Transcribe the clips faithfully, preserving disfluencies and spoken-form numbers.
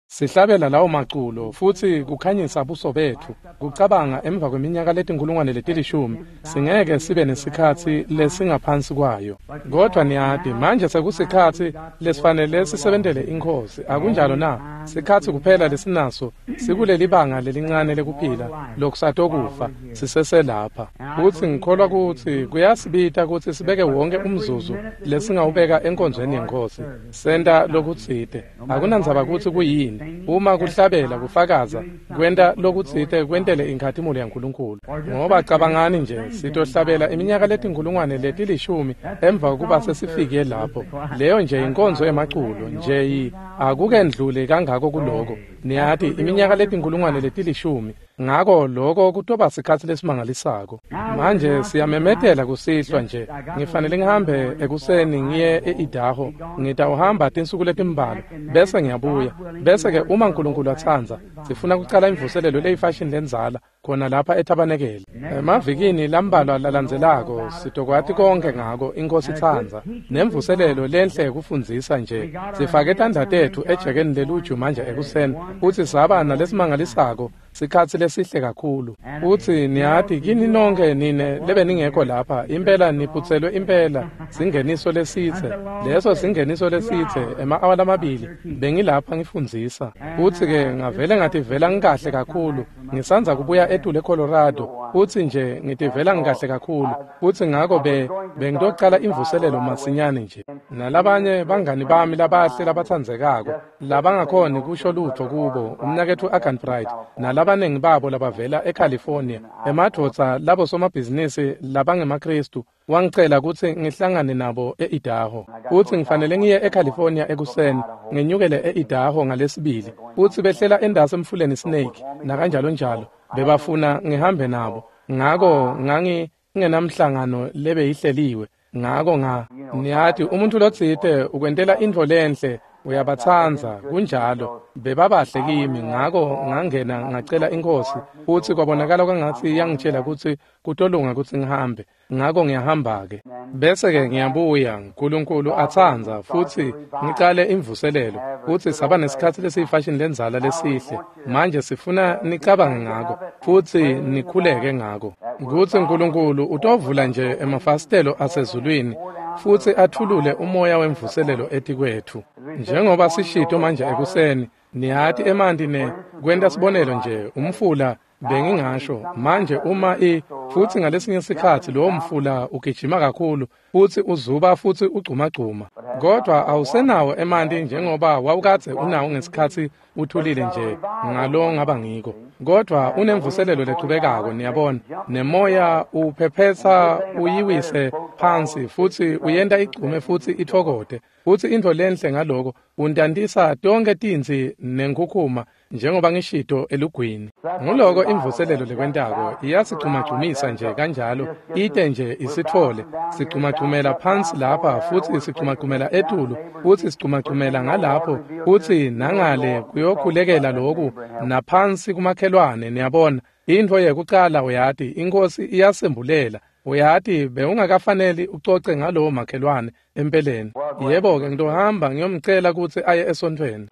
Sihlabela lawo maculo futsi kukhanyisa buso betfu kucabanga emva kweminyaka letinkulungwane letilishumi singeke sibe nesikhatsi lesingaphansi kwayo. Kodwa niyati manje sekusikhatsi lesifanele sisebentele iNkhosi, akunjalo na? Sikhatsi kuphela lesinaso sikulelibanga lelincane lekuphila lokusatokufa siseselapha. Futsi ngikholwa kutsi kuyasibita kutsi sibeke wonke umzuzu lesingawubeka enkonzweni yeNkhosi senta lokutsite. Akunandzaba kutsi kuyini, uma kuhlabela, kufakaza, kwenta lokutsite kwentele inkhatimulo yaNkulunkulu. Ngoba cabangani nje, sitohlabela iminyaka letinkulungwane letilishumi emva kokuba sesifike lapho. Leyo nje inkonzo yemaculo nje, akukendluli kangako kuloko. Niyati iminyaka letinkulungwane letilishumi, ngako loko kutoba sikhatsi lesimangalisako. Manje siyamemetela kusihlwa nje, ngifanele ngihambe ekuseni ngiye e-Idaho. Ngitawuhamba tinsuku letimbalwa bese ngiyabuya. Bese-ke uma uNkulunkulu atsandza, sifuna kucala imvuselelo leyifashini lendzala khona lapha ethabanekele. Emavikini lambalwa lalandzelako sitokwati konke ngako, iNkhosi itsandza. Nemvuselelo lenhle kufundzisa nje. Sifake tandla tetfu ejekeni leluju manje ekuseni futsi saba nalesimangalisako sikhatsi lesihle kakhulu. Futsi niyati kini nonke nine lebeningekho lapha, impela niphutselwe impela singeniso lesitse. Leso singeniso lesitse ema-awa lamabili bengilapha ngifundzisa. Futsi-ke ngavele ngativela ngikahle kakhulu. Ngisandza kubuya etulu eColorado futsi nje ngitivela ngikahle kakhulu. Futsi ngako be bengitocala imvuselelo masinyane nje. Nalabanye bangani bami labahle labatsandzekako labangakhoni kusho lutho kubo, umnaketfu Agan Bright nalabaningi babo labavela eCalifornia, emadvodza labo somabhizinisi labangemaKristu, wangicela kutsi ngihlangane nabo e-Idaho. Futsi ngifanele ngiye eCalifornia ekuseni, ngenyukele e-Idaho ngalesibili. Futsi behlela endasi emfuleni Snake nakanjalo njalo, bebafuna ngihambe nabo. Ngako ngangingenamhlangano lebeyihleliwe. Ngako nga niyati umuntu lotsite ukwentela intfo lenhle uyabatsandza, kunjalo. Bebabahle kimi, ngako ngangena ngacela iNkhosi futsi kwabonakala kwangatsi yangitjela kutsi kutolunga kutsi ngihambe. Ngako ngiyahamba-ke. Bese-ke ngiyabuya, uNkulunkulu atsandza, futsi ngicale imvuselelo. Futsi saba nesikhatsi lesiyifashini lendzala lesihle. Manje sifuna nicabange ngako futsi nikhuleke ngako kutsi uNkulunkulu utovula nje emafasitelo asezulwini futsi athulule umoya wemvuselelo etikwetfu. Njengoba sishito manje ekuseni, niyati emanti ne kwenta sibonelo nje umfula bengingasho manje uma i futsi ngalesinye sikhatsi lowo mfula ugijima kakhulu futsi uzuba futsi ugcumagcuma, kodwa awusenawo emanti njengoba wawukadze unawo ngesikhatsi uthulile nje ngalo ngaba ngiko. Kodwa unemvuselelo lechubekako, niyabona, nemoya uphephetsa uyiwise phansi futsi uyenta igcume futsi itfokote. Futsi intfo lenhle ngaloko untantisa tonke tintsi nenkhukhuma njengoba ngishito elugwini. Nguloko imvuselelo lekwentako, iyasigcumagcumisa nje kanjalo, ite nje isitfole. Sigcumagcumela phansi lapha futsi sigcumagcumela etulu futsi sigcumagcumela ngalapho futsi nangale kuyokhulekela loku naphansi kumakhelwane, niyabona. Intfo yekucala uyati iNkhosi iyasembulela. Uyati bewungakafaneli ucoce ngalowo makhelwane empeleni. Yebo-ke ngitohamba ngiyomcela kutsi aye esontfweni.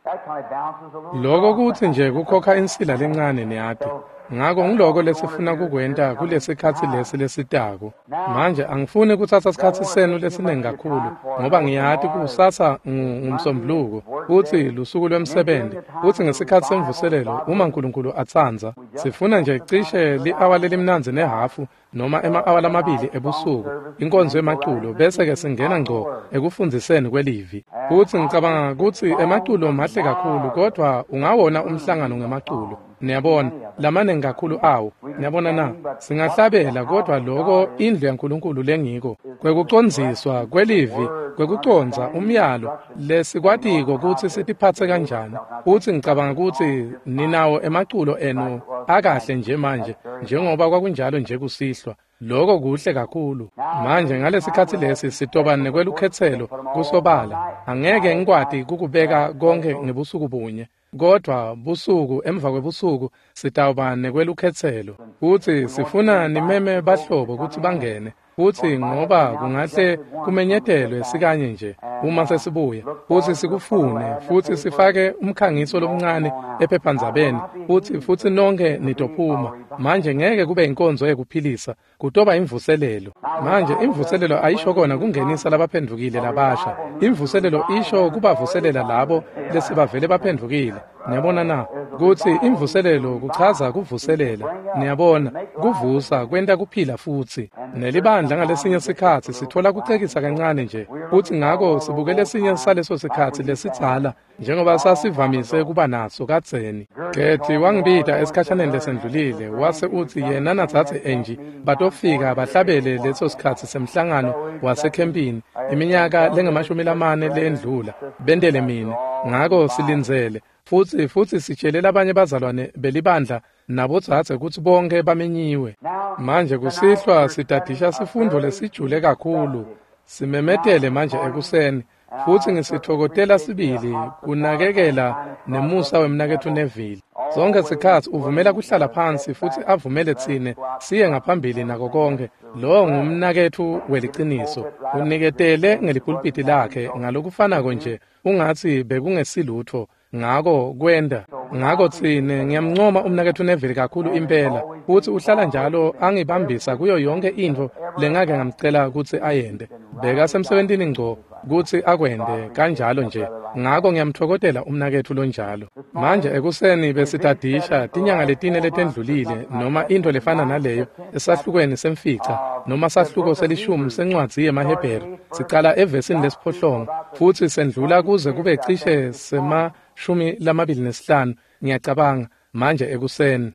Loko kutsi nje kukhokha insila lencane, niyati. Ngako ngiloko lesifuna kukwenta kulesikhatsi lesi lesitako. Manje angifuni kutsatsa sikhatsi senu lesiningi kakhulu ngoba ngiyati kusasa ngumsombuluko futsi lusuku lwemsebenti. Futsi ngesikhatsi semvuselelo uma uNkulunkulu atsandza, sifuna nje cishe li-awa lelimnandzi nehhafu noma ema-awa lamabili ebusuku inkonzo yemaculo, bese-ke singena ngco ekufundziseni kwelivi. Futsi ngicabanga kutsi emaculo mahle kakhulu, kodvwa ungawona umhlangano ngemaculo. Niyabona, lamaningi kakhulu awo. Niyabona na? Singahlabela, kodvwa loko indlu yaNkulunkulu lengiko kwekucondziswa kwelivi, kwekucondza umyalo lesikwatiko kutsi sitiphatse kanjani. Futsi ngicabanga kutsi ninawo emaculo enu akahle nje manje njengoba kwakunjalo nje kusihlwa. Loko kuhle kakhulu. Manje ngalesikhatsi lesi sitoba nekwelukhetselo kusobala. Angeke ngikwati kukubeka konke ngebusuku bunye, kodvwa busuku emva kwebusuku sitawuba nekwelukhetselo. Futsi sifuna nimeme bahlobo kutsi bangene. Futsi ngoba kungahle kumenyetelwe sikanye nje uma sesibuya, futsi sikufune, futsi sifake umkhangiso lomncane ephephandzabeni, futsi futsi nonke nitophuma. Manje ngeke kube inkonzo yekuphilisa, kutoba imvuselelo. Manje imvuselelo ayisho kona kungenisa labaphendvukile labasha. Imvuselelo isho kubavuselela labo lesibavele baphendvukile. Niyabona na? Kutsi imvuselelo kuchaza kuvuselela. Niyabona, kuvusa kwenta kuphila futsi. Nelibandla ngalesinye sikhatsi sithola kucekisa kancane nje, futsi ngako sibuke lesinye saleso sikhatsi lesidzala njengoba sasivamise kuba naso kadzeni. Gethi wangibita esikhashaneni lesendlulile, wase utsi yena natsatse Angie batofika bahlabele leso sikhatsi semhlangano wasekhempini iminyaka lengamashumi lamane lendlula, bentele mine. Ngako silindzele futsi futsi sitshele labanye bazalwane belibandla nabodzadze kutsi bonke bamenyiwe. Manje kusihlwa sitadisha sifundo lesijule kakhulu, simemetele manje ekuseni, futsi ngisitfokotela sibili kunakekela nemusa wemnaketfu Neville. Sonke sikhatsi uvumela kuhlala phansi futsi avumele tsine siye ngaphambili nako konke. Lo ngumnaketfu weliciniso, uniketele ngelipulpiti lakhe ngalokufanako nje ungatsi bekungesilutfo. Ngako kwenda ngako tsine ngiyamncoma umnaketfu Neville kakhulu impela, futsi uhlala njalo angibambisa kuyo yonke intfo lengake ngamcela kutsi ayente. Bekasemsebentini ngco kutsi akwente kanjalo nje. Ngako ngiyamtfokotela umnaketfu lonjalo. Manje ekuseni besitadisha tinyanga letine letendlulile noma intfo lefana naleyo esahlukweni semfica noma sahluko selishumi sencwadzi yemaHebheru, sicala evesini lesiphohlongo futsi sendlula kuze kube cishe sema shumi lamabili nesihlanu ngiyacabanga manje ekuseni.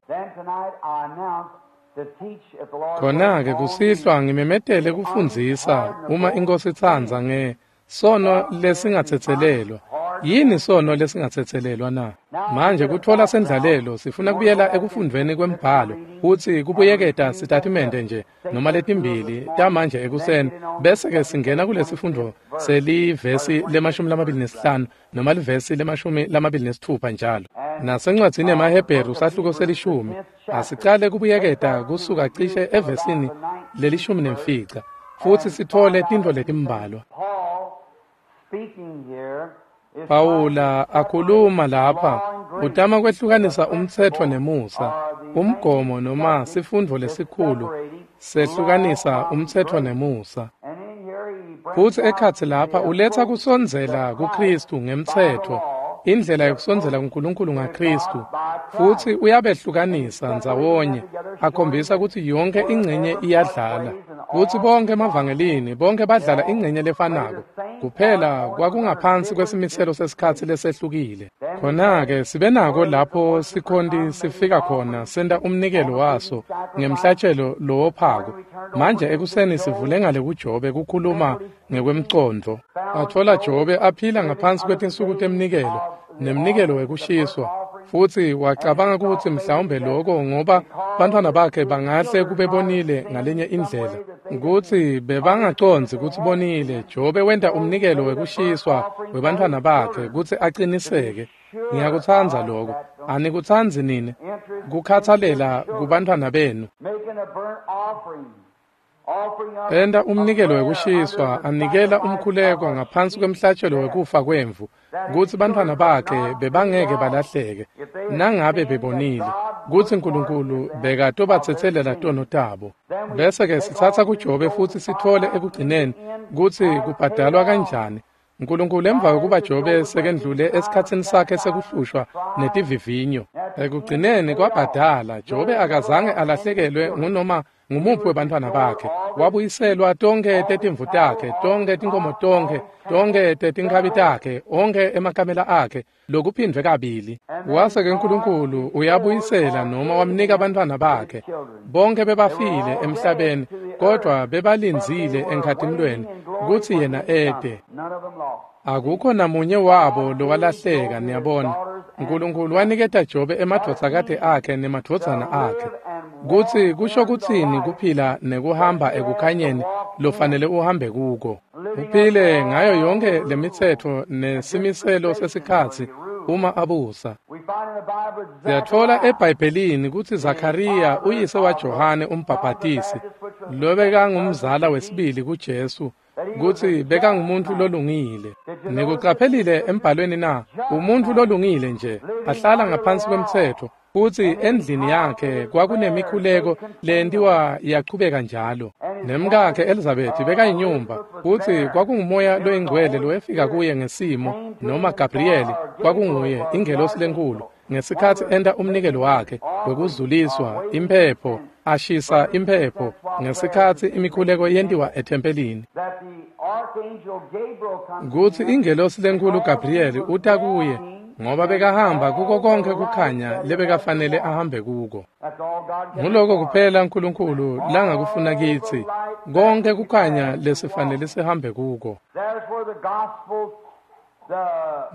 Khona-ke kusihlwa ngimemetele kufundzisa uma iNkosi itsandza nge sono lesingatsetselelwa. Yini sono lesingatsetselelwa na? Manje kutfola sendlalelo sifuna kubuyela ekufundvweni kwembhalo futsi kubuyeketa sitatimende nje noma letimbili tamanje ekuseni, bese-ke singena kulesifundvo selivesi lemashumi lamabili nesihlanu noma livesi lemashumi lamabili nesitfupha njalo. Nasencwadzini yemaHebheru sahluko selishumi asicale kubuyeketa kusuka cishe evesini lelishumi nemfica futsi sitfole tintfo letimbalwa. Pawula akhuluma lapha utama kwehlukanisa umtsetfo nemusa, umgomo noma sifundvo lesikhulu sehlukanisa umtsetfo nemusa. Futsi ekhatsi lapha uletsa kusondzela kuKhristu ngemtsetfo, indlela yokusondzela kuNkulunkulu ngaKhristu, futsi uyabehlukanisa ndzawonye, akhombisa kutsi yonke ingcenye iyadlala. Kutsi bonke emavangelini bonke badlala ingcenye lefanako, kuphela kwakungaphansi kwesimiselo sesikhatsi lesehlukile. Khona-ke sibe nako lapho sikhonti sifika khona senta umnikelo waso ngemhlatshelo lowophako. Manje ekuseni sivule ngale kuJobe kukhuluma ngekwemcondvo. Atfola Jobe aphila ngaphansi kwetinsuku temnikelo nemnikelo wekushiswa, futsi wacabanga kutsi mhlawumbe lokho ngoba bantfwana bakhe bangahle kube bonile ngalenye indlela, kutsi bebangacondzi kutsi bonile. Jobe wenta umnikelo wekushiswa webantfwana bakhe kutsi aqiniseke. Ngiyakutsandza lokho. Anikutsandzi nine kukhatsalela kubantfwana benu? Enta umnikelo wekushiswa, anikela umkhuleko ngaphansi kwemhlatshelo wekufa kwemvu, kutsi bantfwana bakhe bebangeke balahleke nangabe bebonile kutsi Nkulunkulu bekatobatsetselela tono tabo. Bese-ke sitsatsa kuJobe futsi sitfole ekugcineni kutsi kubhadalwa kanjani. Nkulunkulu emva kokuba Jobe sekendlule esikhatsini sakhe sekuhlushwa netivivinyo, ekugcineni kwabhadala. Jobe akazange alahlekelwe ngunoma ngumuphi webantfwana bakhe. Wabuyiselwa tonkhe tetimvu takhe, tonkhe tinkomo tonkhe, tonkhe tetinkhabi takhe, onkhe emakamela akhe, lokuphindvwe kabili. Wase-ke Nkulunkulu uyabuyisela noma wamnika bantfwana bakhe. Bonke bebafile emhlabeni, kodvwa bebalindzile enkhatimlweni kutsi yena ete. Akukho namunye wabo lowalahleka. Niyabona, Nkulunkulu waniketa Jobe emadvodzakati akhe nemadvodzana akhe. Kutsi kusho kutsini kuphila nekuhamba ekukhanyeni lofanele uhambe kuko. Uphile ngayo yonke lemitsetfo nesimiselo sesikhatsi uma abusa. Siyatfola eBhayibhelini kutsi Zakhariya uyise waJohane umbhabhatisi, lobekangumzala wesibili kuJesu, kutsi bekangumuntu lolungile. Nikuqaphelile embhalweni na? Umuntu lolungile nje, ahlala ngaphansi kwemtsetfo, futsi endlini yakhe kwakunemikhuleko lentiwa yachubeka njalo. Nemkakhe Elizabeth bekayinyumba, futsi kwakungumoya loyingcwele lowefika kuye ngesimo, noma Gabriyeli kwakunguye ingelosi lenkulu, ngesikhatsi enta umnikelo wakhe wekuzuliswa imphepho, ashisa imphepho ngesikhatsi imikhuleko yentiwa ethempelini. Kutsi ingelosi lenkulu Gabriyeli uta kuye ngoba bekahamba kuko konke kukhanya lebekafanele ahambe kuko. Nguloko kuphela uNkulunkulu langakufuna kitsi, konke kukhanya lesifanele sihambe kuko.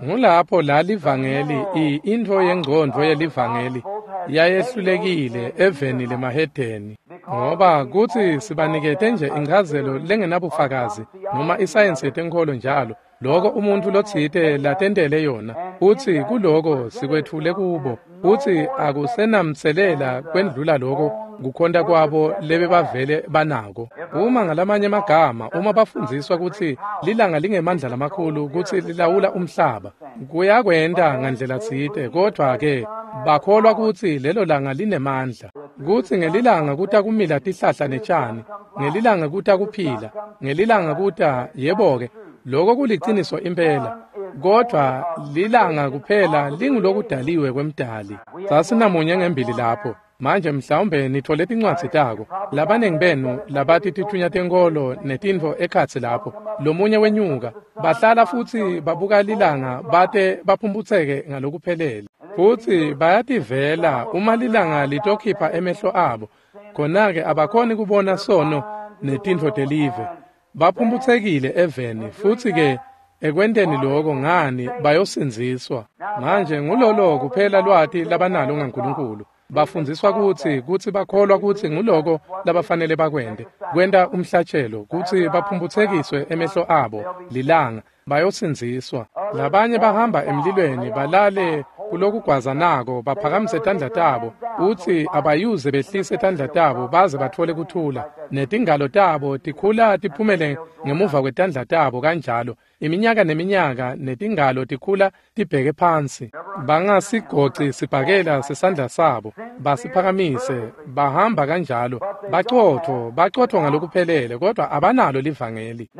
Ngulapho la livangeli, intfo yengcondvo yelivangeli yayehlulekile eveni lemahedeni, ngoba kutsi sibanikete nje inchazelo lengenabufakazi noma isayensi yetenkholo njalo, loko umuntu lotsite latentele yona, futsi kuloko sikwetfule kubo, futsi akusenamtselela kwendlula loko kukhonta kwabo lebebavele banako. Uma ngalamanye amagama, uma bafundziswa kutsi lilanga lingemandla lamakhulu kutsi lilawula umhlaba, kuyakwenta ngandlela tsite, kodwa-ke bakholwa kutsi lelo langa linemandla, kutsi ngelilanga kuta kumila tihlahla netjani, ngelilanga kuta kuphila, ngelilanga kuta, yebo-ke, loko kuliciniso impela, kodwa lilanga kuphela lingulokudaliwe kwemdali. Sasinamunye ngembili lapho. Manje mhlawumbe nithole tincwadzi tako. Labanengi benu labati tithunya tenkholo netintfo ekhatsi lapho. Lomunye wenyuka, bahlala futsi babuka lilanga bate baphumputseke ngalokuphelele. Futsi bayativela uma lilanga litokhipha emehlo abo. Khona-ke abakhoni kubona sono netintfo telive. Baphumphutsekile eveni, futsi-ke ekwenteni loko ngani bayosindziswa. Manje ngulolo kuphela lwati labanalo ngaNkulunkulu. Bafundziswa kutsi kutsi bakholwa kutsi nguloko labafanele bakwente, kwenta umhlatshelo, kutsi baphumphutsekiswe emehlo abo lilanga, bayosindziswa. Labanye bahamba emlilweni balale kulokugwazanako, baphakamise tandla tabo, utsi abayuze behlise tandla tabo baze batfole kuthula, netingalo tabo tikhula tiphumele ngemuva kwetandla tabo kanjalo, iminyaka neminyaka, netingalo tikhula tibheke phansi. Bangasigoci sibhakela sesandla sabo, basiphakamise, bahamba kanjalo, bacotfo, bacotfo ngalokuphelele, kodwa abanalo livangeli.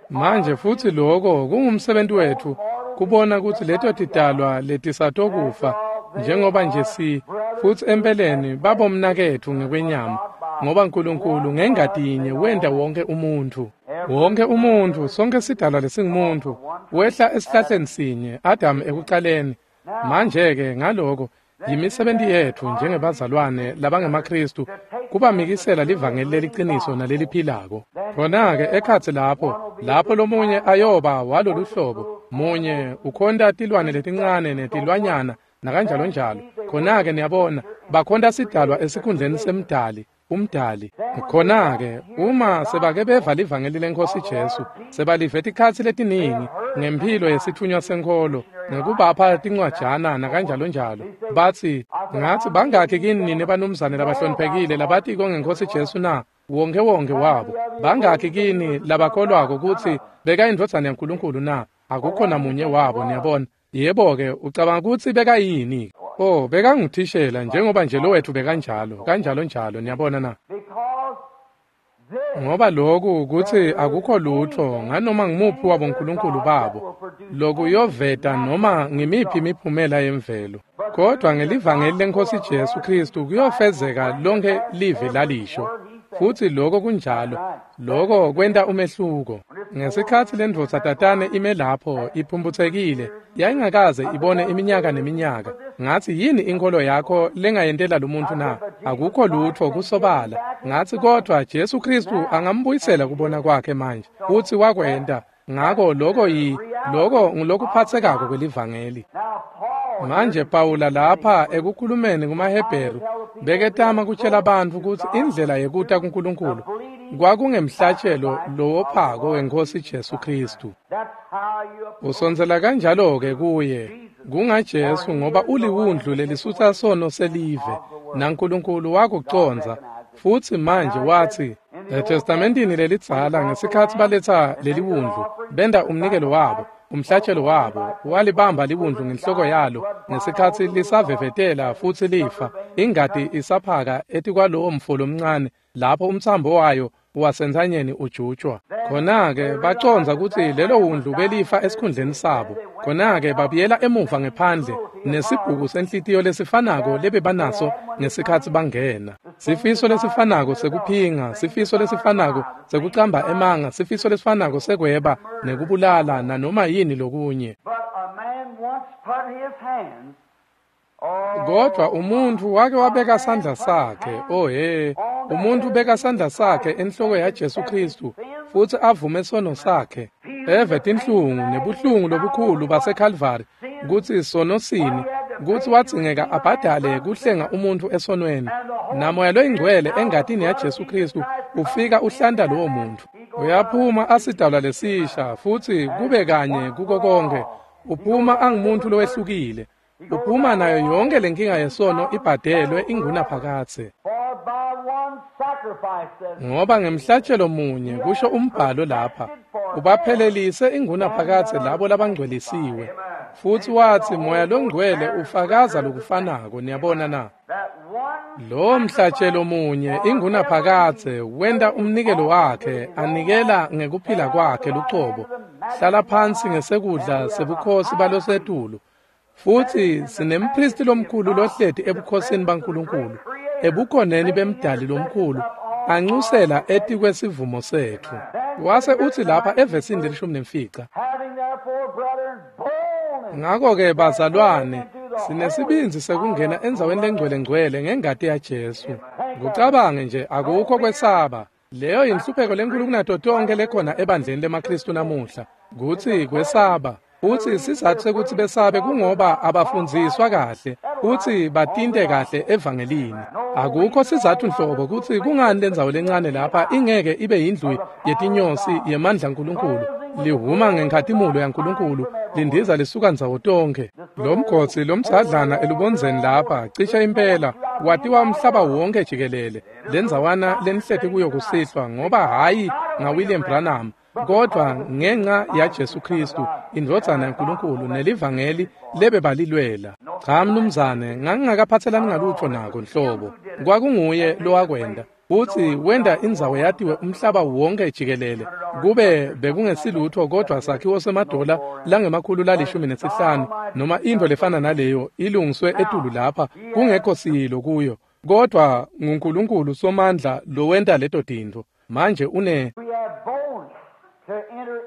Manje futsi loko kungumsebenzi wetfu, kubona kutsi leto tidalwa letisatokufa, njengoba nje si, futsi empeleni babomnaketfu ngekwenyama, ngoba uNkulunkulu ngengati yinye wenta wonke umuntfu. Wonke umuntfu, sonke sidalwa lesingumuntu, wehla esihlahleni sinye, Adam ekucaleni. Manje-ke ngaloko, yimisebenti yetfu njengebazalwane labangemaKhristu kubamikisela livangeli leliciniso naleliphilako. Khona-ke ekhatsi lapho, lapho lomunye ayoba walolu hlobo, munye ukhonta tilwane letincane netilwanyana nakanjalo njalo. Khona-ke niyabona, bakhonta sidalwa esikhundleni semdali, umdali. Khona-ke uma sebake beva livangeli leNkhosi Jesu, sebalive tikhatsi letiningi ngemphilo yesitfunywa senkholo, ngekubapha tincwajana nakanjalo njalo, batsi, ngatsi bangakhi kini nine banumzane labahloniphekile labatiko ngeNkhosi Jesu na? Wonke wonke wabo. Bangakhi kini labakholwako kutsi bekayindvodzana yaNkulunkulu na? Akukho namunye wabo, niyabona. Yebo-ke, ucabanga kutsi bekayini? Oh, bekanguthishela njengoba nje lowetfu bekanjalo, kanjalo njalo, niyabona na? Ngoba loku kutsi akukho lutfo nganoma ngimuphi wabo nkulunkulu babo lokuyoveta noma ngimiphi imiphumela yemvelo, kodwa ngelivangeli leNkhosi Jesu Khristu kuyofezeka lonke livi lalisho. Futsi loko kunjalo, loko kwenta umehluko. Ngesikhatsi lendvodza tatane ime lapho iphumputsekile, yayingakaze ibone iminyaka neminyaka. Ngatsi, yini inkholo yakho lengayentela lomuntu na? Akukho lutfo kusobala. Ngatsi, kodwa Jesu Khristu angambuyisela kubona kwakhe manje, futsi wakwenta. Ngako loko yi loko ngulokuphatsekako kwelivangeli. Manje Pawula lapha ekukhulumeni kumaHebheru beketama kutshela bantfu kutsi indlela yekuta kuNkulunkulu kwakungemhlatshelo lowophako weNkhosi Jesu Khristu. Usondzela kanjalo-ke kuye kungaJesu, ngoba uliwundlu lelisusa sono selive, naNkulunkulu wakucondza. Futsi manje watsi eTestamentini lelidzala ngesikhatsi baletsa leliwundlu benda umnikelo wabo, umhlatshelo wabo, walibamba liwundlu ngenhloko yalo ngesikhatsi lisavevetela futsi lifa, ingati isaphaka etikwalowo mfo lomncane lapho umtsambo wayo wasentsanyeni ujutshwa. Khona-ke bacondza kutsi lelo wundlu belifa esikhundleni sabo. Khona-ke babuyela emuva ngephandle nesibhuku senhlitiyo lesifanako lebebanaso ngesikhatsi bangena. Sifiso lesifanako sekuphinga, sifiso lesifanako sekucamba emanga, sifiso lesifanako sekweba nekubulala nanoma yini lokunye. Kodwa umuntfu wake wabeka sandla sakhe, oh he, umuntfu ubeka sandla sakhe enhloko yaJesu Khristu futsi avume sono sakhe, eve tinhlungu nebuhlungu lobukhulu baseKalvari kutsi sono sini, kutsi wadzingeka abhadale kuhlenga umuntfu esonweni. Namoya loyingcwele engatini yaJesu Khristu ufika uhlanta lowo muntfu. Uyaphuma asidalwa lesisha futsi kube kanye kuko konke. Uphuma angumuntfu lowehlukile. Uphuma nayo yonke lenkinga yesono ibhadelwe ingunaphakadze. Ngoba ngemhlatshelo munye kusho umbhalo lapha, ubaphelelise ingunaphakadze labo labangcwelisiwe. Futsi watsi Moya loNgcwele ufakaza lokufanako, niyabona na? Lo mhlatshelo munye ingunaphakadze wenta umnikelo wakhe anikela ngekuphila kwakhe lucobo, hlala phansi ngesekudla sebukhosi balosetulu. Futsi sinempristi lomkhulu lohleti ebukhosini baNkulunkulu, ebukhoneni bemdali lomkhulu, ancusela etikwesivumo setfu. Wase utsi lapha evesini lelishumi nemfica, ngako-ke bazalwane, sinesibindzi sekungena endzaweni lengcwele-ngcwele ngengati yaJesu. Kucabange nje, akukho kwesaba. Leyo yinhlupheko lenkulu kunato tonkhe lekhona ebandleni lemaKhristu namuhla, kutsi kwesaba. Futsi sizatfu sekutsi besabe kungoba abafundziswa kahle futsi batinte kahle evangelini. Akukho sizatfu nhlobo kutsi kungani lendzawo lencane lapha ingeke ibe yindlu yetinyosi yemandla aNkulunkulu, lihuma ngenkhatimulo yaNkulunkulu, lindiza lisuka ndzawo tonkhe. Lo mgodzi lomdzadlana elubondzeni lapha cishe impela watiwa umhlaba wonke jikelele. Lendzawana lenihleti kuyo kusihlwa ngoba hhayi ngaWilliam Branham, kodwa ngenxa yaJesu Khristu indvodzana yaNkulunkulu nelivangeli lebebalilwela. Cha mnumzane, ngangingakaphatselani ngalutfo nako nhlobo. Kwakunguye lowakwenta futsi wenta indzawo yatiwe umhlaba wonke jikelele. Kube bekungesilutfo kodwa sakhiwo semadola langemakhulu lalishumi nesihlanu noma intfo lefana naleyo ilungiswe etulu lapha kungekho siyilo kuyo, kodwa nguNkulunkulu Somandla lowenta leto tintfo. Manje une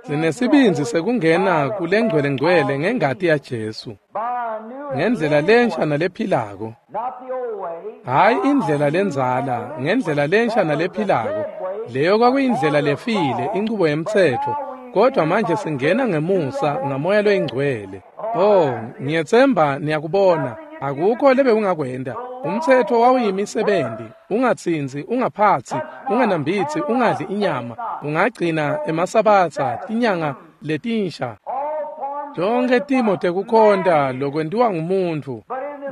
sinesibindzi sekungena kulengcwele-ngcwele ngengati yaJesu, ngendlela lensha nalephilako, hhayi indlela lendzala, ngendlela lensha nalephilako. Leyo kwakuyindlela lefile, inchubo yemtsetfo, kodwa manje singena ngemusa ngamoya loyingcwele. Oh, ngiyetsemba niyakubona, akukho lebekungakwenta. Umtsetfo wawuyimisebenti, ungatsintsi, ungaphatsi, unganambitsi, ungadli inyama, ungagcina emasabatha, tinyanga letinsha, tonkhe timo tekukhonta lokwentiwa ngumuntfu.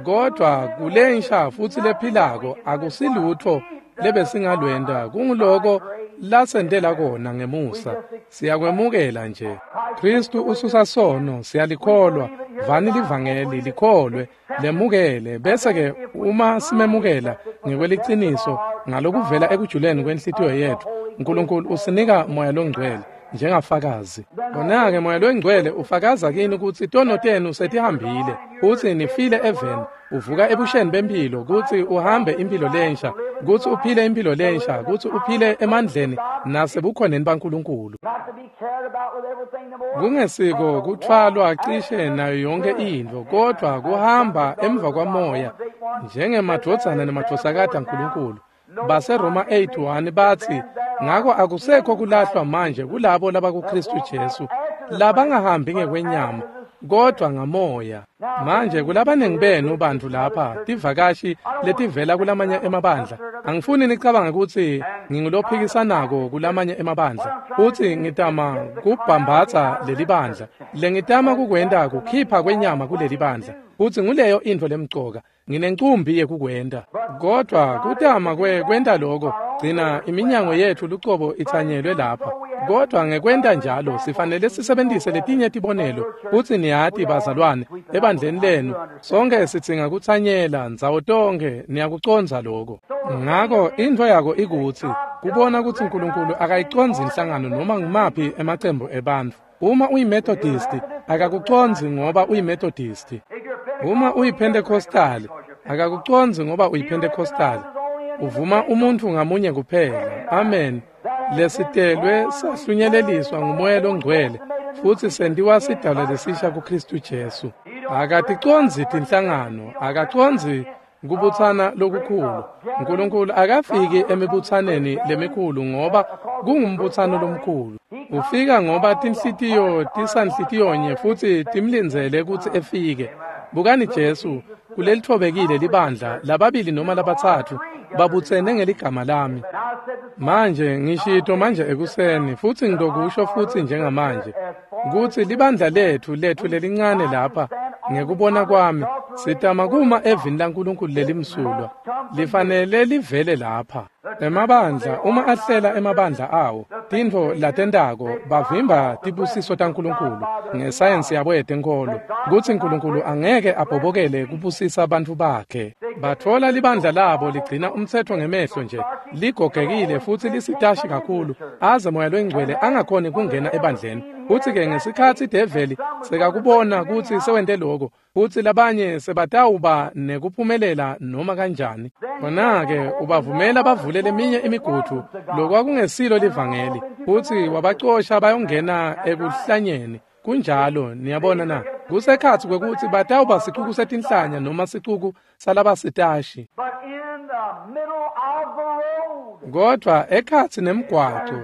Kodwa kulensha futsi lephilako akusilutfo lebesingalwenta, kunguloko lasentela kona ngemusa. Siyakwemukela nje. Khristu ususa sono, siyalikholwa. Vani livangeli, likholwe, lemukele, bese-ke uma simemukela ngekweliciniso ngalokuvela ekujuleni kwenhlitiyo yetfu, Nkulunkulu usinika Moya loNgcwele njengafakazi. Khona-ke Moya loNgcwele ufakaza kini kutsi tono tenu setihambile, kutsi nifile eveni, uvuka ebusheni bempilo kutsi uhambe impilo lensha, kutsi uphile impilo lensha, kutsi uphile emandleni nasebukhoneni baNkulunkulu. Kungesiko kutfwalwa cishe nayo yonke intfo, kodwa kuhamba emva kwamoya njengemadvodzana nemadvodzakati aNkulunkulu. BaseRoma eight one batsi, ngako akusekho kulahlwa manje kulabo labakuKhristu Jesu, labangahambi ngekwenyama, kodwa ngamoya. Manje kulabaningi benu bantu lapha tivakashi letivela kulamanye emabandla, angifuni nicabanga ukuthi ngingulophikisanako kulamanye emabandla futhi ngitama kubhambatha leli bandla. Lengitama kukwenta kukhipha kwenyama kuleli bandla, futhi nguleyo intfo lemcoka. Nginencumbi yekukwenta, kodwa kutama kwenta lokho gcina iminyango yethu lucobo itsanyelwe lapha. Kodwa ngekwenta njalo sifanele sisebenzise letinye tibonelo. Futhi niyati bazalwane, ebandleni lenu sonke sidzinga kutsanyela ndzawo tonke, niyakucondza lokho. Ngako intfo yako ikutsi kubona kutsi uNkulunkulu akayicondzi inhlangano noma ngumaphi emacembu ebantfu. Uma uyiMethodist akakucondzi ngoba uyiMethodist. Uma uyiPentecostal akakucondzi ngoba uyiPentecostal. Uvuma umuntu ngamunye kuphela. Amen. Lesitelwe sahlunyeleliswa ngumoya longcwele futhi sentiwa sidalwa lesisha kuKristu Jesu. Akaticondzi tinhlangano, akacondzi kubutsana lokukhulu. uNkulunkulu akafiki emibutsaneni lemikhulu ngoba kungumbutsano lomkhulu. Ufika ngoba tinhlitiyo tisanhlitiyonye futhi timlindzele kutsi efike. Bukani Jesu kulelithobekile libandla, lababili noma labatsatfu babutsene ngeligama lami. Manje ngishito manje ekuseni futhi ngidokusho futhi njengamanje kutsi libandla lethu lethu lelincane lapha, ngekubona kwami sitama kuma evini laNkulunkulu lelimsulwa, lifanele livele lapha. Emabandla uma ahlela emabandla awo tintfo latentako bavimba tibusiso taNkulunkulu ngesayensi yabo yetenkolo kutsi uNkulunkulu angeke abhobokele kubusisa bantfu bakhe. Batfola libandla labo ligcina umtsetfo ngemehlo nje, ligogekile futhi lisitashi kakhulu aze moya longcwele angakhoni kungena ebandleni. Futsi-ke ngesikhatsi develi sekakubona kutsi sewente loko, futsi labanye sebatawuba nekuphumelela noma kanjani, khona-ke ubavumela bavule leminye imigudu lokwakungesilo livangeli, futsi wabacosha bayongena ekuhlanyeni. Kunjalo, niyabona na? Kusekhatsi kwekutsi batawuba sicuku setinhlanya noma sicuku salabasitashi. Kodwa ekhatsi nemgwaco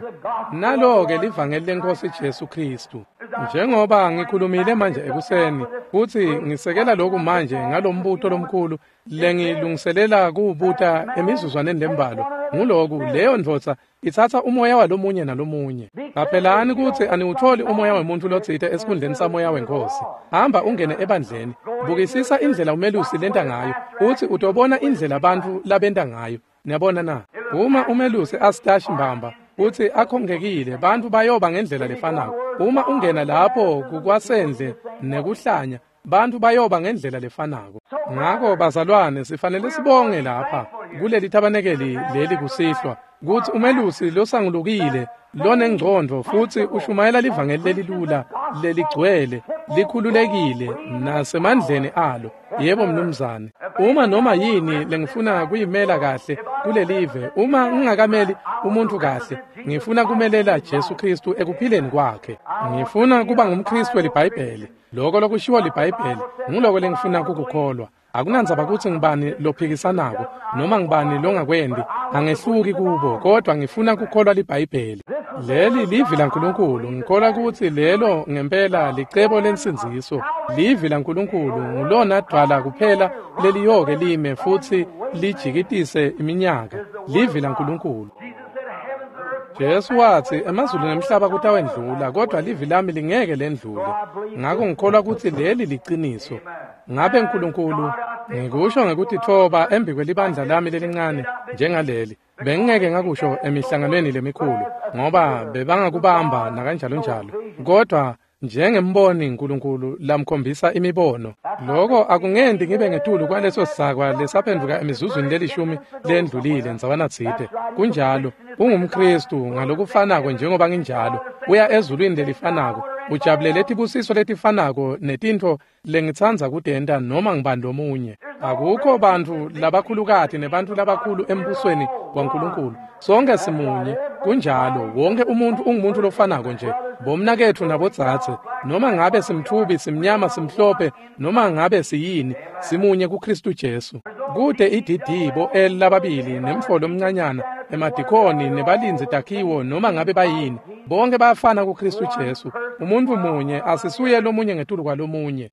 nalo-ke livangeli leNkosi Jesu Kristu. Njengoba ngikhulumile manje ekuseni futhi ngisekela lokhu manje ngalombuto lomkhulu lengilungiselela kuwubuta emizuzwaneni lembalwa, nguloku: leyo ndvodza itsatsa umoya walomunye nalomunye. Qaphelani kutsi aniwutholi umoya wemuntfu lotsite esikhundleni samoya weNkhosi. Hamba ungene ebandleni, bukisisa indlela umelusi lenta ngayo, futsi utobona indlela bantfu labenta ngayo. Niyabona na? Uma umelusi asitashi mbamba futsi akhongekile, bantfu bayoba ngendlela lefanako. Uma ungena lapho kukwasendle nekuhlanya, bantfu bayoba ngendlela lefanako. Ngako bazalwane, sifanele sibonge lapha kuleli tabanekeli leli kusihlwa kutsi umelusi losangulukile lonengcondvo futhi ushumayela livangeli lelilula leligcwele likhululekile nasemandleni alo. Yebo mnumzane, uma noma yini lengifuna kuyimela kahle kulelive, uma ngingakameli umuntu kahle, ngifuna kumelela Jesu Kristu ekuphileni kwakhe. Ngifuna kuba ngumKristu weliBhayibheli. Lokho lokushiwo liBhayibheli nguloko lengifuna kukukholwa. Akunandzaba kutsi ngibani lophikisanako noma ngibani longakwendi, angehluki kubo, kodwa ngifuna kukholwa liBhayibheli. Leli livi laNkulunkulu. Ngikholwa kutsi lelo ngempela licebo lensindziso. Livi laNkulunkulu ngulona dvwala kuphela leliyoke lime futhi lijikitise iminyaka. Livi laNkulunkulu. Jesu watsi emazulu nemhlaba kutawendlula, kodwa livi lami lingeke lendlule. Ngako ngikholwa kutsi leli liciniso. Ngabe uNkulunkulu, ngikusho ngekutitfoba embi kwelibandla lami lelincane njengaleli, bengingeke ngakusho emihlanganweni lemikhulu ngoba bebangakubamba nakanjalo njalo, kodwa njengemboni uNkulunkulu lamkhombisa imibono, lokho akungenti ngibe ngetulu kwaleso sakwa lesaphenduka emizuzwini lelishumi lendlulile ndzawana tsite. Kunjalo, ungumKristu ngalokufanako njengoba nginjalo, uya ezulwini lelifanako, ujabulele tibusiso letifanako netintfo lengitsandza kutenta noma ngibani lomunye. Akukho bantfu labakhulukati nebantfu labakhulu embusweni waNkulunkulu. Sonke simunye. Kunjalo, wonke umuntu ungumuntu lofanako nje, bomnaketfu nabodzadze, noma ngabe simtfubi, simnyama, simhlophe, noma ngabe siyini, simunye kuKristu Jesu. Kute I D D bo L lababili nemfo lomncanyana emadikoni nebalindzi takhiwo noma ngabe bayini, bonke bayafana kuKristu Jesu. Umuntu munye asisuye lomunye ngetulu kwalomunye.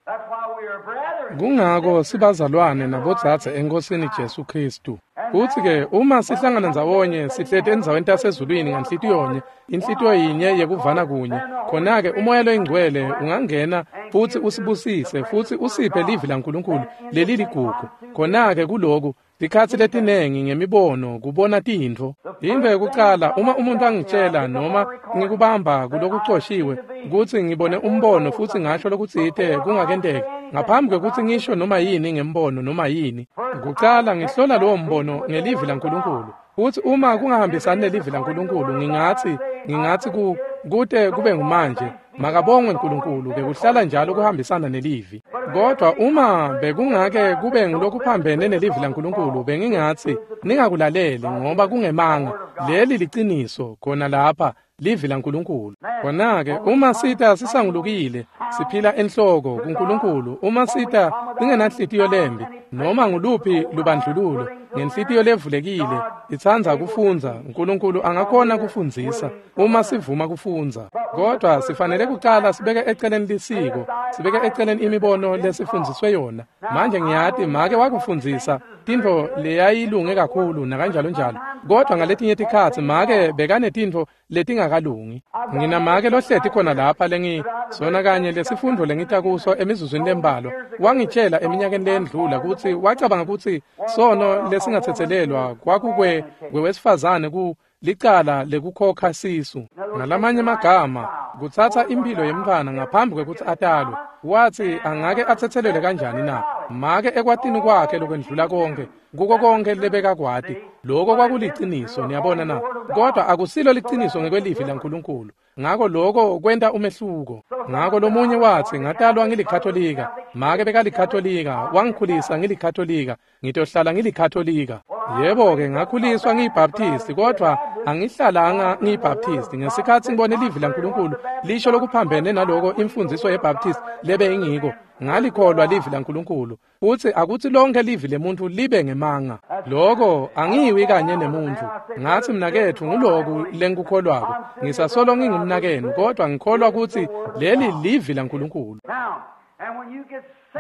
Kungako sibazalwane nabodzadze eNkosini Jesu Kristu. Kuthi-ke uma sihlangana ndzawonye sihleti endzaweni tasezulwini nganhlitiyonye, inhlitiyo yinye yekuvana kunye, khona-ke uMoya loyiNgcwele ungangena futsi usibusise futsi usiphe livi laNkulunkulu leliligugu. Khona-ke kuloku tikhatsi letinengi ngemibono kubona tintfo. Intfo yekucala uma umuntu angitshela noma ngikubamba kulokucoshiwe kutsi ngibone umbono futsi ngasho lokutsite kungakenteki ngaphambi kwekutsi ngisho noma yini ngembono noma yini, kucala ngihlola lowo mbono ngelivi laNkulunkulu. Futsi uma kungahambisani nelivi laNkulunkulu ngingatsi ngingatsi ku kute kube ngumanje makabongwe uNkulunkulu bekuhlala njalo kuhambisana nelivi. Kodwa uma bekungake kube ngulokuphambene nelivi laNkulunkulu bengingatsi ningakulaleli ngoba kungemanga. Leli liciniso khona lapha livi laNkulunkulu. Khona-ke uma sita sisangulukile siphila enhloko kuNkulunkulu, uma sita singenanhlitiyo lembi noma nguluphi lubandlululo ngenhlitiyo levulekile itsandza kufundza, uNkulunkulu angakhona kufundzisa uma sivuma kufundza. Kodwa sifanele kucala sibeke eceleni lisiko, sibeke eceleni imibono lesifundziswe yona. Manje ngiyati make wakufundzisa tintfo leyayilunge kakhulu nakanjalo njalo, kodwa ngaletinye tikhatsi make bekanetintfo letingakalungi. Nginamake lohleti khona lapha lengi sona kanye lesifundvo lengita kuso emizuzwini lembalwa. Wangitshela eminyakeni leyendlula kutsi wacabanga kutsi sono lesingatsetselelwa kwakukwe kwewesifazane ku licala lekukhokha sisu. Ngalamanye amagama kutsatsa impilo yemntfwana ngaphambi kwekutsi atalwe. Watsi angake atsetselelwe kanjani na? Make ekwatini kwakhe lokwendlula konke, kuko konke lebekakwati, loko kwakuliciniso, niyabona na? Kodwa akusilo liciniso ngekwelivi laNkulunkulu. Ngako loko kwenta umehluko. Ngako lomunye watsi ngatalwa ngilikatolika, make bekalikatolika, wangikhulisa ngilikatolika, ngitohlala ngilikatolika. Yebo-ke ngakhuliswa ngiyibaptisti, kodwa angihlalanga ngiyibaptisti. Ngesikhatsi ngibone livi laNkulunkulu lisho lokuphambene naloko imfundziso yebaptisti lebe ingiko, ngalikholwa livi laNkulunkulu. Futsi akutsi lonke livi lemuntfu libe ngemanga. Loko angiwi kanye nemuntfu. Ngatsi mnaketfu nguloku lengikukholwako. Ngisasolo ngingumnakenu, kodwa ngikholwa kutsi leli livi laNkulunkulu.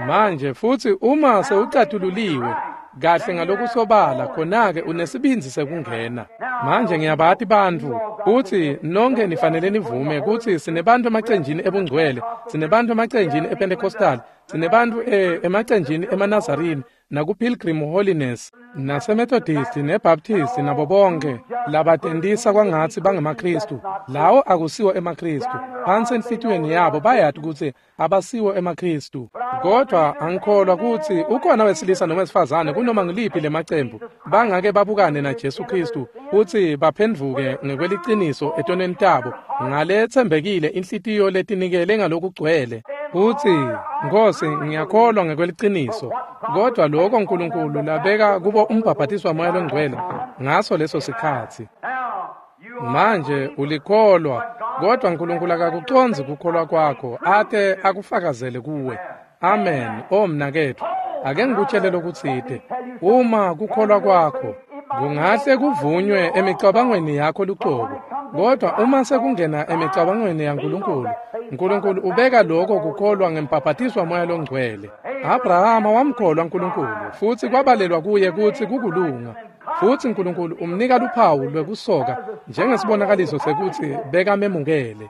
Manje futsi uma sewucatululiwe kahle ngalokusobala, khona-ke unesibindzi sekungena. Manje ngiyabati bantfu kutsi nonke nifanele nivume kutsi sinebantfu emacenjini ebungcwele, sinebantfu emacenjini ePentecostal, sinebantfu emacenjini emaNazarini naku-Pilgrim Holiness naseMethodist neBaptist nabo bonke labatentisa kwangatsi bangemaKristu. Lawo akusiwo emaKristu. Phansi enhlitiyweni yabo bayati kutsi abasiwo emaKristu. Kodwa angikholwa kutsi ukhona wesilisa noma wesifazane kunoma ngiliphi lemacembu bangake babukane na Jesu Kristu kutsi baphendvuke ngekweliciniso etonweni tabo ngaletsembekile inhlitiyo letinikele ngalokugcwele. Utsi, Nkosi, ngiyakholwa ngekweliciniso, kodwa lokho uNkulunkulu labeka kubo umbhabhatiswa Moya loNgcwele ngaso leso sikhatsi. Manje ulikholwa, kodwa uNkulunkulu akakucondzi kukholwa kwakho ate akufakazele kuwe. Amen. O mnaketfu, ake ngikutshele lokutsite. Uma kukholwa kwakho kungahle kuvunywe emicabangweni yakho lucobo, kodwa uma sekungena emicabangweni yaNkulunkulu, uNkulunkulu ubeka lokho kukholwa ngembhabhatiswa Moya loNgcwele. Abrahama wamkholwa uNkulunkulu futsi kwabalelwa kuye kutsi kukulunga. Futsi uNkulunkulu umnika luphawu lwekusoka njengesibonakaliso sekutsi bekamemukele.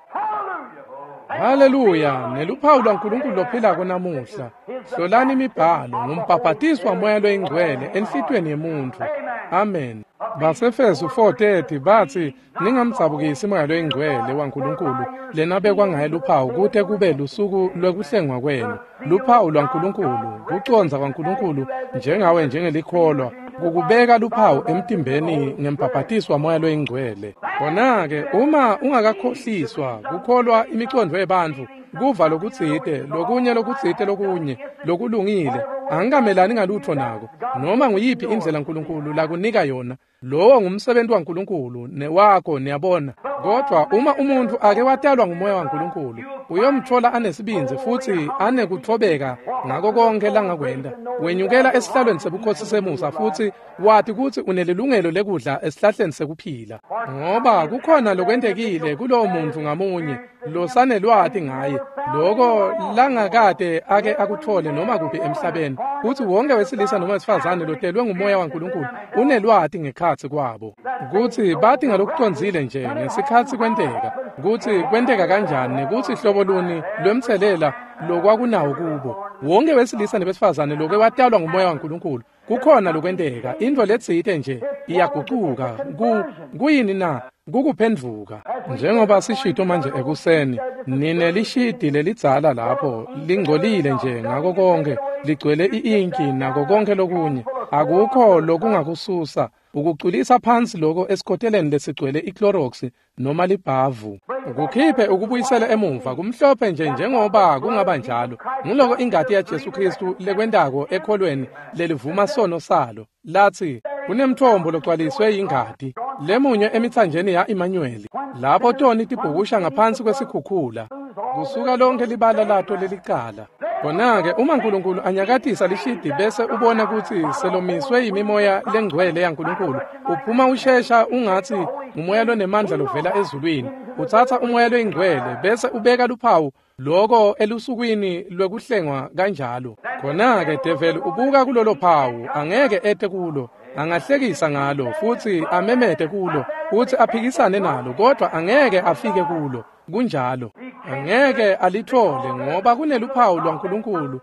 Haleluya! Neluphawu lwaNkulunkulu lophilako namuhla. Hlolani imibhalo ngumbhabhatiswa Moya loyiNgcwele enhlitiyweni yemuntfu. Amen. Basefesu four thirty batsi ningamdzabukisi Moya loyiNgcwele waNkulunkulu lenabekwa ngaye luphawu kute kube lusuku lwekuhlengwa kwenu. Luphawu lwaNkulunkulu, kucondza kwaNkulunkulu njengawe njengelikholwa, kukubeka luphawu emtimbeni ngembhabhatiswa Moya loyiNgcwele. Khona-ke uma ungakakhohliswa kukholwa imicondvo yebantfu, kuva lokutsite, lokunye lokutsite lokunye lokulungile, angikamelani ngalutfo nako. Noma nguyiphi indlela uNkulunkulu lakunika yona, lowo ngumsebenzi waNkulunkulu newakho, niyabona. Kodwa uma umuntfu ake watalwa nguMoya waNkulunkulu, uyomtfola anesibindzi futsi anekutfobeka ngako konke langakwenda. Wenyukela esihlalweni sebukhosi semusa futsi wati kutsi unelilungelo lekudla esihlahleni sekuphila. Ngoba kukhona lokwentekile kulowo muntu ngamunye losanelwati ngaye, loko langakade ake akuthole noma kuphi emhlabeni, kutsi wonke wesilisa noma wesifazane lotelwe ngumoya waNkulunkulu unelwati ngekhatsi kwabo. Kutsi bati ngalokucondzile nje ngesikhatsi kwenteka, kutsi kwenteka kanjani nekutsi hlobo luni lwemtselela lokwakunawo kubo. Wonke wesilisa nebesifazane loke watalwa ngumoya waNkulunkulu, kukhona lokwenteka, intfo letsite nje iyagucuka. Ku kuyini na? Kukuphendvuka. Njengoba sishito manje ekuseni, nine lishidi lelidzala lapho lingcolile nje ngako konke, ligcwele i-inki nako konke lokunye, akukho lokungakususa ukuculisa phansi loko esikoteleni lesigcwele iClorox noma libhavu. Kukhiphe ukubuyisela emuva kumhlophe nje njengoba kungaba njalo. Nguloko ingati yaJesu Kristu lekwentako ekholweni lelivuma sono salo. Lathi kunemthombo logcwaliswe yingati lemunywe emithanjeni ya Emmanuel, lapho toni tibhukusha ngaphansi kwesikhukhula kusuka lonke libala lato lelicala. Khona-ke uma uNkulunkulu anyakatisa lishidi bese ubona kutsi selomiswe yimimoya lengcwele yaNkulunkulu, uphuma ushesha ungatsi ngumoya lonemandla lovela ezulwini. Utsatsa umoya loyingcwele bese ubeka luphawu loko elusukwini lwekuhlengwa kanjalo. Khona-ke develi ubuka kulolo phawu, angeke ete kulo, angahlekisa ngalo futsi amemete kulo futsi aphikisane nalo, kodwa angeke afike kulo. Kunjalo, angeke alithole ngoba kuneluphawu lwaNkulunkulu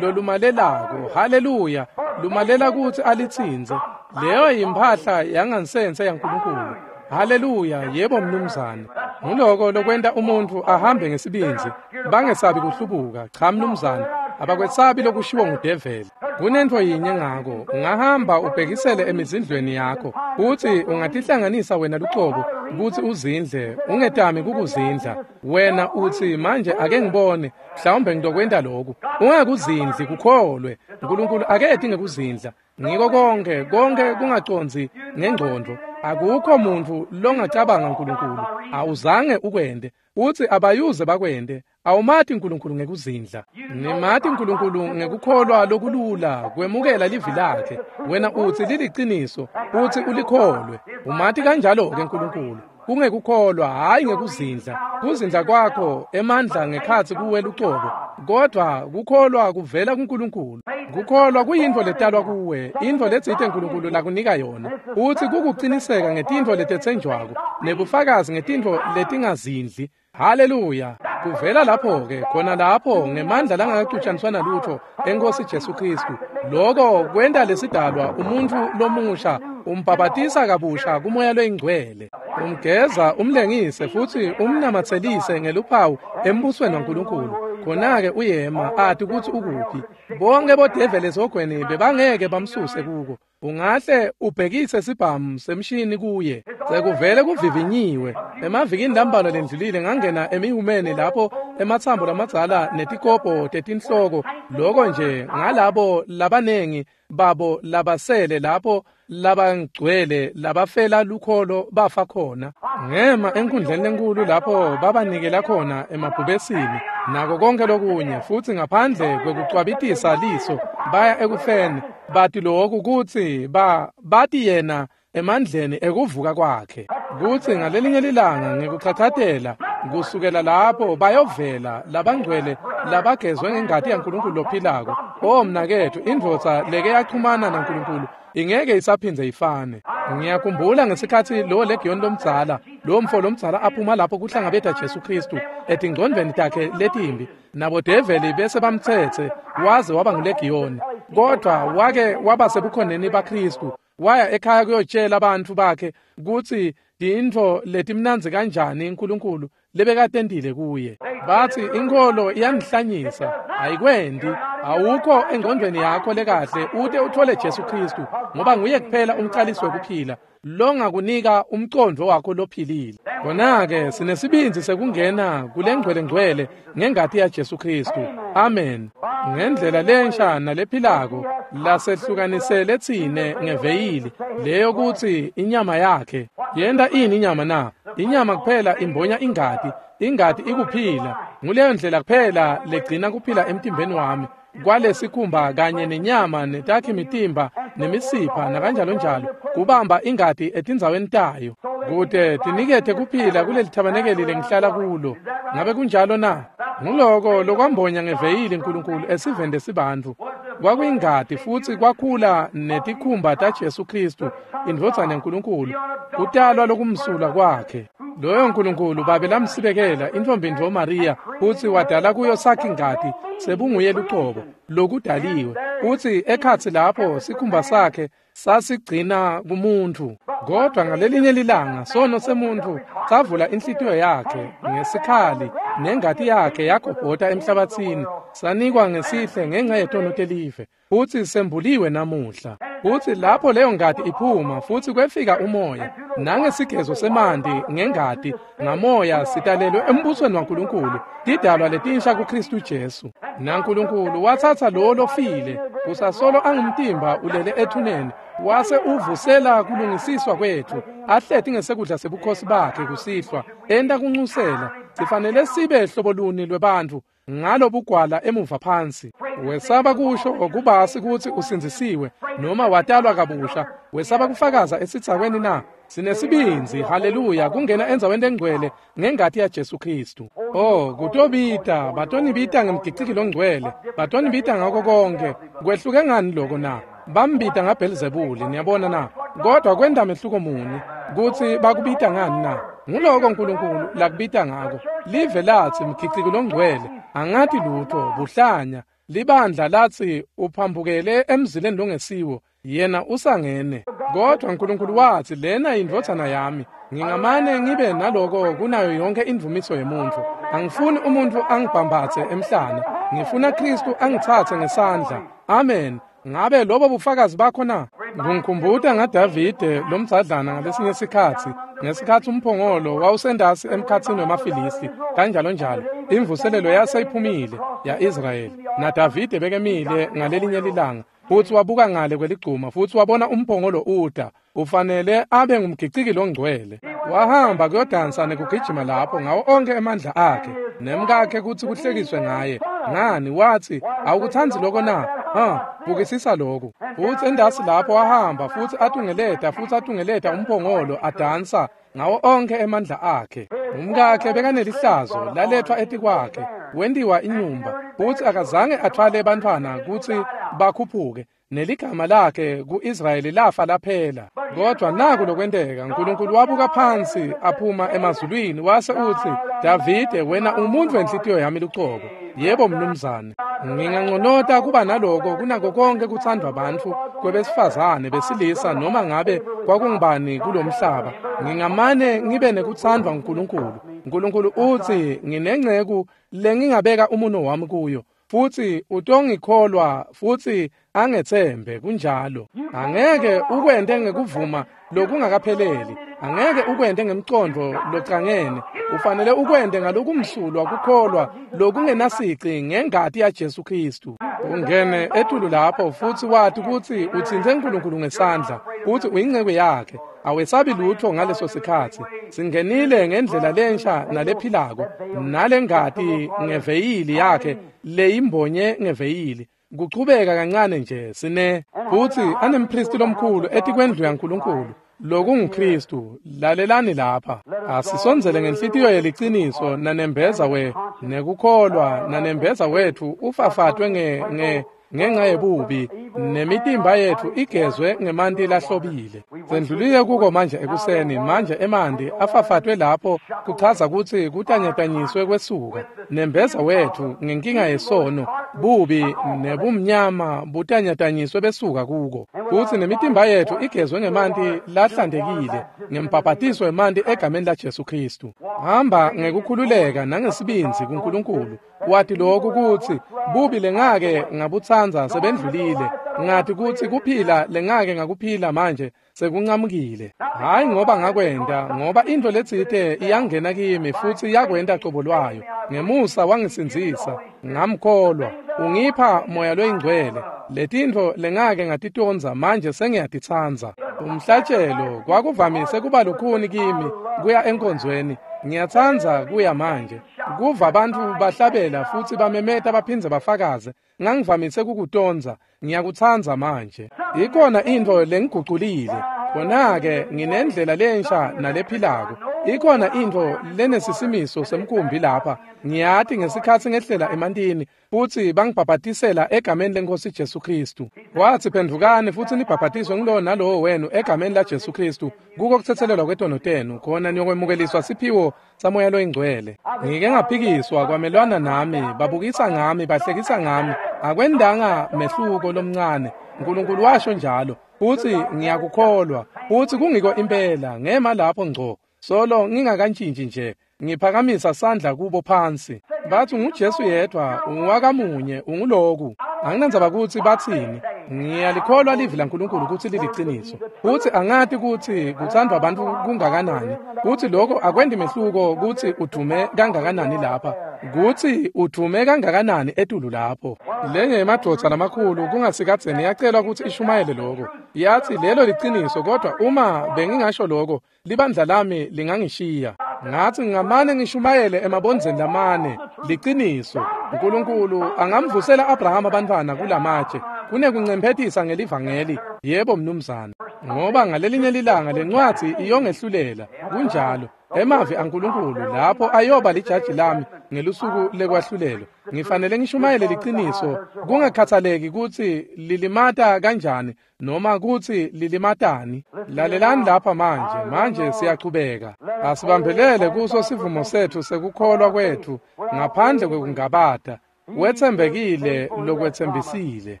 lolumalelako. Haleluya, lumalela kutsi alitsintse. Leyo yimphahla yangansense yaNkulunkulu. Haleluya, yebo mnumzane. Nguloko lokwenta umuntfu ahambe ngesibindzi, bangesabi kuhlubuka. Cha mnumzane, abakwesabi lokushiwo ngudeveli. Kunentfo yinye ngako, ungahamba ubhekisele emizindlweni yakho, kutsi ungatihlanganisa wena lucobo kutsi uzindle, ungetami kukuzindla. Wena utsi manje ake ngibone, mhlawumbe ngitokwenta lokhu. Ungakuzindli, kukholwe. uNkulunkulu aketi ngekuzindla. Ngiko konke, konke kungacondzi ngengcondvo. Akukho muntfu longacabanga uNkulunkulu, awuzange ukwente. Utsi abayuze bakwente. Awumati uNkulunkulu ngekuzindla. Nimati uNkulunkulu ngekukholwa lokulula, kwemukela livi lakhe. Wena utsi liliciniso, utsi ulikholwe. Umati kanjalo-ke uNkulunkulu. Kungekukholwa, hhayi ngekuzindla. Kuzindla kwakho emandla ngekhatsi kuwe lucobo, kodwa kukholwa kuvela kuNkulunkulu. Kukholwa kuyintfo letalwa kuwe, intfo letsite uNkulunkulu lakunika yona. Utsi kukuciniseka ngetintfo letetsenjwako nebufakazi ngetintfo letingazindli. Haleluya. Kuvela lapho-ke, khona lapho ngemandla langakacutshaniswa nalutho eNkosi Jesu Kristu. Loko kwenta lesidalwa umuntfu lomusha, umbhabhatisa kabusha kumoya loyingcwele. Umgeza, umlengise futsi umnamatselise ngeluphawu embusweni waNkulunkulu. Khona-ke uyema ati kutsi ukuphi. Bonke bodeveli esihogweni bebangeke bamsuse kuko. Ungahle ubhekise sibhamu semshini kuye. Sekuvele kuvivinyiwe. Emavikini lambalwa lendlulile ngangena emihumeni lapho ematsambo lamadzala netikopo tetinhloko, loko nje ngalabo labanengi babo labasele lapho labangcwele labafela lukholo bafa khona. Ngema enkundleni lenkulu lapho babanikela khona emabhubesini nako konke lokunye, futsi ngaphandle kwekucwabitisa liso baya ekufeni. Bati lokhu kutsi ba bati yena emandleni ekuvuka kwakhe, kutsi ngalelinye lilanga ngekuchachatela kusukela lapho bayovela labangcwele labagezwe ngengati yaNkulunkulu lophilako. O mnaketfu, indvodza leke yachumana naNkulunkulu ingeke isaphindze ifane. Ngiyakhumbula ngesikhatsi lo legion lomdzala, lo mfo lomdzala aphuma lapho kuhlangabeta Jesu Kristu etingcondvweni takhe letimbi, nabo develi bese bamtsetse waze waba ngulegiyoni. Kodwa wake waba sebukhoneni baKristu, waya ekhaya kuyotshela abantu bakhe kutsi tintfo letimnandzi kanjani uNkulunkulu lebekatentile kuye. Batsi inkholo iyangihlanyisa, ayikwendi. Awukho engcondvweni yakho lekahle ute uthole Jesu Kristu, ngoba nguye kuphela umcalisi wekuphila longakunika umcondvo wakho lophilile. Khona-ke sinesibindzi sekungena kulengcwelengcwele ngengati yaJesu Kristu. Amen. Ngendlela lensha nalephilako lasehlukanisele tsine ngeveyili leyo kutsi inyama yakhe. Yenta ini inyama na? Inyama kuphela imbonya ingati, ingati ikuphila. Nguleyo ndlela kuphela legcina kuphila emtimbeni wami. kwalesikhumba kanye nenyama netakhi mitimba nemisipha nakanjalo njalo kubamba ingati etindzaweni tayo kute tinikete kuphila kuleli thabanekeli lengihlala kulo. Ngabe kunjalo na? Nguloko lokwambonya ngeveyili uNkulunkulu esivende sibantfu. Kwakuyingati futhi kwakhula netikhumba taJesu Kristu indvodzana yaNkulunkulu, kutalwa lokumsulwa kwakhe. Loyo nkulunkulu babe lamsibekela intfombi ntfo Maria futsi wadala kuyo sakhe ingati sebunguye lucobo lokudaliwe, futsi ekhatsi lapho sikhumba sakhe sasigcina kumuntu. Kodwa ngalelinye lilanga sono semuntu savula inhlitiyo yakhe ngesikhali nengati yakhe yagobhota emhlabathini, sanikwa ngesihle ngenxa yetono telive, futsi sembuliwe namuhla. Futsi lapho leyo ngati iphuma futsi kwefika umoya nangesigezo semanti ngengati ngamoya sitalelwe embusweni waNkulunkulu, tidalwa letinsha kuKristu Jesu. NaNkulunkulu watsatsa lo lofile kusasolo angumtimba ulele ethuneni, wase uvusela kulungisiswa kwetfu, ahleti ngesekudla sebukhosi bakhe kusihlwa, enta kunxusela. Sifanele sibe hlobo luni lwebantfu ngalobugwala emuva phansi. Wesaba kusho okubasi kutsi usindzisiwe noma watalwa kabusha, wesaba kufakaza esitsakweni na? Sinesibindzi, haleluya, kungena endzaweni lengcwele ngengati yaJesu Kristu. Oh, kutobita, batonibita ngemgiciki longcwele, batonibita ngako konke. Kwehluke ngani loko na? Bambita ngaBhelzebuli, niyabona na? Kodwa kwenta mehluko muni kutsi bakubita ngani na? Nguloko uNkulunkulu lakubita ngako. Live latsi mgiciki longcwele, angati lutho, buhlanya. Libandla latsi uphambukele emzileni longesiwo, yena usangene. Kodwa uNkulunkulu watsi lena indvodzana yami, ngingamane ngibe naloko kunayo yonke indvumiso yemuntfu. Angifuni umuntfu angibhambatse emhlane, ngifuna Kristu angitsatse ngesandla. Amen. Ngabe lobo bufakazi bakho na? Ngikhumbuta ngaDavide lomdzadlana ngalesinye sikhatsi, ngesikhatsi umphongolo wawusendasi emkhatsini wemaFilisti kanjalo njalo. Imvuselelo yaseyiphumile ya-Israyeli, naDavide bekemile ngalelinye lilanga, futsi wabuka ngale kweligcuma futsi wabona umphongolo uta. Ufanele abe ngumgiciki longcwele. Wahamba kuyodansa nekugijima lapho ngawo onke emandla akhe nemkakhe kutsi kuhlekiswe ngaye. Ngani, watsi, awukutsandzi loko na? Ha, bukisisa lokhu. Futsi endasi lapho wahamba futsi atungeleta futsi atungeleta umphongolo adansa ngawo onke emandla akhe. Umkakhe bekanelihlazo lalethwa etikwakhe, wentiwa inyumba, futsi akazange atfwale bantfwana kutsi bakhuphuke, neligama lakhe ku-Israyeli lafa laphela. Kodwa naku lokwenteka, uNkulunkulu wabuka phansi aphuma emazulwini wase utsi, Davide, wena umuntfu wenhlitiyo yami lucobo. Yebo mnumzane, nginganconota kuba naloko kunako konke kutsandvwa bantfu kwebesifazane besilisa noma ngabe kwakungubani kulomhlaba. Ngingamane ngibe nekutsandvwa nguNkulunkulu. uNkulunkulu utsi nginenceku lengingabeka umuno wami kuyo, futsi utongikholwa futsi angetsembe. Kunjalo. Angeke ukwente ngekuvuma lokungakapheleli, angeke ukwente ngemcondvo locangene, ufanele ukwente ngalokumsulwa kukholwa lokungenasici ngengati yaJesu Kristu. Ungene etulu lapho futsi wati kutsi utsintse uNkulunkulu ngesandla, futsi uyinceku yakhe. Awesabi lutho ngaleso sikhatsi. Singenile ngendlela lensha nalephilako, nalengati ngeveyili yakhe leyimbonye ngeveyili. Kuchubeka kancane nje sine futsi anempristi lomkhulu etikwendlu yaNkulunkulu lokunguKristu. Lalelani lapha, asisondzele ngenhlitiyo yeliciniso nanembeza we nekukholwa, nanembeza wetfu ufafatwe nge nge ngenxa yebubi, nemitimba yetfu igezwe ngemanti lahlobile. Sendlulile kuko manje ekuseni, manje emanti afafatwe lapho kuchaza kutsi kutanyatanyiswe kwesuka. Nembeza wetfu ngenkinga yesono, bubi nebumnyama butanyatanyiswe besuka kuko. Futsi nemitimba yetfu igezwe ngemanti lahlantekile, ngembhabhatiso wemanti egameni laJesu Kristu. Hamba ngekukhululeka nangesibindzi kuNkulunkulu, wati lokhu kutsi bubi lengake ngabutsandza sebendlulile, ngati kutsi kuphila lengake ngakuphila manje sekuncamukile. Hayi ngoba ngakwenta, ngoba intfo letsite iyangena kimi futsi yakwenta cobo lwayo. Ngemusa wangisindzisa, ngamkholwa, ungipha moya loyingcwele. Letintfo lengake ngatitondza manje sengiyatitsandza. Umhlatshelo kwakuvamise kuba lukhuni kimi kuya enkonzweni, ngiyatsandza kuya manje. Kuva bantfu bahlabela futsi bamemeta baphindze bafakaze, ngangivamise kukutonza, ngiyakutsandza manje. Ikhona intfo lengiguculile, khona-ke nginendlela lensha nalephilako. Ikhona intfo lenesisimiso semkhumbi lapha, ngiyati ngesikhatsi ngehlela emantini futsi bangibhabhatisela egameni leNkhosi Jesu Khristu. Watsi phendvukani futsi nibhabhatiswe ngulowo nalowo wenu egameni la Jesu Khristu kuko kutsetselelwa kwetono tenu, khona niyokwemukeliswa siphiwo saMoya loyiNgcwele. Ngike ngaphikiswa kwamelwana nami, babukisa ngami, bahlekisa ngami, akwendanga mehluko lomncane. Nkulunkulu washo njalo, futsi ngiyakukholwa, futsi kungiko impela, ngema lapho ngco. Solo ngingakantshintshi nje, ngiphakamisa sandla kubo phansi. Bathi nguJesu yedwa, ungwakamunye, unguloku. Anginandzaba kutsi batsini, ngiyalikholwa livi laNkulunkulu kutsi liliciniso. Futsi angati kutsi kutsandvwa bantfu kungakanani, kutsi lokho akwendi mehluko kutsi udume kangakanani lapha, kutsi udume kangakanani etulu lapho. Lenye yemadvodza lamakhulu kungasikadzeni yacelwa kutsi ishumayele lokho. Yathi lelo liciniso, kodwa uma bengingasho lokho, libandla lami lingangishiya. Ngathi ngingamane ngishumayele emabondzeni lamane, liciniso. Nkulunkulu angamvusela Abrahama abantwana kulamatshe kunekuncemphetisa ngelivangeli. Yebo mnumzane, ngoba ngalelinye lilanga lencwadzi iyongehlulela. Kunjalo, emavi aNkulunkulu lapho ayoba lijaji lami ngelusuku lekwahlulelo. Ngifanele ngishumayele liciniso, kungakhathaleki kutsi lilimata kanjani noma kutsi lilimatani. Lalelani lapha manje, manje siyachubeka. Asibambelele kuso sivumo setfu sekukholwa kwetfu ngaphandle kwekungabata. Wetsembekile lokwetsembisile.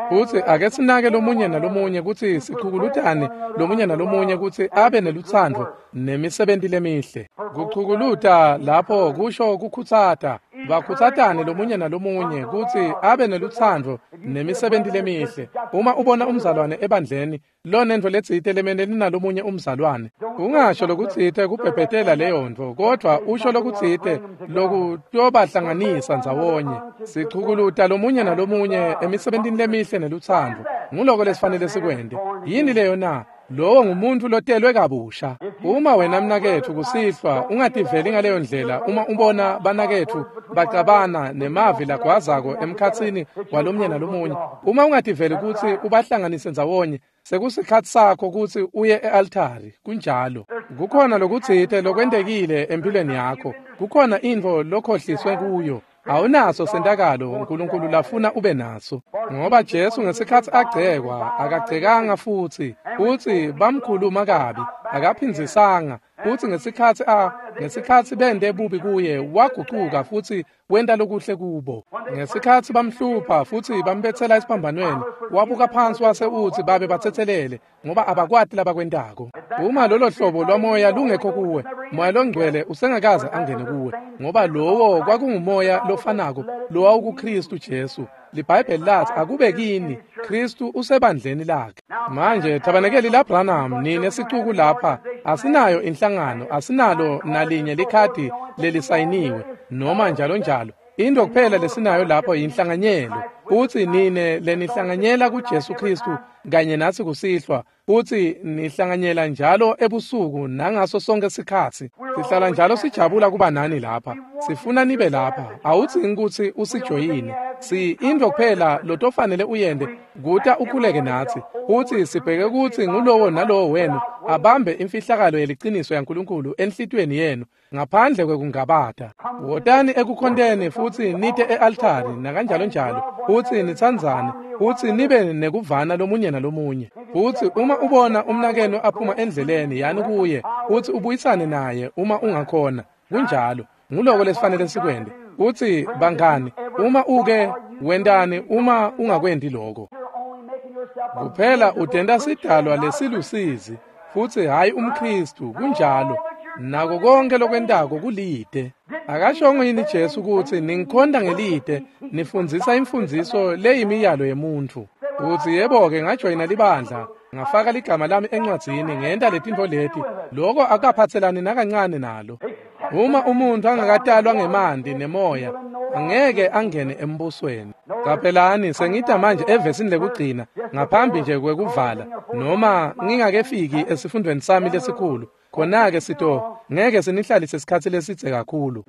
Futsi ake sinake lomunye nalomunye kutsi sichukulutane lomunye nalomunye kutsi abe nelutsandvo nemisebenti lemihle. Kuchukuluta lapho kusho kukhutsata. Bakhutsatane lomunye nalomunye kutsi abe nelutsandvo nemisebenti lemihle. Uma ubona umzalwane ebandleni lonentfo letsite lemelene nalomunye umzalwane, ungasho lokutsite kubhebhetela leyo ntfo, kodvwa usho lokutsite lokutobahlanganisa ndzawonye. Sichukuluta lomunye nalomunye emisebentini lemihle nelutsandvo. Nguloko lesifanele sikwente. Yini leyo na? Lowo ngumuntu lotelwe kabusha. Uma wena mnaketfu kusihlwa ungativeli ngaleyo ndlela, uma ubona banaketfu bacabana nemavi lagwazako emkhatsini walomnye nalomunye, uma ungativeli kutsi ubahlanganise ndzawonye, sekusikhatsi sakho kutsi uye e-altari. Kunjalo. Kukhona lokutsite lokwentekile empilweni yakho. Kukhona intfo lokhohliswe kuyo. Awunaso sentakalo uNkulunkulu lafuna ube naso. Ngoba Jesu ngesikhatsi agcekwa, akagcekanga futsi, futsi bamkhuluma kabi, akaphindzisanga. Futsi ngesikhatsi a ngesikhatsi bente bubi kuye, wagucuka futsi wenta lokuhle kubo. Ngesikhatsi bamhlupha futsi bambetsela esiphambanweni, wabuka phansi wase utsi babe batsetselele, ngoba abakwati labakwentako. Uma lolo hlobo lwamoya lungekho kuwe, Moya loNgcwele usengakaze angene kuwe, ngoba lowo kwakungumoya lofanako lowawukuKhristu Jesu. LiBhayibheli lathi akube kini, Khristu usebandleni lakhe. Manje thabanekeli laBranham, nine sicuku lapha, asinayo inhlangano, asinalo nalinye likhadi lelisayiniwe noma njalo njalo. Into kuphela lesinayo lapho yinhlanganyelo. Utsi nine lenihlanganyela kuJesu Khristu kanye natsi kusihlwa, utsi nihlanganyela njalo ebusuku nangaso sonke sikhatsi. Sihlala njalo sijabula kuba nani lapha. Sifuna nibe lapha. Awudzingi kutsi usijoyine. Si into kuphela lotofanele uyende kuta ukhuleke natsi. Utsi sibheke kutsi ngulowo nalowo wenu abambe imfihlakalo yeliciniso yaNkulunkulu enhlitiyweni yenu ngaphandle kwekungabata. Wotani ekukhonteni futsi nite e-altari nakanjalo njalo, futsi nitsandzane, futsi nibe nekuvana lomunye nalomunye. Futsi uma ubona umnakenu aphuma endleleni, yani kuye, futsi ubuyisane naye uma ungakhona. Kunjalo, nguloko lesifanele sikwente. Utsi bangani, uma uke wentani uma ungakwenti lokho? Kuphela utenta sidalwa lesilusizi, futsi hhayi umKhristu. Kunjalo. Nako konke lokwentako kulide. Akashongo yini Jesu kutsi ningikhonta ngelide, nifundzisa imfundziso leyimiyalo yemuntfu? Utsi yebo-ke ngajoyina libandla, ngafaka ligama lami encwadzini, ngenta letintfo leti. Loko akaphatselani nakancane nalo. Uma umuntfu angakatalwa ngemanti nemoya, angeke angene embusweni. Caphelani, sengita manje evesini lekugcina ngaphambi nje kwekuvala, noma ngingakefiki esifundweni sami lesikhulu. Khona-ke sito ngeke sinihlalise isikhatsi lesidze kakhulu.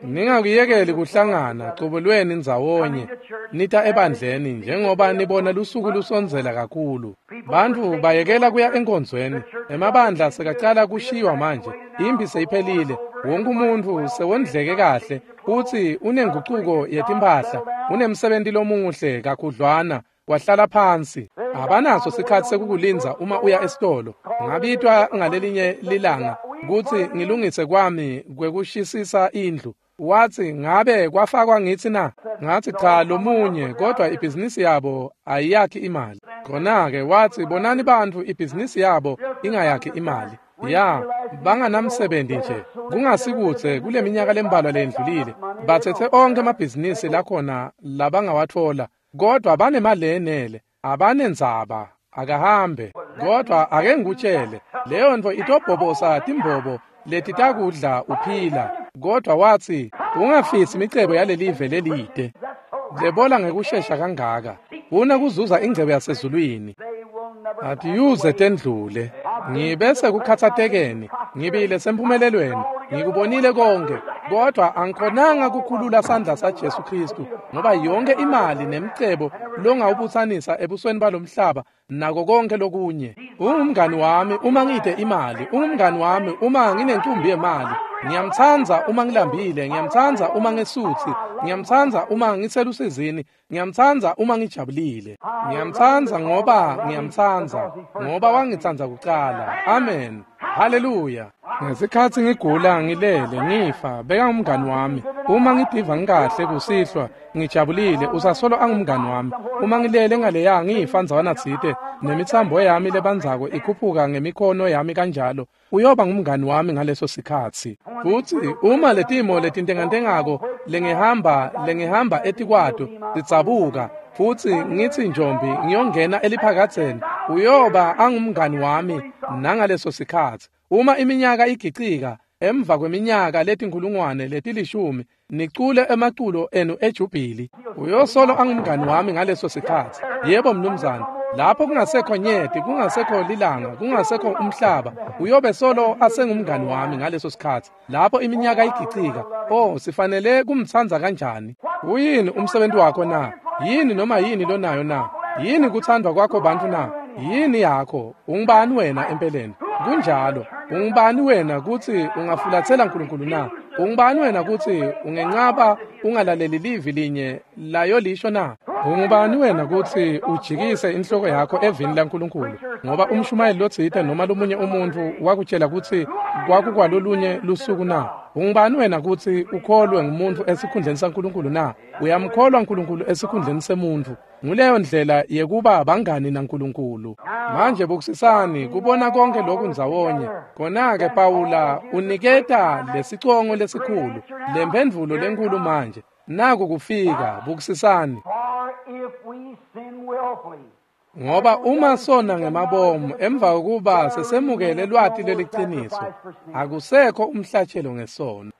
Ningakuyekeli kuhlangana cubulweni ndzawonye nita ebandleni njengoba nibona lusuku lusondzela kakhulu. Bantfu bayekela kuya enkonzweni, emabandla sekacala kushiywa manje, imphi seyiphelile, wonke umuntfu sewondleke kahle futsi unengucuko yetimphahla, unemsebenti lomuhle kakhudlwana, wahlala phansi. Abanaso sikhatsi sekukulindza uma uya esitolo. Ngabitwa ngalelinye lilanga kutsi ngilungise kwami kwekushisisa indlu. Watsi, ngabe kwafakwa ngitsi na? Ngatsi, cha, lomunye, kodwa ibhizinisi yabo ayiyakhi imali. Khona-ke watsi, bonani bantfu ibhizinisi yabo ingayakhi imali. Ya, banganamsebenzi nje. Kungasikudze kule minyaka lembalwa lendlulile, batsetse onkhe amabhizinisi lakhona labangawatfola, kodwa banemali lenele, abanendzaba, akahambe. Kodwa ake ngikutshele, leyo ntfo itobhobosa timbobo letitakudla uphila. Kodwa watsi, ungafisi imicebo yalelive lelide lebola ngekushesha kangaka, funa kuzuza ingcebo yasezulwini. Atiyuze tendlule. Ngibese kukhatsatekeni, ngibile semphumelelweni, ngikubonile konke, kodwa angikhonanga kukhulula sandla saJesu Kristu, ngoba yonke imali nemcebo longawubutsanisa ebusweni balomhlaba nako konke lokunye. Ungumngani wami uma ngide imali, ungumngani wami uma nginenkumbi yemali. Ngiyamtsandza uma ngilambile, ngiyamtsandza uma ngesutsi, ngiyamtsandza uma ngiselusizini, ngiyamtsandza uma ngijabulile. Ngiyamtsandza ngoba ngiyamtsandza, ngoba wangitsandza kucala. Amen. Haleluya. Ngesikhatsi ngigula ngilele ngifa, beka ngumngani wami. Uma ngidiva ngikahle kusihlwa ngijabulile, usasolo angumngani wami. Uma ngilele ngaleya ngifa ndzawana tsite, nemitsambo yami lebandzako ikhuphuka ngemikhono yami kanjalo, uyoba ngumngani wami ngaleso sikhatsi. Futsi uma letimo letintengantengako lengihamba lengihamba etikwato tidzabuka, futsi ngitsi njombi ngiyongena eliphakadzeni, uyoba angumngani wami nangaleso sikhatsi. Uma iminyaka igicika emva kweminyaka letinkhulungwane letilishumi, nicule emaculo enu ejubhili, uyosolo angumngani wami ngaleso sikhatsi. Yebo mnumzane, lapho kungasekho nyeti, kungasekho lilanga, kungasekho umhlaba, uyobe solo asengumngani wami ngaleso sikhatsi. Lapho iminyaka igicika, oh, sifanele kumtsandza kanjani? Uyini umsebenzi wakho na? Yini noma yini lonayo na? Yini kuthandwa kwakho bantfu na? Yini yakho? Ungubani wena empeleni? Kunjalo, ungubani wena kutsi ungafulatsela Nkulunkulu na? Ungubani wena kutsi ungencaba ungalaleli livi linye layo lisho na? Ungubani wena kutsi ujikise inhloko yakho evini laNkulunkulu, ngoba umshumayeli lotsite noma lomunye umuntfu wakutshela kutsi kwakukwalolunye lusuku na? Ungubani wena kutsi ukholwe ngumuntu esikhundleni saNkulunkulu na? Uyamkholwa Nkulunkulu esikhundleni semuntfu. Nguleyo ndlela yekuba bangani naNkulunkulu. Manje bukusisani kubona konke lokhu ndzawonye. Khona-ke Pawula uniketa lesicongo lesikhulu, lemphendvulo lenkulu manje. Naku kufika, bukusisani. Ngoba uma sona ngemabomu emva kokuba sesemukele lwati leliciniso, akusekho umhlatshelo ngesono.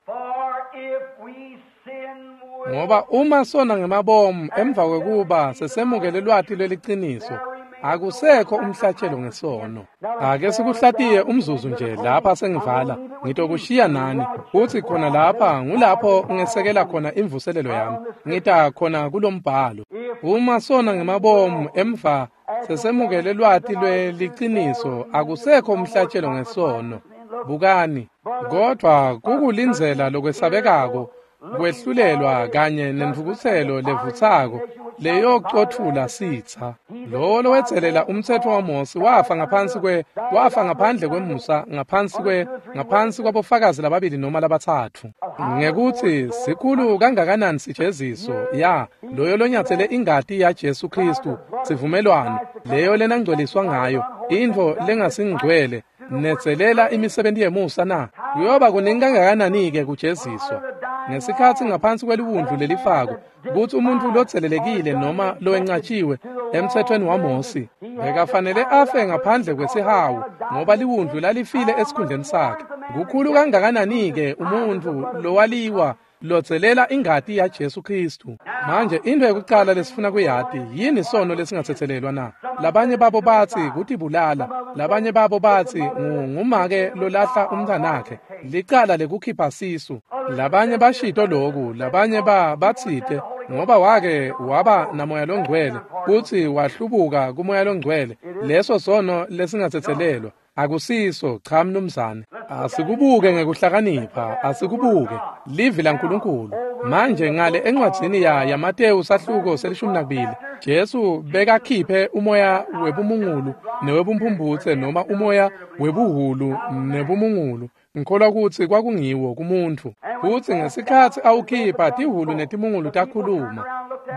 Ngoba uma sona ngemabomu emva kokuba sesemukele lwati leliciniso, akusekho umhlatshelo ngesono. Ake sikuhlatiye umzuzu nje lapha sengivala, ngitokushiya nani, futsi khona lapha ngulapho ngesekela khona imvuselelo yami, ngita khona kulombhalo. Uma sona ngemabomu emva sesemukele lwati lweliciniso, akusekho umhlatshelo ngesono. Bukani, kodwa kukulindzela lokwesabekako, kwehlulelwa kanye nentfukutselo levutsako leyocothula sitsa. Lowo lowetselela umtsetfo waMosi wafa ngaphansi kwe wafa ngaphandle kwemusa, ngaphansi kwe ngaphansi kwabofakazi lababili noma labatsatfu. Ngekuthi sikhulu kangakanani sijeziso ya loyo lonyatsele ingati yaJesu Kristu, sivumelwano leyo lenangcweliswa ngayo, intfo lengasingcwele, netselela imisebenti yemusa na? Kuyoba kuningi kangakanani-ke kujeziswa ngesikhatsi ngaphansi kweliwundlu lelifako, kutsi umuntfu lotselelekile noma lowencatshiwe emtsetfweni waMosi bekafanele afe ngaphandle kwesihawu, ngoba liwundlu lalifile esikhundleni sakhe. Kukhulu kangakanani-ke umuntfu lowaliwa lodzelela ingati yaJesu Kristu. Manje into yokuqala lesifuna kuyati yini sono lesingathethelelwa na? Labanye babo batsi kutibulala, labanye babo batsi ngumake lolahla umntwanakhe, licala lekukhipha sisu. Labanye bashito loku, labanye ba batsite ngoba wake waba namoya longcwele kutsi wahlubuka kumoya longcwele, leso sono lesingathethelelwa. Akusiso, cha mnumzane. Asikubuke ngekuhlakanipha, asikubuke livi laNkulunkulu. Manje ngale encwadzini ya yaMateyu sahluko selishumi nakubili, Jesu bekakhiphe umoya webumungulu newebumphumphutse noma umoya webuhulu nebumungulu. Ngikholwa kutsi kwakungiwo kumuntfu. Futsi ngesikhatsi awukhipha tihulu netimungulu takhuluma.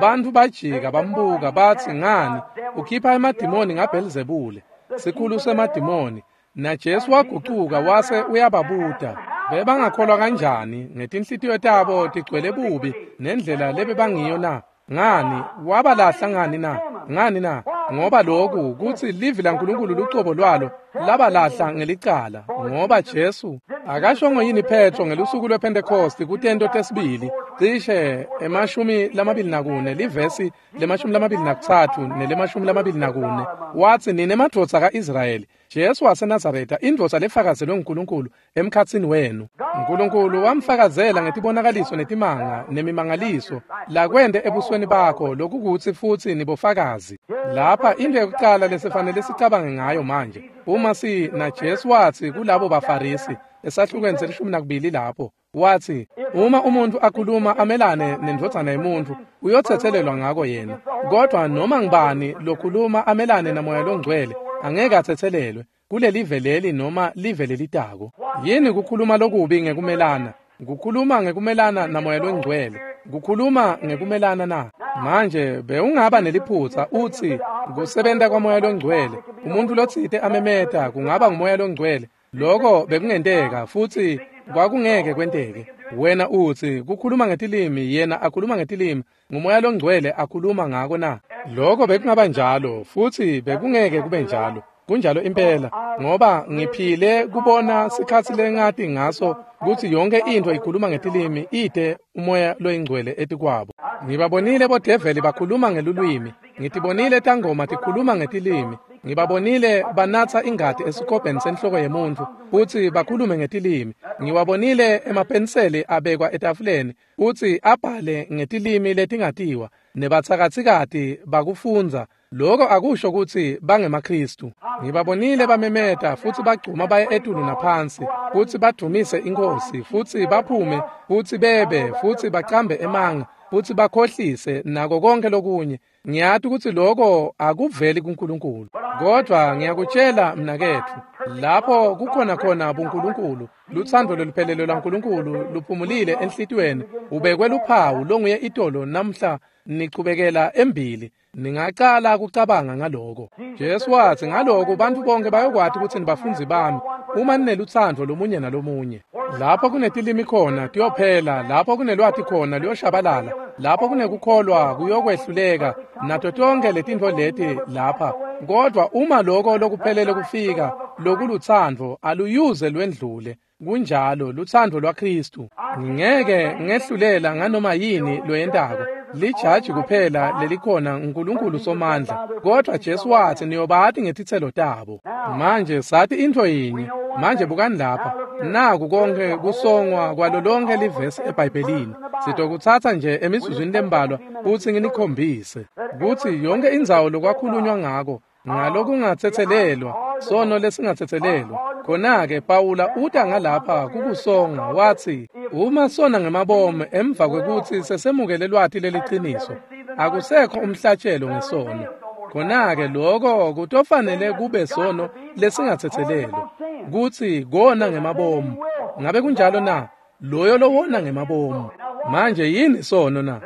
Bantfu bajika bambuka batsi ngani ukhipha emadimoni ngaBhelzebule, sikhulu semadimoni. Na Jesu wagucuka wase uyababuta, bebangakholwa kanjani ngetinhlitiyo tabo tigcwele bubi nendlela lebebangiyo na? Ngani wabalahla ngani na? Ngani na? Ngoba lokhu kutsi livi laNkulunkulu lucobo lwalo labalahla ngelicala. Ngoba Jesu akashongo yini Petro ngelusuku lwePhentekosti kutento tesibili cishe emashumi lamabili nakune livesi lemashumi lamabili nakutsatfu nelemashumi lamabili nakune, watsi nine madvodza ka-Israyeli, Jesu waseNazaretha indvodza lefakazelwe nguNkulunkulu emkhatsini wenu. Nkulunkulu wamfakazela ngetibonakaliso netimanga nemimangaliso lakwente ebusweni bakho, lokukutsi futsi nibofakazi. Lapha into yokuqala lesifanele sicabange ngayo manje, uma si na Jesu watsi kulabo baFarisi esahlukweni selishumi nakubili lapho, watsi uma umuntu akhuluma amelane nendvodzana yemuntfu uyothethelelwa ngako yena, kodwa noma ngibani lokhuluma amelane namoya longcwele angeke athethelelwe kulelive leli noma live lelitako. Yini kukhuluma lokubi ngekumelana? Kukhuluma ngekumelana namoya longcwele. Kukhuluma ngekumelana na? Manje bewungaba neliphutsa utsi kusebenta kwamoya longcwele, umuntu lotsite amemeta kungaba ngumoya longcwele. Lokho bekungenteka futsi kwakungeke kwenteke. Wena utsi kukhuluma ngetilimi, yena akhuluma ngetilimi, ngumoya longcwele akhuluma ngako na? Lokho bekungaba njalo futsi bekungeke kube njalo. Kunjalo impela, ngoba ngiphile kubona sikhatsi lengati ngaso kutsi yonke into ikhuluma ngetilimi ite umoya loyingcwele etikwabo. Ngibabonile bodeveli bakhuluma ngelulwimi, ngitibonile tangoma tikhuluma ngetilimi, ngibabonile banatsa ingati esikobheni senhloko yemuntfu futsi bakhulume ngetilimi, ngiwabonile emapenseli abekwa etafuleni futsi abhale ngetilimi letingatiwa, nebatsakatsikati bakufundza. Lokho akusho kutsi bangemaKristu. Ngibabonile bamemeta futsi bagcuma baye etulu naphansi futsi badumise iNkhosi futsi baphume futsi bebe futsi bacambe emanga futsi bakhohlise nako konke lokunye. Ngiyati kutsi lokho akuveli kuNkulunkulu, kodwa ngiyakutshela mnaketfu, lapho kukhona khona buNkulunkulu, lutsandvo loluphelele lwaNkulunkulu luphumulile enhlitiyweni, ubekwe luphawu longuye itolo namhla nichubekela embili. Ningacala kucabanga ngaloko. Jesu watsi ngaloko bantfu bonke bayokwati kutsi nibafundzi bami uma ninelutsandvo lomunye nalomunye. Lapho kunetilimi khona tiyophela, lapho kunelwati khona luyoshabalala, lapho kunekukholwa kuyokwehluleka, nato tonke letintfo leti lapha. Kodwa uma loko lokuphelele kufika, lokulutsandvo aluyuze lwendlule. Kunjalo, lutsandvo lwaKristu. Ngingeke ngehlulela nganoma yini loyentako. Lijaji kuphela lelikhona uNkulunkulu somandla. Kodwa Jesu watsi niyobati ngetitselo tabo. Manje sathi intfo yinye. Manje bukani lapha. Naku konke kusongwa kwalo lonke livesi eBhayibhelini. Sitokutsatsa nje emizuzwini lembalwa futsi nginikhombise kutsi yonke indzawo lokwakhulunywa ngako ngalokungatsetselelwa, sono lesingatsetselelwa. Khona-ke Pawula uta ngalapha kukusonga watsi uma sona ngemabomu emva kwekutsi sesemukele lwati leliciniso, akusekho umhlatshelo ngesono. Khona-ke lokho kutofanele kube sono lesingatsetselelwa, kutsi kona ngemabomu. Ngabe kunjalo na? Loyo lowona ngemabomu. Manje yini sono na?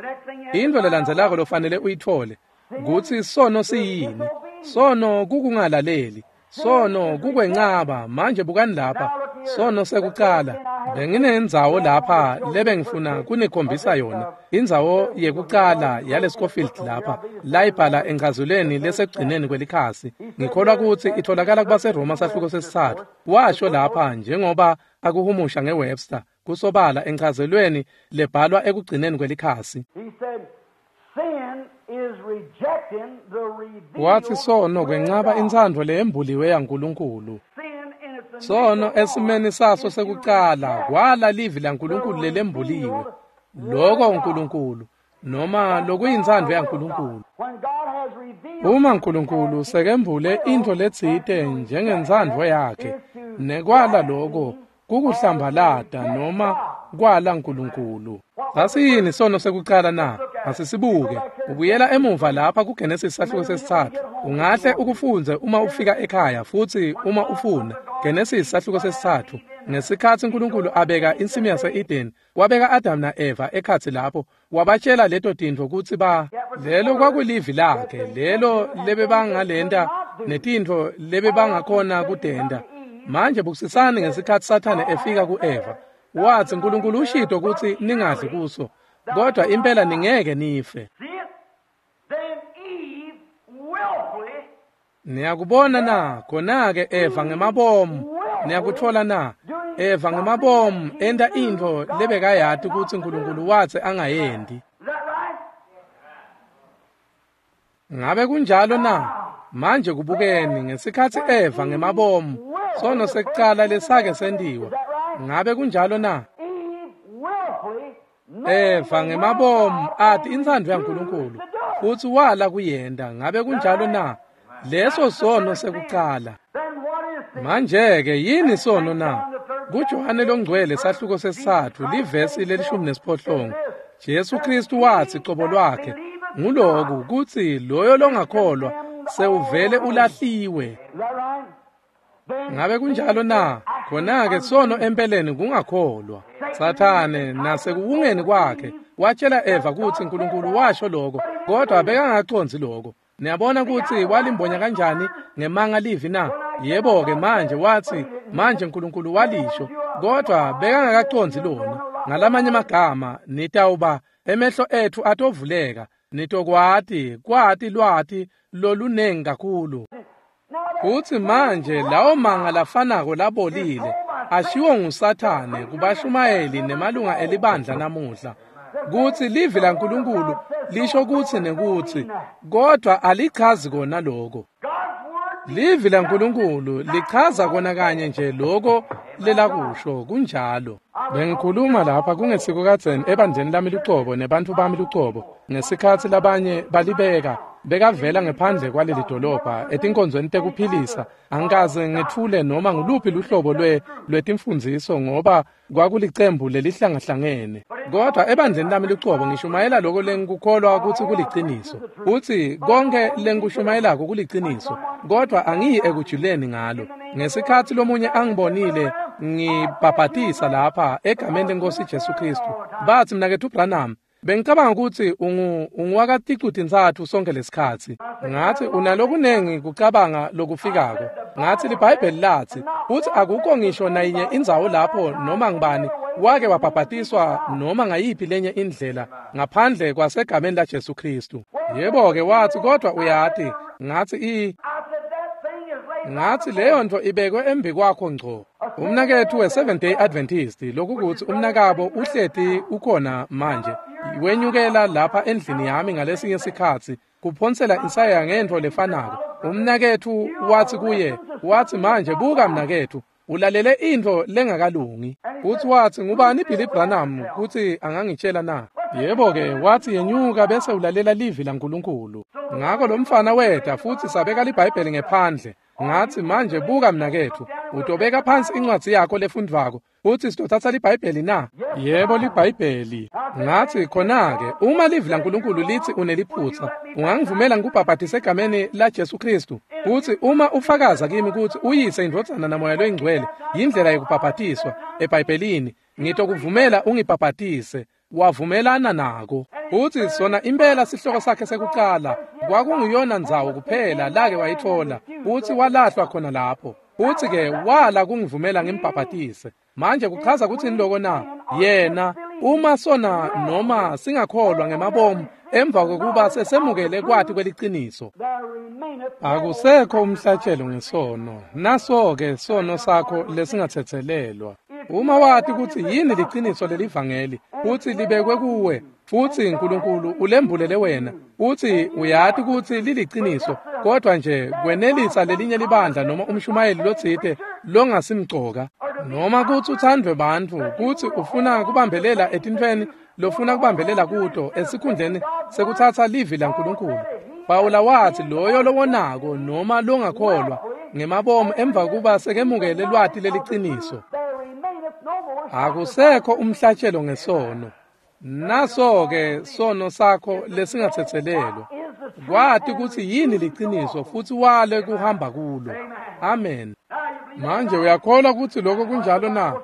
Intfo lelandzelako lofanele uyitfole kutsi sono siyini. Sono kukungalaleli, sono kukwencaba. Manje bukani lapha, sono sekucala. Benginendzawo lapha lebengifuna kunikhombisa yona, indzawo yekucala yale Scofield lapha layibhala enchazulweni lesekugcineni kwelikhasi. Ngikholwa kutsi itholakala kubaseRoma sahluko sesitsatfu. Washo lapha njengoba akuhumusha ngeWebster. Kusobala enchazelweni lebhalwa ekugcineni kwelikhasi. Wathi sono kwenqaba intsandvo leyembuliwe yaNkulunkulu. Sono esimeni saso sekucala kwala livi laNkulunkulu lelembuliwe. Lokho uNkulunkulu noma lokuyintsandvo yaNkulunkulu. Uma uNkulunkulu sekembule intfo letsite njengentsandvo yakhe, nekwala lokho kukuhlambalata noma kwala uNkulunkulu. Sasiyini sono sekucala na? Asisibuke. Ubuyela emuva lapha kuGenesis sahluko sesitsatfu. Ungahle ukufundze uma ufika ekhaya futhi uma ufuna. Genesis sahluko sesitsatfu. Ngesikhatsi uNkulunkulu abeka insimi yase-Eden, wabeka Adam na-Eva ekhatsi lapho, wabatshela leto tintfo kutsi ba lelo kwakulivi lakhe, lelo lebebangalenta netintfo lebebangakhona kutenta. Manje bukisisani ngesikhatsi Sathane efika ku-Eva. Watsi uNkulunkulu ushito kutsi ningadli kuso, kodwa impela ningeke nife. Niyakubona na? Khona-ke Eva ngemabomu. Niyakutfola na? Eva ngemabomu enta intfo lebekayati kutsi uNkulunkulu watsi angayendi. Ngabe kunjalo na? Manje kubukeni ngesikhatsi Eva ngemabomu, sono sekucala lesake sentiwa. Ngabe kunjalo na? Eva ngemabomu athi intsandvo yaNkulunkulu futsi wala kuyenta. Ngabe kunjalo na? Leso sono sekucala. Manje-ke yini sono na? KuJohane longcwele sahluko sesitsatfu livesi lelishumi nesiphohlongo, Jesu Kristu watsi cobo lwakhe nguloku kutsi loyo longakholwa sewuvele ulahliwe. Ngabe kunjalo na? Khona-ke sono empeleni kungakholwa. Sathane nasekuwungeni kwakhe watshela Eva kutsi uNkulunkulu washo lokho, kodwa bekangacondzi lokho. Niyabona kutsi walimbonya kanjani ngemanga livi na? Yebo-ke manje watsi manje uNkulunkulu walisho, kodwa bekangakacondzi lona. Ngalamanye amagama, nitawuba emehlo ethu atovuleka, nitokwati kwati lwati lolunengi kakhulu. Futsi manje lawo manga lafanako labolile ashiwo nguSathane kubashumayeli nemalunga elibandla namuhla, kutsi livi laNkulunkulu lisho kutsi nekutsi, kodwa alichazi kona lokho. Livi laNkulunkulu lichaza kona kanye nje lokho lelakusho. Kunjalo. Bengikhuluma lapha kungesiko kadzeni ebandleni lami lucobo nebantfu bami lucobo, ngesikhatsi labanye balibeka bekavela ngephandle kwaleli dolobha etinkonzweni tekuphilisa. Angikaze ngethule noma nguluphi luhlobo lwe lwetimfundziso ngoba kwakulicembu lelihlangahlangene. Kodwa ebandleni lami lucobo ngishumayela lokho lengikukholwa kutsi kuliciniso. Utsi konke lengikushumayelako kuliciniso, kodwa angiyi ekujuleni ngalo. Ngesikhatsi lomunye angibonile ngibhabhatisa lapha egameni leNkosi Jesu Kristu, batsi mnaketfu Branham, bengicabanga kutsi ungu unguwakaticu-tintsatfu sonke lesikhatsi. Ngathi unalokunengi kucabanga lokufikako. Ngathi liBhayibheli latsi utsi akukho ngisho nayinye indzawo lapho noma ngibani wake wabhabhatiswa noma ngayiphi lenye indlela ngaphandle kwasegameni la Jesu Kristu. Yebo-ke watsi kodwa uyati. Ngathi i Ngathi leyo nto ibekwe embi kwakho ngco. Umnaketfu we-Seventh Day Adventist, lokukutsi umnakabo uhleti ukhona manje, wenyukela lapha endlini yami ngalesinye sikhatsi kuphonsela insaya ngentfo lefanako. Umnaketfu watsi kuye, watsi manje buka mnaketfu, ulalele intfo lengakalungi. Futsi watsi ngubani Billy Branham kutsi angangitshela na? Yebo-ke watsi yenyuka bese ulalela livi laNkulunkulu. Ngako lo mfana weta futsi sabeka liBhayibheli ngephandle. Ngathi manje buka mnaketfu, utobeka phansi incwadzi yakho lefundvwako futsi sitothatha liBhayibheli na? Yebo liBhayibheli. Ngathi khona-ke uma livi laNkulunkulu litsi uneliphutsa, ungangivumela ngikubhabhatise egameni la Jesu Kristu? Futsi uma ufakaza kimi kutsi uyise indvodzana namoya loyingcwele yindlela yekubhabhatiswa eBhayibhelini, ngitokuvumela ungibhabhatise. Wavumelana nako. Futsi sona impela sihloko sakhe sekucala kwakunguyona ndzawo kuphela lake wayitfola, futsi walahlwa khona lapho. Futsi-ke wala kungivumela ngimbhabhatise. Manje kuchaza kutsini loko na? Yena uma sona noma singakholwa ngemabomu emva kokuba sesemukele kwati kweliciniso, akusekho umhlatshelo ngesono. Naso-ke sono sakho lesingathethelelwa. Uma wati kutsi yini liciniso lelivangeli, kutsi libekwe kuwe, futsi Nkulunkulu ulembulele wena, utsi uyati kutsi liliciniso, kodwa nje kwenelisa lelinye libandla noma umshumayeli lotsite longasimcoka, noma kutsi uthandwe bantfu, kutsi ufuna kubambelela etintfweni lofuna kubambelela kuto esikhundleni sekutsatsa livi laNkulunkulu. Pawula watsi loyo lowonako noma longakholwa ngemabomu emva kuba sekemukele lwati leliciniso, akusekho umhlatshelo ngesono. Naso-ke sono sakho lesingatsetselelwa. Kwati kutsi yini liciniso futsi wale kuhamba kulo. Amen. Manje uyakholwa kutsi lokho kunjalo na?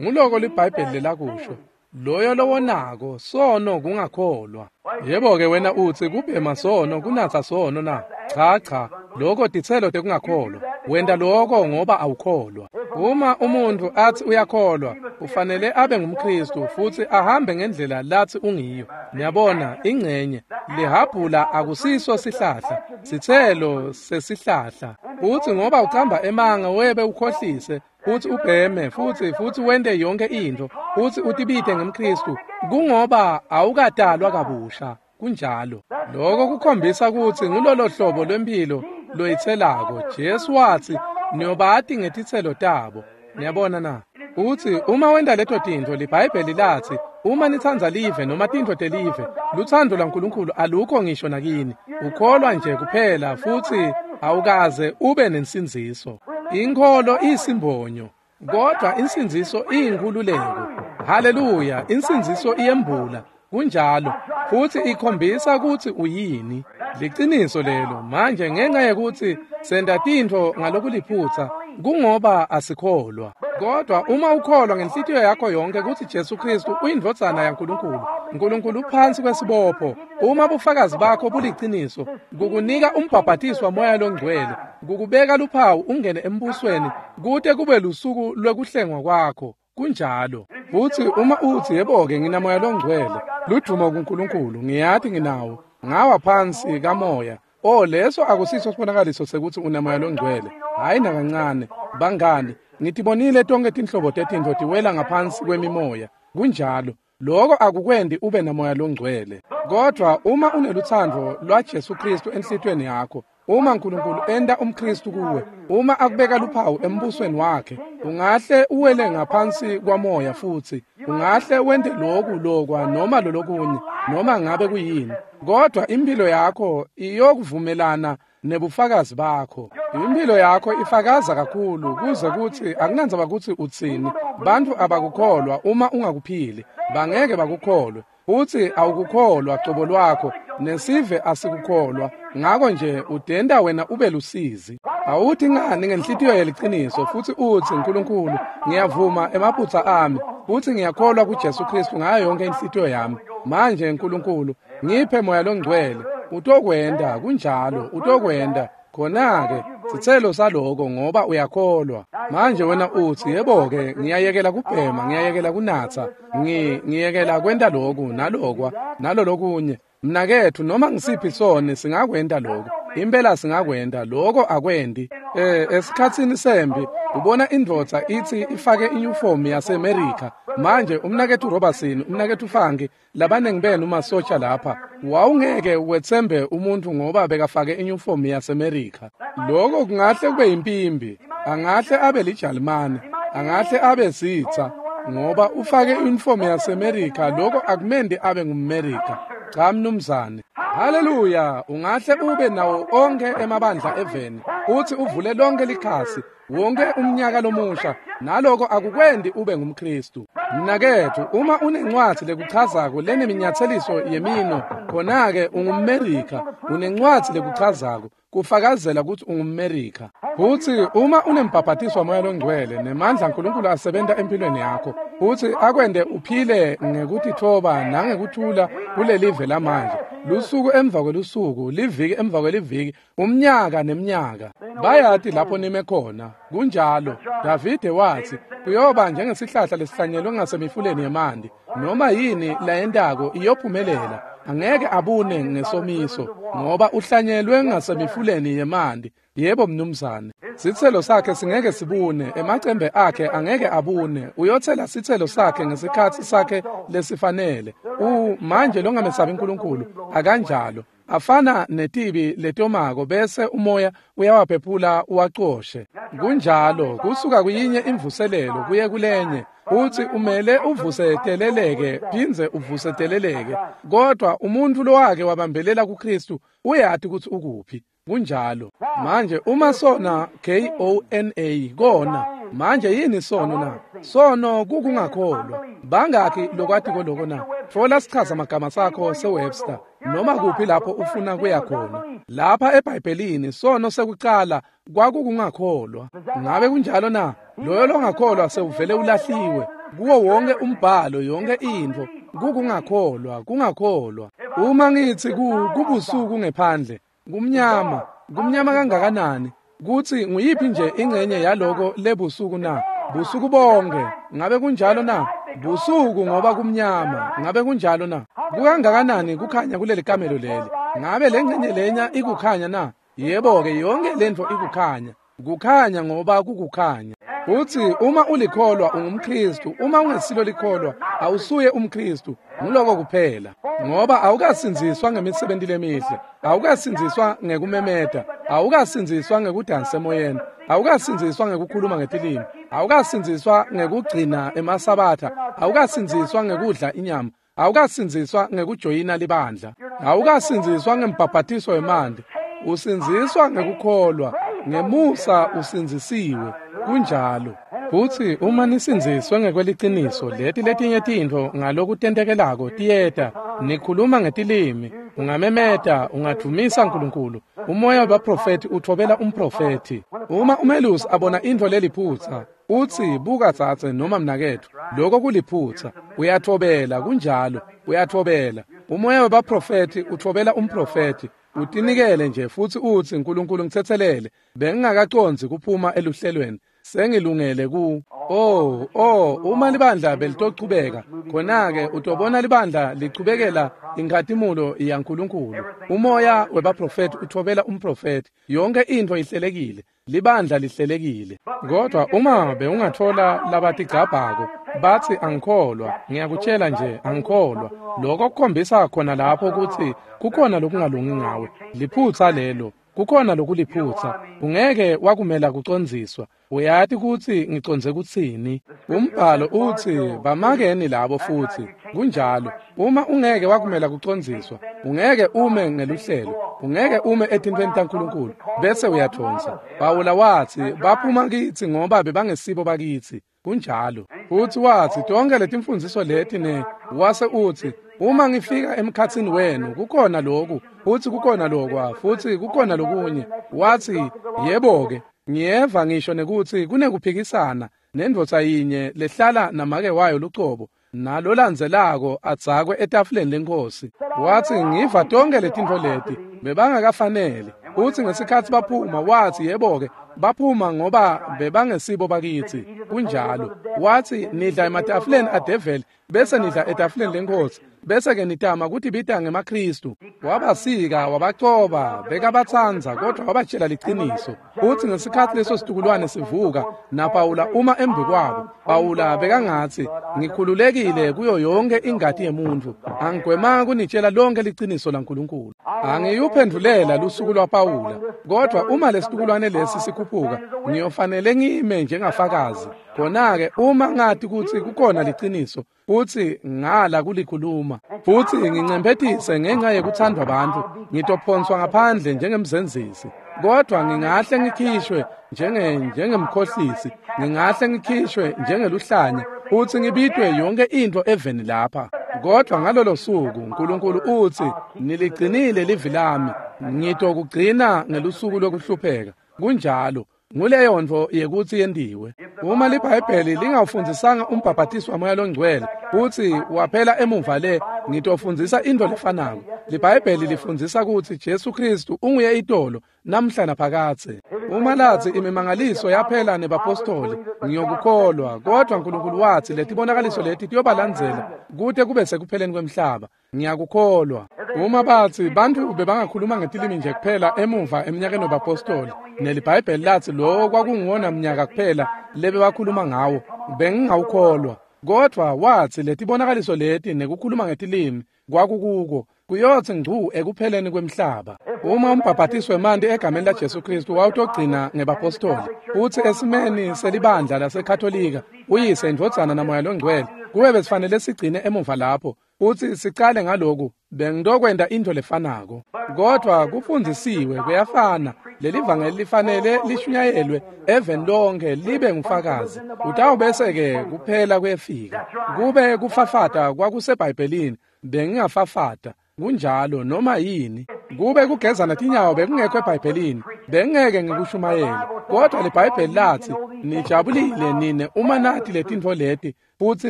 Nguloko liBhayibheli lelakusho. Loyo lowonako sono kungakholwa. Yebo-ke wena utsi kubhema sono kunatsa sono na? Cha cha, lokho titselo tekungakholwa. Wenta lokho ngoba awukholwa. Uma umuntu athi uyakholwa, ufanele abe ngumKristu futsi ahambe ngendlela lathi ungiyo. Niyabona, ingcenye lihabhula akusiso sihlahla, sitselo sesihlahla. Uthi ngoba ucamba emanga webe ukhohlise, uthi ubheme futsi futsi wente yonke intfo, uthi utibite ngemKristu, kungoba awukadalwa kabusha. Kunjalo. Lokho kukhombisa kutsi ngulolo hlobo lwempilo loyitselako. Jesu watsi niyobati ngetitselo tabo. Niyabona na? Uthi uma wenta leto tintfo, liBhayibheli latsi uma nitsandza live noma tintfo telive, lutsandvo lwaNkulunkulu alukho ngisho nakini. Ukholwa nje kuphela futsi awukaze ube nensindziso. Inkholo isimbonyo, kodwa insindziso iyinkhululeko. Haleluya, insindziso iyembula. Kunjalo, futsi ikhombisa kutsi uyini. Liciniso lelo. Manje ngenxa yekutsi senta tintfo ngalokuliphutsa, kungoba asikholwa. Kodwa uma ukholwa ngenhlitiyo yakho yonke kutsi Jesu Kristu uyindvodzana yaNkulunkulu, Nkulunkulu uphansi kwesibopho. Uma bufakazi bakho buliciniso, kukunika umbhabhatiso waMoya loNgcwele, kukubeka luphawu ungene embusweni kute kube lusuku lwekuhlengwa kwakho. Kunjalo. Futsi uma utsi yebo-ke nginamoya longcwele, ludumo kuNkulunkulu, ngiyati nginawo, ngawa phansi kamoya. Oh, leso akusiso sibonakaliso sekuthi unamoya longcwele. Hayi nakancane. Bangani, ngitibonile tonke tinhlobo tetintfo tiwela ngaphansi kwemimoya. Kunjalo. Lokho akukwendi ube namoya longcwele. Kodwa uma unelutsandvo lwaJesu Kristu enhlitiyweni yakho, uma Nkulunkulu enta umKristu kuwe, uma akubeka luphawu embusweni wakhe, ungahle uwele ngaphansi kwamoya futsi ungahle wente loku lokwa noma lolokunye noma ngabe kuyini, kodwa impilo yakho iyokuvumelana nebufakazi bakho. Impilo yakho ifakaza kakhulu kuze kutsi akunandzaba kutsi utsini, bantfu abakukholwa uma ungakuphili, bangeke bakukholwe. Utsi awukukholwa cobo lwakho, nesive asikukholwa, ngako nje udenda wena ube lusizi. Awuthi ngani ngenhlitiyo yeliciniso futsi utsi Nkulunkulu, ngiyavuma emaphutsa ami, futsi ngiyakholwa kuJesu Kristu ngayo yonke inhlitiyo yami. Manje Nkulunkulu, ngiphe moya longcwele. Utokwenta, kunjalo, utokwenta. Khona-ke sitselo saloko ngoba uyakholwa. Manje wena utsi yebo-ke ngiyayekela kubhema, ngiyayekela kunatsa, ngi ngiyekela kwenta loku nalokwa nalolokunye. Mnaketfu, noma ngisiphi soni singakwenta lokho. Impela singakwenta lokho akwendi. Eh esikhatsini sembi ubona indvodza itsi ifake iuniform yaseAmerica. Manje umnaketfu Robertson, umnaketfu Fangi, labanengi benu masotsha lapha, wawungeke wetsembe umuntu ngoba bekafake iuniform yaseAmerica. Lokho kungahle kube yimpimbi, angahle abe liJalimane, angahle abe sitsa, ngoba ufake iuniform yaseAmerica, lokho akumendi abe ngumAmerica. Cha mnumzane. Haleluya, ungahle ube nawo onke emabandla eveni, uthi uvule lonke likhasi, wonke umnyaka lomusha, naloko akukwendi ube ngumKristu. Mnaketfu, uma unencwadzi lekuchazako leneminyatseliswo yemino, khona-ke ungumMerica. Unencwadzi lekuchazako kufakazela kutsi ungumMerica. Futsi uma unembhabhatiso waMoya loNgcwele nemandla aNkulunkulu asebenta empilweni yakho, futsi akwente uphile ngekutitfoba nangekuthula kulelive lamanje, lusuku emva kwelusuku, liviki emva kweliviki, umnyaka nemnyaka, bayati lapho nime khona. Kunjalo. Davide watsi kuyoba njengesihlahla lesihlanyelwe ngasemifuleni yemanti, noma yini layentako iyophumelela. Angeke abune ngesomiso, ngoba uhlanyelwe ngasemifuleni yemanti. Yebo mnumzane. Sitselo sakhe singeke sibune, emacembe akhe angeke abune. Uyothela sitselo sakhe ngesikhatsi sakhe lesifanele. U manje longamesabi uNkulunkulu akanjalo. Afana netibi letomako bese umoya uyawaphephula uwacoshe. Kunjalo kusuka kuyinye imvuselelo kuye kulenye. Uthi umele uvuseteleleke phindze uvuseteleleke. Kodwa umuntu lowake wabambelela kuKristu uyati ukuthi ukuphi. Kunjalo. Manje uma sona K O N A kona, manje yini sono na? Sono kukungakholwa. Bangakhi lokwatiko lokho na? Thola sichaza magama sakho seWebster noma kuphi lapho ufuna kuya khona. Lapha eBhayibhelini sono sekuqala kwakukungakholwa. Ngabe kunjalo na? Loyo longakholwa sewuvele ulahliwe. Kuwo wonke umbhalo yonke intfo kukungakholwa, kungakholwa. Uma ngithi ku kubusuku ngephandle, kumnyama, kumnyama kangakanani? Kuthi nguyiphi nje ingcenye yaloko lebusuku na? Busuku bonke. Ngabe kunjalo na? Busuku ngoba kumnyama. Ngabe kunjalo na? Kukangakanani kukhanya kuleli kamelo leli? Ngabe lengcenye lenya ikukhanya na? Yebo ke, yonke lento ikukhanya. Kukhanya ngoba kukukhanya. Uthi uma ulikholwa ungumKristu, uma ungesilo likholwa awusuye umKristu. Nguloko kuphela. Ngoba awukasindziswa ngemisebenzi lemihle, awukasindziswa ngekumemeta, awukasindziswa ngekudansa emoyeni, awukasindziswa ngekukhuluma ngetilimi, awukasindziswa ngekugcina emasabatha, awukasindziswa ngekudla inyama, awukasindziswa ngekujoyina libandla, awukasindziswa ngembhabhatiso wemanti. Usindziswa ngekukholwa, ngemusa usindzisiwe. Kunjalo. Futsi uma nisindziswe ngekweliciniso, leti letinye tintfo ngalokutentekelako tiyeta. Nikhuluma ngetilimi, ungamemeta, ungadvumisa uNkulunkulu. Umoya wabaprofethi uthobela umprofethi. Uma umelusi abona intfo leliphutsa, utsi buka tsatse noma mnaketfu, lokho kuliphutsa. Uyathobela, kunjalo, uyathobela. Umoya wabaprofethi uthobela umprofethi. Utinikele nje futsi utsi uNkulunkulu ngitsetselele, bengingakacondzi kuphuma eluhlelweni, sengilungele ku oh oh uma libandla belitochubeka khona-ke utobona libandla lichubekela inkhatimulo yaNkulunkulu. Umoya webaprofethi uthobela umprofethi. Yonke intfo ihlelekile, libandla lihlelekile. Kodwa uma bewungathola labatigcabhako bathi angikholwa, ngiyakutshela nje angikholwa, lokho kukhombisa khona lapho ukuthi kukhona lokungalungi ngawe. Liphutsa lelo, kukhona lokuliphutsa. Ungeke wakumela kucondziswa. Uyati kutsi ngicondze kutsini? Umbhalo utsi bamakeni labo futhi. Kunjalo. Uma ungeke wakumela kucondziswa, ungeke ume ngeluhlelo, ungeke ume etintfweni taNkulunkulu bese uyathonsa. Pawula watsi baphuma kitsi ngoba bebangesibo bakitsi. Kunjalo. Futhi watsi tonke letimfundziso leti ne wase utsi uma ngifika emkhatsini wenu kukhona lokhu futhi kukhona lokwa futhi kukhona lokunye. Watsi yebo ke, ngiyeva ngisho nekutsi kunekuphikisana nendvodza yinye lehlala namake wayo lucobo nalolandzelako adzakwe etafuleni lenkosi. Watsi ngiva tonke letintfo leti bebangakafanele. Utsi ngesikhatsi baphuma, watsi yebo ke, baphuma ngoba bebangesibo bakitsi. Kunjalo. Watsi nidla ematafuleni adeveli bese nidla etafuleni lenkosi, bese ke nitama kutibita ngemaKristu. Wabasika, wabacoba, bekabatsandza, kodwa wabatshela liciniso. Utsi ngesikhatsi leso situkulwane sivuka naPawula uma embi kwabo, Pawula bekangatsi ngikhululekile kuyo yonke ingati yemuntfu, angigwemanga kunitshela lonke liciniso laNkulunkulu. Angiyuphendulela lusuku lwaPawula, kodwa uma lesitukulwane lesi sikhuphuka, ngiyofanele ngime njengafakazi. Khona-ke uma ngati kutsi kukhona liciniso, futsi ngala kulikhuluma, futsi ngincemphetise ngenxa yekuthandwa bantfu, ngitophonswa ngaphandle njengemzenzisi. Kodwa ngingahle ngikhishwe njenge njengemkhohlisi, ngingahle ngikhishwe njengeluhlanya, futsi ngibitwe yonke intfo eveni lapha. Kodwa ngalolo suku uNkulunkulu utsi niligcinile livi lami, ngitokugcina ngelusuku lokuhlupheka. Kunjalo. Nguleyo ntfo yekutsi yentiwe. Uma liBhayibheli lingawufundzisanga umbhabhatiso waMoya loNgcwele futsi waphela emuva le Ngitofundzisa into lefanako. LiBhayibheli lifundzisa kutsi Jesu Kristu unguye itolo namhla naphakadze. Uma latsi imimangaliso yaphela nebapostoli, ngiyokukholwa, kodwa Nkulunkulu watsi letibonakaliso leti tiyobalandzela kute kube sekupheleni kwemhlaba. Ngiyakukholwa. Uma batsi bantfu bebangakhuluma ngetilimi nje kuphela emuva eminyakeni webapostoli, neliBhayibheli latsi lowo kwakunguwona mnyaka kuphela lebebakhuluma ngawo, bengingawukholwa. Kodwa watsi letibonakaliso leti nekukhuluma ngetilimi kwakukuko kuyotsi ngcu ekupheleni kwemhlaba. Uma umbhabhatiso wemanti egameni laJesu Kristu wawutogcina ngebapostoli, futsi esimeni selibandla laseKatolika, uyise, indvodzana naMoya loNgcwele, kube besifanele sigcine emuva lapho futsi sicale ngaloku, bengitokwenta into lefanako. Kodwa kufundzisiwe kuyafana, lelivangeli lifanele lishunyayelwe eveni lonke libe ngufakazi. Utawubese-ke kuphela kuyefika. Kube kufafata kwakuseBhayibhelini, bengingafafata kunjalo noma yini. Kube kugezana tinyawo bekungekho eBhayibhelini, bengeke ngikushumayele. Kodwa liBhayibheli latsi nijabulile nine uma nati letintfo leti futsi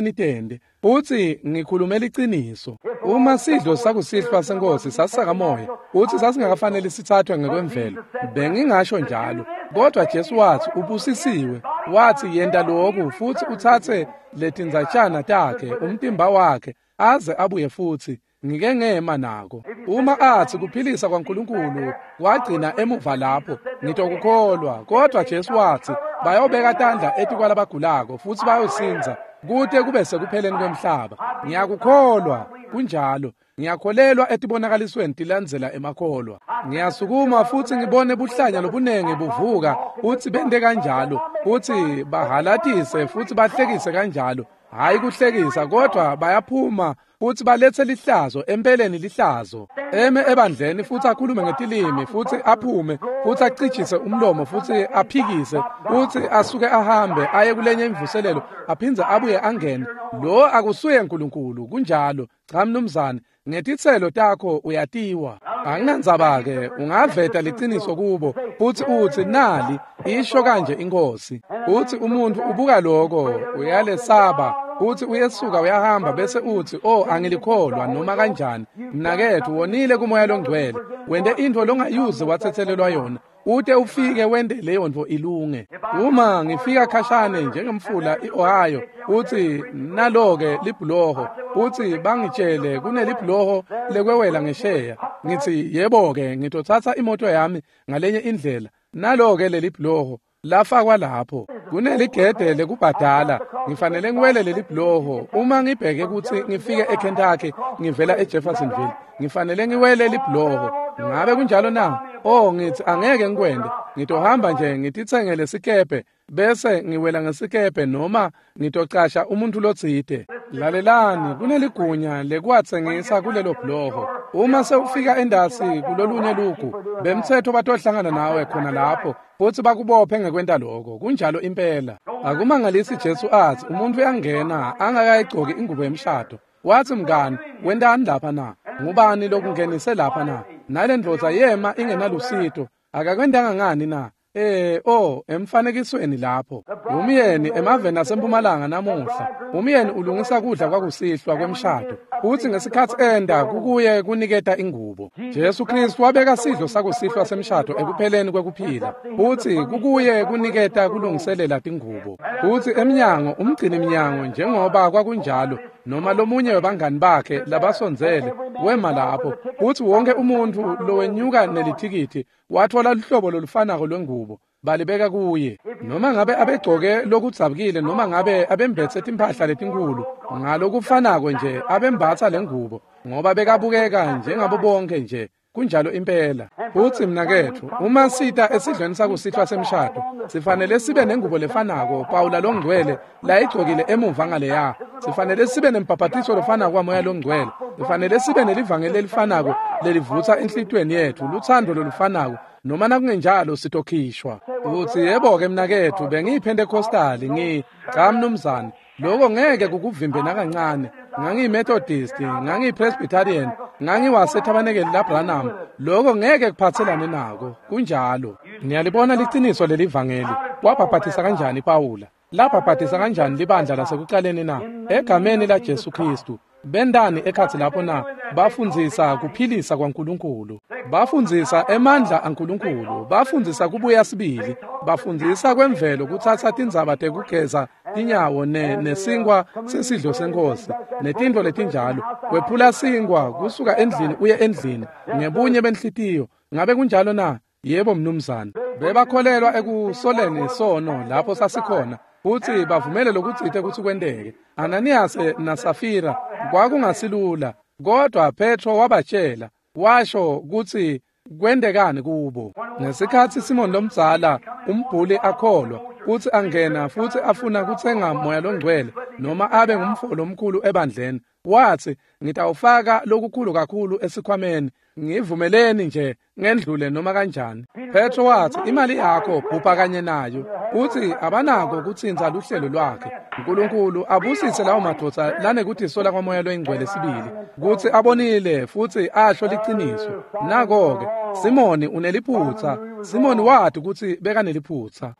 nitende, futsi ngikhulume liciniso. Uma sidlo sakusihlwa senkosi sasisakamoya, futsi sasingakafanele sithathwe ngekwemvelo, bengingasho njalo. Kodwa Jesu watsi ubusisiwe, watsi yenta lokhu futsi utsatse letindzatshana takhe, umtimba wakhe, aze abuye futsi. Ngike ngema nako. Uma atsi kuphilisa kwaNkulunkulu wagcina emuva lapho, ngitokukholwa. Kodwa Jesu watsi bayobeka tandla etikwalabagulako futsi bayosindza kute kube sekupheleni kwemhlaba. Ngiyakukholwa, kunjalo. Ngiyakholelwa etibonakalisweni tilandzela emakholwa. Ngiyasukuma futsi ngibone buhlanya lobunengi buvuka, futsi bente kanjalo, futsi bahalatise futsi bahlekise kanjalo. Hayi kuhlekisa, kodwa bayaphuma futsi baletse lihlazo, empeleni lihlazo. Eme ebandleni futsi akhulume ngetilimi, futsi aphume, futsi acijise umlomo, futsi aphikise, futsi asuke ahambe aye kulenye imvuselelo, aphindze abuye angene. Lo akusuye Nkulunkulu, kunjalo. Cha mnumzane, ngetitselo takho uyatiwa. Anginandzaba-ke, ungaveta liciniso kubo, futsi utsi nali, isho kanje inkosi. Futsi umuntfu ubuka loko, uyalesaba, futsi uyesuka uyahamba bese utsi, oh angilikholwa noma kanjani. Mnaketfu, wonile kuMoya loNgcwele, wente intfo longayuze watsetselelwa yona. Ute ufike wente leyo ntfo ilunge. Uma ngifika khashane njengemfula i-Ohio, utsi nalo-ke libhuloho, utsi bangitshele kunelibhuloho lekwewela ngesheya. Ngitsi yebo-ke, ngitotsatsa imoto yami ngalenye indlela. Nalo-ke lelibhuloho lafakwa lapho. Kuneligede lekubhadala, ngifanele ngiwele lelibhuloho. Uma ngibheke kutsi ngifike eKentucky ngivela eJeffersonville, ngifanele ngiwele libhuloho. Ngabe kunjalo na? Oh, ngitsi angeke ngikwente. Ngitohamba nje ngititsengele sikebhe bese ngiwela ngesikebhe, noma ngitocasha umuntfu lotsite. Lalelani, kuneligunya lekwatsengisa kulelo bhuloho. Uma sewufika endasi kulolunye lugu, bemtsetfo batohlangana nawe khona lapho futsi bakubophe ngekwenta lokho. Kunjalo impela. Akumangalisi Jesu atsi umuntfu uyangena angakayigcoki ingubo yemshado. Watsi mngani, wentani lapha na? Ngubani lokungenise lapha na? Nale ndvodza yema ingenalusito. Akakwentanga ngani na? Eh, oh, emfanekisweni lapho. Umyeni emaveni asempumalanga namuhla. Umyeni ulungisa kudla kwakusihlwa kwemshado. Utsi ngesikhatsi enda kukuye kuniketa ingubo. Jesu Kristu wabeka sidlo sakusihlwa semshado ekupheleni kwekuphila. Utsi kukuye kuniketa kulungiselela tingubo. Utsi emnyango umgcini mnyango njengoba kwakunjalo, noma lomunye webangani bakhe labasondzele wema lapho. Utsi wonke umuntfu lowenyuka nelithikithi wathola luhlobo lolufanako lwengubo, balibeka kuye. Noma ngabe abegcoke lokudzabukile, noma ngabe abembetse timphahla letinkhulu, ngalokufanako nje abembatsa lengubo, ngoba bekabukeka njengabo bonke nje. Kunjalo impela. Futsi mnaketfu, uma sita esidlweni sakusihlwa semshado, sifanele sibe nengubo lefanako Pawula loNgcwele layigcokile emuva ngaleya. Sifanele sibe nembhabhatiso lofanako waMoya loNgcwele. Sifanele sibe nelivangeli lelifanako lelivutsa enhlitiyweni yetfu, lutsandvo lolufanako, noma nakungenjalo sitokhishwa. Utsi yebo-ke mnaketfu, bengiyiPhentekhostali, ngi cha mnumzane, lokho ngeke kukuvimbe nakancane. NgangiyiMethodist, ngangiyiPresbyterian, ngangiwasethabanekeli laBranham. Lokho ngeke kuphatselane nako. Kunjalo. Niyalibona liciniso lelivangeli. Wabhabhatisa kanjani Pawula? Labhabhatisa kanjani libandla lasekucaleni na? Egameni laJesu Kristu. Bendani ekhatsi lapho na? Bafundzisa kuphilisa kwaNkulunkulu, bafundzisa emandla aNkulunkulu, bafundzisa kubuya sibili, bafundzisa kwemvelo kutsatsa tindzaba tekugeza tinyawo ne nesinkwa sesidlo senkosi netintfo letinjalo, kwephula sinkwa kusuka endlini uye endlini ngebunye benhlitiyo. Ngabe kunjalo na? Yebo mnumzane. Bebakholelwa ekusoleni sono lapho sasikhona futsi bavumele lokutsite kutsi kwenteke. Ananias naSafira kwakungasilula, kodwa Petro wabatshela washo kutsi kwentekani kubo. Ngesikhatsi Simon lomdzala umbhuli akholwa kutsi angena futsi afuna kutsenga moya longcwele noma abe ngumfo lomkhulu ebandleni, watsi ngitawufaka lokukhulu kakhulu esikhwameni, ngivumeleni nje ngendlule noma kanjani. Petro watsi imali yakho bhubha kanye nayo, utsi abanako kutsintsa luhlelo lwakhe. Nkulunkulu abusise lawo madvodza lanekutisola kwamoya loyingcwele sibili kutsi abonile futsi asho liciniso. Nako-ke Simoni uneliphutsa. Simoni wati kutsi bekaneliphutsa.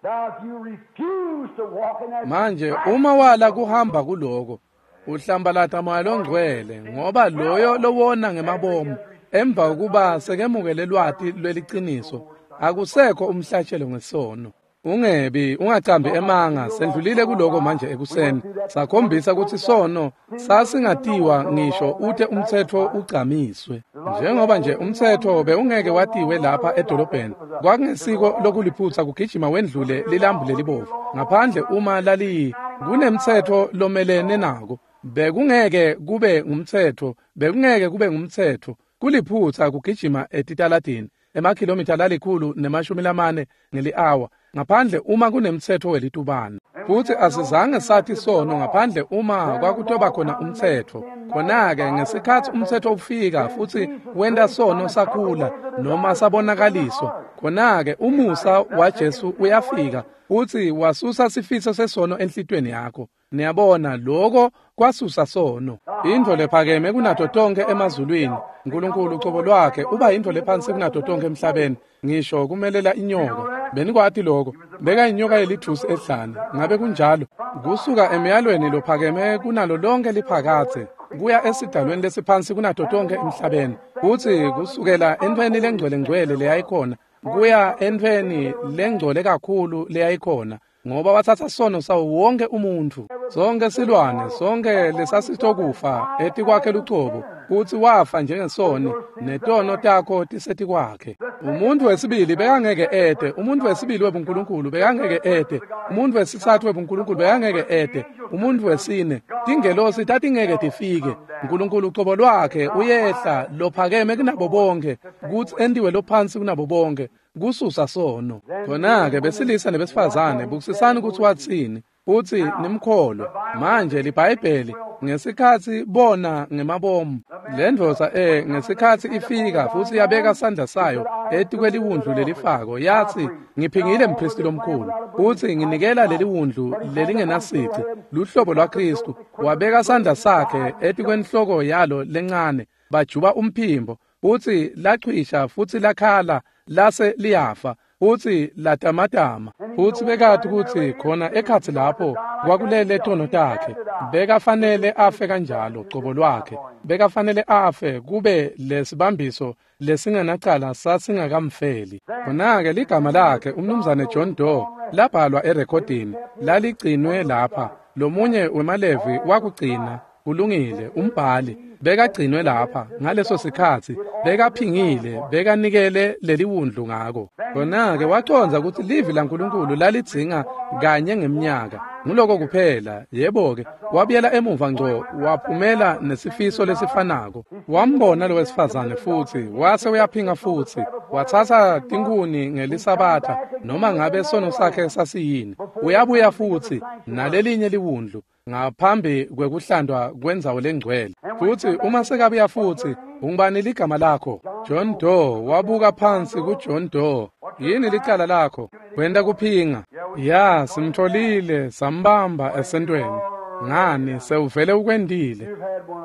Manje uma wala kuhamba kuloko, uhlambalata moya longcwele, ngoba loyo lowona ngemabomu emva kokuba sekemukele lwati lweliciniso akusekho umhlatshelo ngesono. Ungebi, ungacambi emanga. Sendlulile kuloko manje ekuseni, sakhombisa kutsi sono sasingatiwa ngisho ute umtsetfo ugcamiswe. Njengoba nje umtsetfo bewungeke watiwe lapha edolobheni, kwakungesiko lokuliphutsa kugijima wendlule lilambu lelibovu ngaphandle uma laliyi kunemtsetfo lomelene nako. Bekungeke kube ngumtsetfo, bekungeke kube ngumtsetfo kuliphutsa kugijima etitaladini emakhilomitha lalikhulu nemashumi lamane ngeli-awa ngaphandle uma kunemtsetfo welitubane. Futsi asizange sathi sono ngaphandle uma kwakutoba khona umtsetfo. Khona-ke ngesikhatsi umtsetfo ufika futsi wenta sono sakhula noma sabonakaliswa, khona-ke umusa waJesu uyafika futsi wasusa sifiso sesono enhlitiyweni yakho. Niyabona, loko kwasusa sono. Intfo lephakeme kunato tonkhe emazulwini, Nkulunkulu ucobo lwakhe uba yintfo lephansi kunato tonkhe emhlabeni, ngisho kumelela inyoka. Benikwati loko? Beka inyoka yelithusi ehlane. Ngabe kunjalo? Kusuka emyalweni lophakeme kunalo lonke liphakathe kuya esidalweni lesiphansi kunato tonkhe emhlabeni, futsi kusukela entfweni lengcwele-ngcwele leyayikhona kuya entfweni lengcole kakhulu leyayikhona, ngoba watsatsa sono sawo wonke umuntfu, sonke silwane, sonke lesasitokufa etikwakhe lucobo, kutsi wafa njengesoni netono takho tisetikwakhe. Umuntu wesibili bekangeke ete, umuntu wesibili webuNkulunkulu bekangeke ete, umuntu wesitsatfu webuNkulunkulu bekangeke ete, umuntu wesine, tingelosi tatingeke tifike. Nkulunkulu ucobo lwakhe uyehla lophakeme kunabo bonke, kutsi entiwe lophansi kunabo bonke, kususa sono. Khona-ke besilisa nebesifazane, bukisisani kutsi watsini, futsi nimkholwe. Manje liBhayibheli ngesikhatsi bona ngemabomu lendvodza eh ngesikhatsi ifika futsi yabeka sandla sayo etikweliwundlu lelifako, yatsi ngiphingile mphristi lomkhulu, futsi nginikela leliwundlu lelingenasici, luhlobo lwaKhristu. Wabeka sandla sakhe etikwenhloko yalo lencane, bajuba umphimbo, futsi lachwisha futsi lakhala lase liyafa futsi latamatama. Futsi bekati kutsi khona ekhatsi lapho kwakulele tono takhe, bekafanele afe kanjalo cobo lwakhe, bekafanele afe kube lesibambiso lesingenacala sasingakamfeli. Khona-ke ligama lakhe umnumzane John Doe labhalwa erekhodini laligcinwe lapha, lomunye wemalevi wakugcina. Kulungile, umbhali bekagcinwe lapha ngaleso sikhatsi, bekaphingile, bekanikele leliwundlu ngako. Khona-ke wacondza kutsi livi laNkulunkulu lalidzinga kanye ngemnyaka, nguloko kuphela. Yebo-ke, wabuyela emuva ngco, waphumela nesifiso lesifanako. Wambona lo wesifazane futsi wase uyaphinga futsi, watsatsa tinkhuni ngelisabatha noma ngabe sono sakhe sasiyini. Uyabuya futsi nalelinye liwundlu ngaphambi kwekuhlandwa kwendzawo lengcwele. Futsi uma sekabuya futsi, ungubani ligama lakho? John Doe. Wabuka phansi kuJohn Doe. Yini licala lakho? Wenta kuphinga. Ya, simtholile, sambamba esentweni. Ngani, sewuvele ukwendile.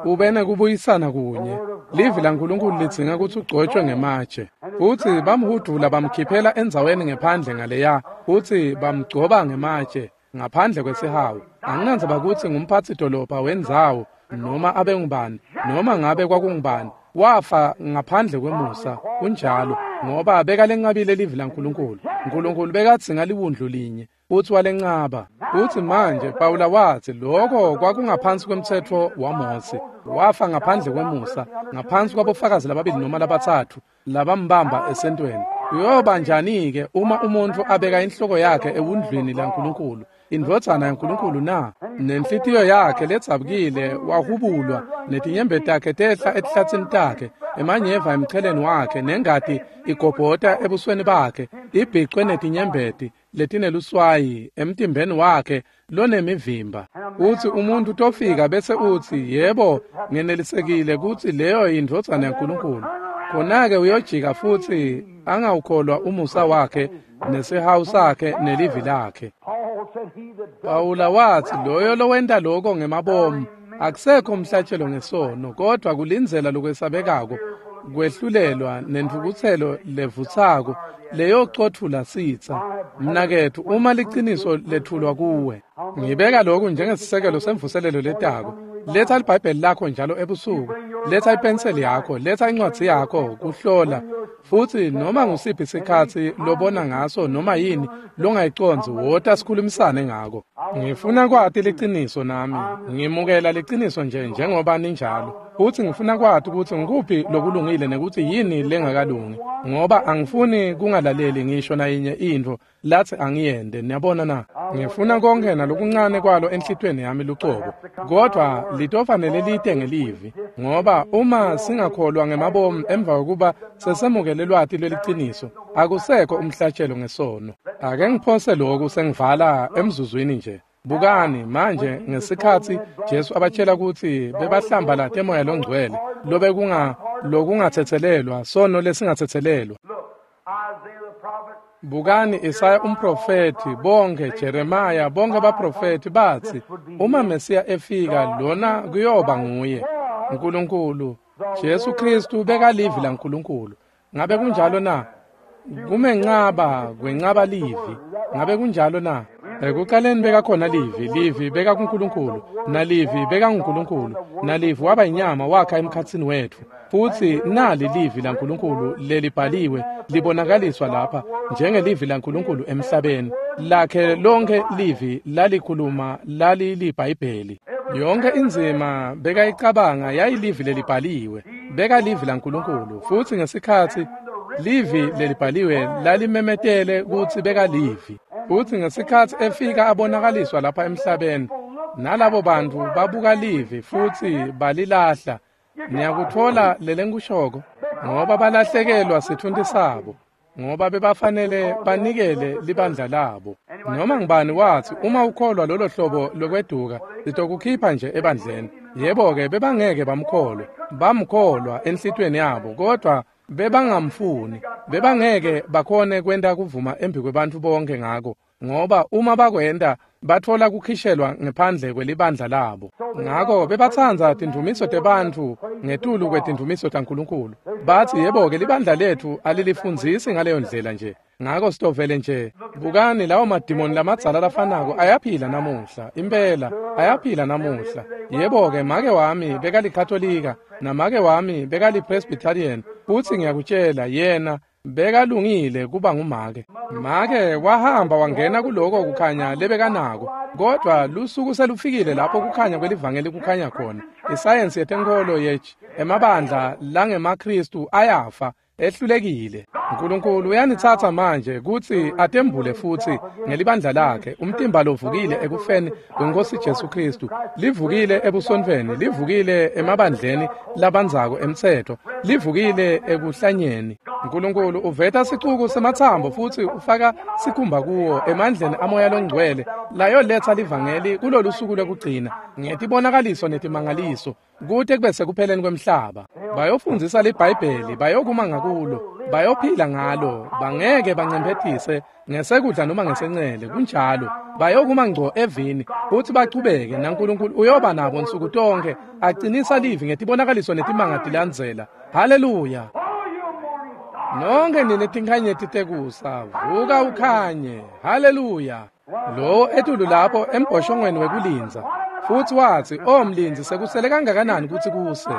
Ube nekubuyisana kunye. Livi laNkulunkulu lidzinga kutsi ugcotshwe ngematshe. Futsi bamhudvula bamkhiphela endzaweni ngephandle ngaleya, futsi bamgcoba ngematshe ngaphandle kwesihawu. Anginandzaba kutsi ngumphatsi dolobha wendzawo noma abengubani, noma ngabe kwakungubani, wafa ngaphandle kwemusa. Kunjalo, ngoba bekalenqabile livi laNkulunkulu. Nkulunkulu bekadzinga liwundlu linye, futsi walencaba. Futsi manje Pawula watsi lokho kwakungaphansi kwemtsetfo waMose. Wafa ngaphandle kwemusa, ngaphansi kwabofakazi lababili noma labatsatfu labambamba esentweni. Kuyoba njani-ke uma umuntfu abeka inhloko yakhe ewundlwini laNkulunkulu, indvodzana yaNkulunkulu na? Nenhlitiyo yakhe ledzabukile wahubulwa, netinyembeti takhe tehla etihlatsini takhe, emanyeva emcheleni wakhe, nengati igobhota ebusweni bakhe, ibhicwe netinyembeti letineluswayi emtimbeni wakhe lonemivimba. Utsi umuntfu tofika bese utsi, yebo, ngenelisekile kutsi leyo yindvodzana yaNkulunkulu. Khona-ke uyojika futsi angawukholwa umusa wakhe nesihawu sakhe nelivi lakhe. Pawula watsi loyo lowenta lokho ngemabomu akusekho umhlatshelo ngesono, kodvwa kulindzela lokwesabekako kwehlulelwa nentfukutselo levutsako leyocotfula sitsa. Mnaketfu, uma liciniso lethulwa kuwe, ngibeka lokhu njengesisekelo semvuselelo letako. Letha liBhayibheli lakho njalo ebusuku, letha ipenseli yakho, letha incwadzi yakho kuhlola, futsi noma ngusiphi sikhatsi lobona ngaso noma yini longayicondzi, wota sikhulumisane ngako. Ngifuna kwati liciniso nami, ngimukela liciniso nje njengoba ninjalo, futsi ngifuna kwati kutsi ngikuphi lokulungile nekutsi yini lengakalungi, ngoba angifuni kungalaleli ngisho nayinye intfo latsi angiyende. Niyabona na? Ngifuna konke nalokuncane kwalo enhlitiyweni yami lucobo, kodvwa litofanele lite ngelivi, ngoba uma singakholwa ngemabomu emva kokuba sesemukele lwati lweliciniso, akusekho umhlatshelo ngesono. Ake ngiphose lokhu sengivala emzuzwini nje. Bukani manje ngesikhatsi Jesu abatshela kutsi bebahlambalate Moya Longcwele, lobekunga lokungatsetselelwa, sono lesingatsetselelwa. Bukani Isaya umprofethi, bonke Jeremiah, bonke abaprofethi batsi uma Mesiya efika lona kuyoba nguye. Nkulunkulu, Jesu Kristu bekalivi laNkulunkulu. Ngabe kunjalo na? Kumencaba kwencaba livi. Ngabe kunjalo na? Ekuqaleni bekakhona livi, livi beka kuNkulunkulu, nalivi beka nguNkulunkulu, nalivi waba inyama wakha emkhatsini wetfu. Futsi nali livi laNkulunkulu lelibhaliwe libonakaliswa lapha njengelivi laNkulunkulu emhlabeni. Lakhe lonke livi lalikhuluma laliliBhayibheli. Yonke indzima bekayicabanga yayilivi lelibhaliwe, bekalivi laNkulunkulu. Futsi ngesikhatsi livi lelibhaliwe lalimemetele kutsi bekalivi, futsi ngesikhatsi efika abonakaliswa lapha emhlabeni, nalabo bantfu babuka livi futsi balilahla. Niyakutfola lelengikushoko? Ngoba balahlekelwa sitfunti sabo, ngoba bebafanele banikele libandla labo. Noma ngubani watsi uma ukholwa lolo hlobo lokweduka, sitokukhipha nje ebandleni. Yebo-ke, bebangeke bamkholwe. Bamkholwa enhlitiyweni yabo, kodvwa bebangamfuni. Bebangeke bakhone kwenta kuvuma embi kwebantfu bonke ngako, ngoba uma bakwenta batfola kukhishelwa ngephandle kwelibandla labo. Ngako bebatsandza tindvumiso tebantfu ngetulu kwetindvumiso taNkulunkulu. Batsi yebo-ke, libandla letfu alilifundzisi ngaleyo ndlela nje, ngako sitovele nje. Bukani lawo madimoni lamadzala lafanako ayaphila namuhla, impela ayaphila namuhla. Yebo-ke, make wami bekalikatolika namake wami bekalipresbyterian, futsi ngiyakutshela yena bekalungile kuba ngumake. Make wahamba wangena kuloko kukhanya lebekanako, kodvwa lusuku selufikile lapho kukhanya kwelivangeli kukhanya khona. Isayensi yetenkholo yethu, emabandla langemaKhristu ayafa, ehlulekile. Nkulunkulu uyanitsatsa manje kutsi atembule futsi ngelibandla lakhe, umtimba lovukile ekufeni kweNkosi Jesu Kristu, livukile ebusontfweni, livukile emabandleni labandzako emtsetfo, livukile ekuhlanyeni. Nkulunkulu uveta sicuku sematsambo futsi ufaka sikhumba kuwo emandleni amoya longcwele layoletsa livangeli kulolu suku lwekugcina ngetibonakaliso netimangaliso kute kube sekupheleni kwemhlaba. Bayofundzisa liBhayibheli, bayokuma ngakulo, bayophila ngalo, bangeke bancemphetise ngesekudla noma ngesencele. Kunjalo, bayokuma ngco evini futsi bachubeke, naNkulunkulu uyoba nabo nsuku tonke, acinisa livi ngetibonakaliso netimanga tilandzela. Haleluya! Nonke nine tinkhanyeti tekusa, vuka ukhanye. Haleluya! Lowo etulu lapho embhoshongweni wekulindza, Futsi watsi, "O mlindzi, sekusele kangakanani kutsi kuse?"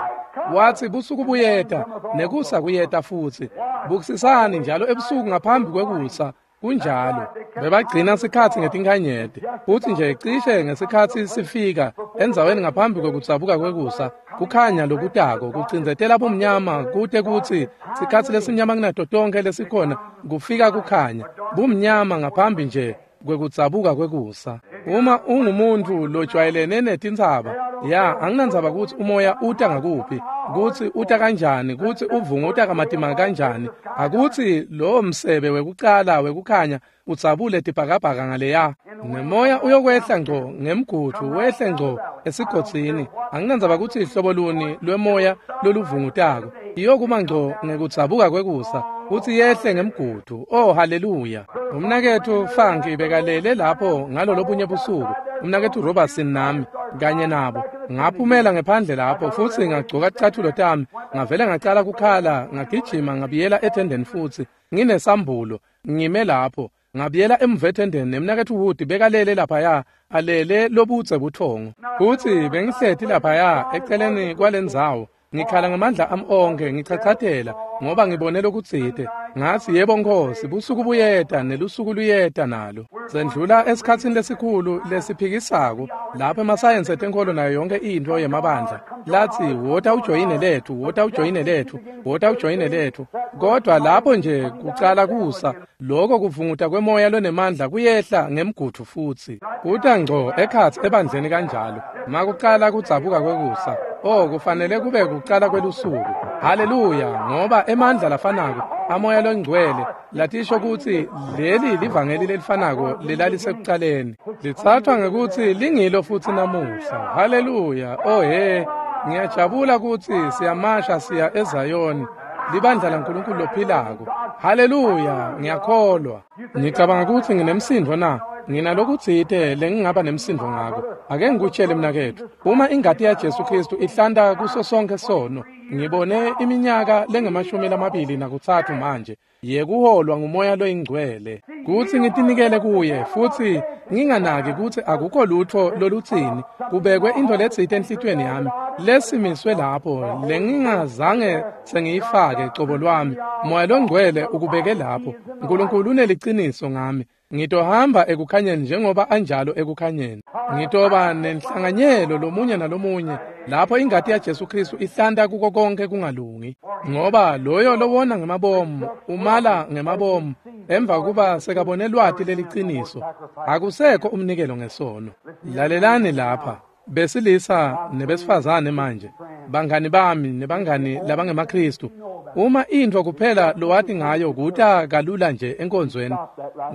Watsi, "Busuku buyeta, nekusa kuyeta futsi. Bukisisani njalo ebusuku ngaphambi kwekusa." Kunjalo. Bebagcina sikhatsi ngetinkhanyeti. Futsi nje cishe ngesikhatsi sifika endzaweni ngaphambi kwekudzabuka kwekusa, kukhanya lokutako kucindzetela bumnyama kute kutsi sikhatsi lesimnyama kunato tonkhe lesikhona kufika kukhanya. Bumnyama ngaphambi nje kwekudzabuka kwekusa. Uma ungumuntu lojwayelene netintsaba, ya, anginandzaba kutsi umoya uta ngakuphi, kutsi uta kanjani, kutsi uvunguta kamatima kanjani, akutsi lowo msebe wekucala wekukhanya udzabule tibhakabhaka ngaleya, nemoya uyokwehla ngco ngemgudvu wehle ngco esigodzini. Anginandzaba kutsi hlobo luni lwemoya loluvungutako, iyokuma ngco ngekudzabuka kwekusa, kutsi yehle ngemgudvu. Oh, haleluya. Umnaketfu Funky bekalele lapho ngalolobunye busuku, umnaketfu Robertson nami kanye nabo. Ngaphumela ngephandle lapho futsi ngagcoka ticatfulo tami, ngavele ngacala kukhala, ngagijima ngabuyela ethendeni futsi nginesambulo, ngime lapho. Ngabuyela emuva ethendeni, nemnaketfu Wood bekalele laphaya, alele lobudze buthongo. Futsi bengihleti laphaya eceleni kwalendzawo, ngikhala ngamandla ami onkhe, ngichachatela ngoba ngibone lokutsite. Ngatsi, "Yebo Nkosi, busuku buyeta nelusuku luyeta nalo." Sendlula esikhatsini lesikhulu lesiphikisako lapho emasayensi etenkholo nayo yonke intfo yemabandla latsi, "Wota ujoyine lethu, wota ujoyine lethu, wota ujoyine lethu." Kodwa lapho nje kucala kusa, lokho kuvunguta kwemoya lonemandla kuyehla ngemgudvu futsi kuta ngco ekhatsi ebandleni kanjalo. Makucala kudzabuka kwekusa, oh, kufanele kube kucala kwelusuku. Haleluya, ngoba emandla lafanako amoya longcwele latisho kutsi leli livangeli lelifanako lelalisekucaleni litsathwa ngekutsi lingilo futsi namuhla. Haleluya. Oh he, ngiyajabula kutsi siyamasha siya eZayoni, libandla laNkulunkulu lophilako. Haleluya, ngiyakholwa. Ngicabanga kutsi nginemsindvo na? Nginalokutsite lengingaba nemsindvo ngako. Ake ngikutshele mnaketfu, uma ingati yaJesu Kristu ihlanta kuso sonke sono, ngibone iminyaka lengemashumi lamabili nakutsatfu manje yekuholwa ngumoya loyingcwele, kutsi ngitinikele kuye futsi nginganaki kutsi akukho lutfo lolutsini, kubekwe intfo letsite enhlitiyweni yami lesimiswe lapho lengingazange sengiyifake cobo lwami. Moya longcwele ukubeke lapho. Nkulunkulu uneliciniso ngami. Ngitohamba ekukhanyeni njengoba anjalo ekukhanyeni. Ngitoba nenhlanganyelo lomunye nalomunye lapho ingati yaJesu Kristu ihlanta kuko konke kungalungi. Ngoba loyo lowona ngemabomu umala ngemabomu emva kuba sekabone lwati leliciniso. Akusekho umnikelo ngesono. Lalelani lapha, besilisa nebesifazane manje, bangani bami nebangani labangemaKristu. Uma intfo kuphela lowati ngayo kuta kalula nje enkonzweni,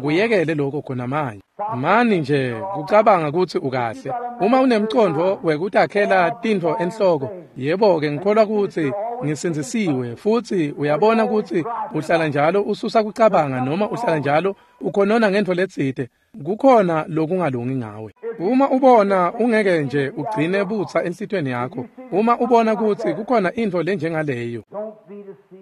kuyekele lokho khona manje. Mani nje kucabanga kutsi ukahle. Uma unemcondvo wekutakhela tintfo enhloko, yebo-ke ngikholwa kutsi ngisindzisiwe, futsi uyabona kutsi uhlala njalo ususa kucabanga noma uhlala njalo ukhonona ngentfo letsite, kukhona lokungalungi ngawe. Uma ubona ungeke nje ugcine butsa enhlitiyweni yakho, uma ubona kutsi kukhona intfo lenjengaleyo,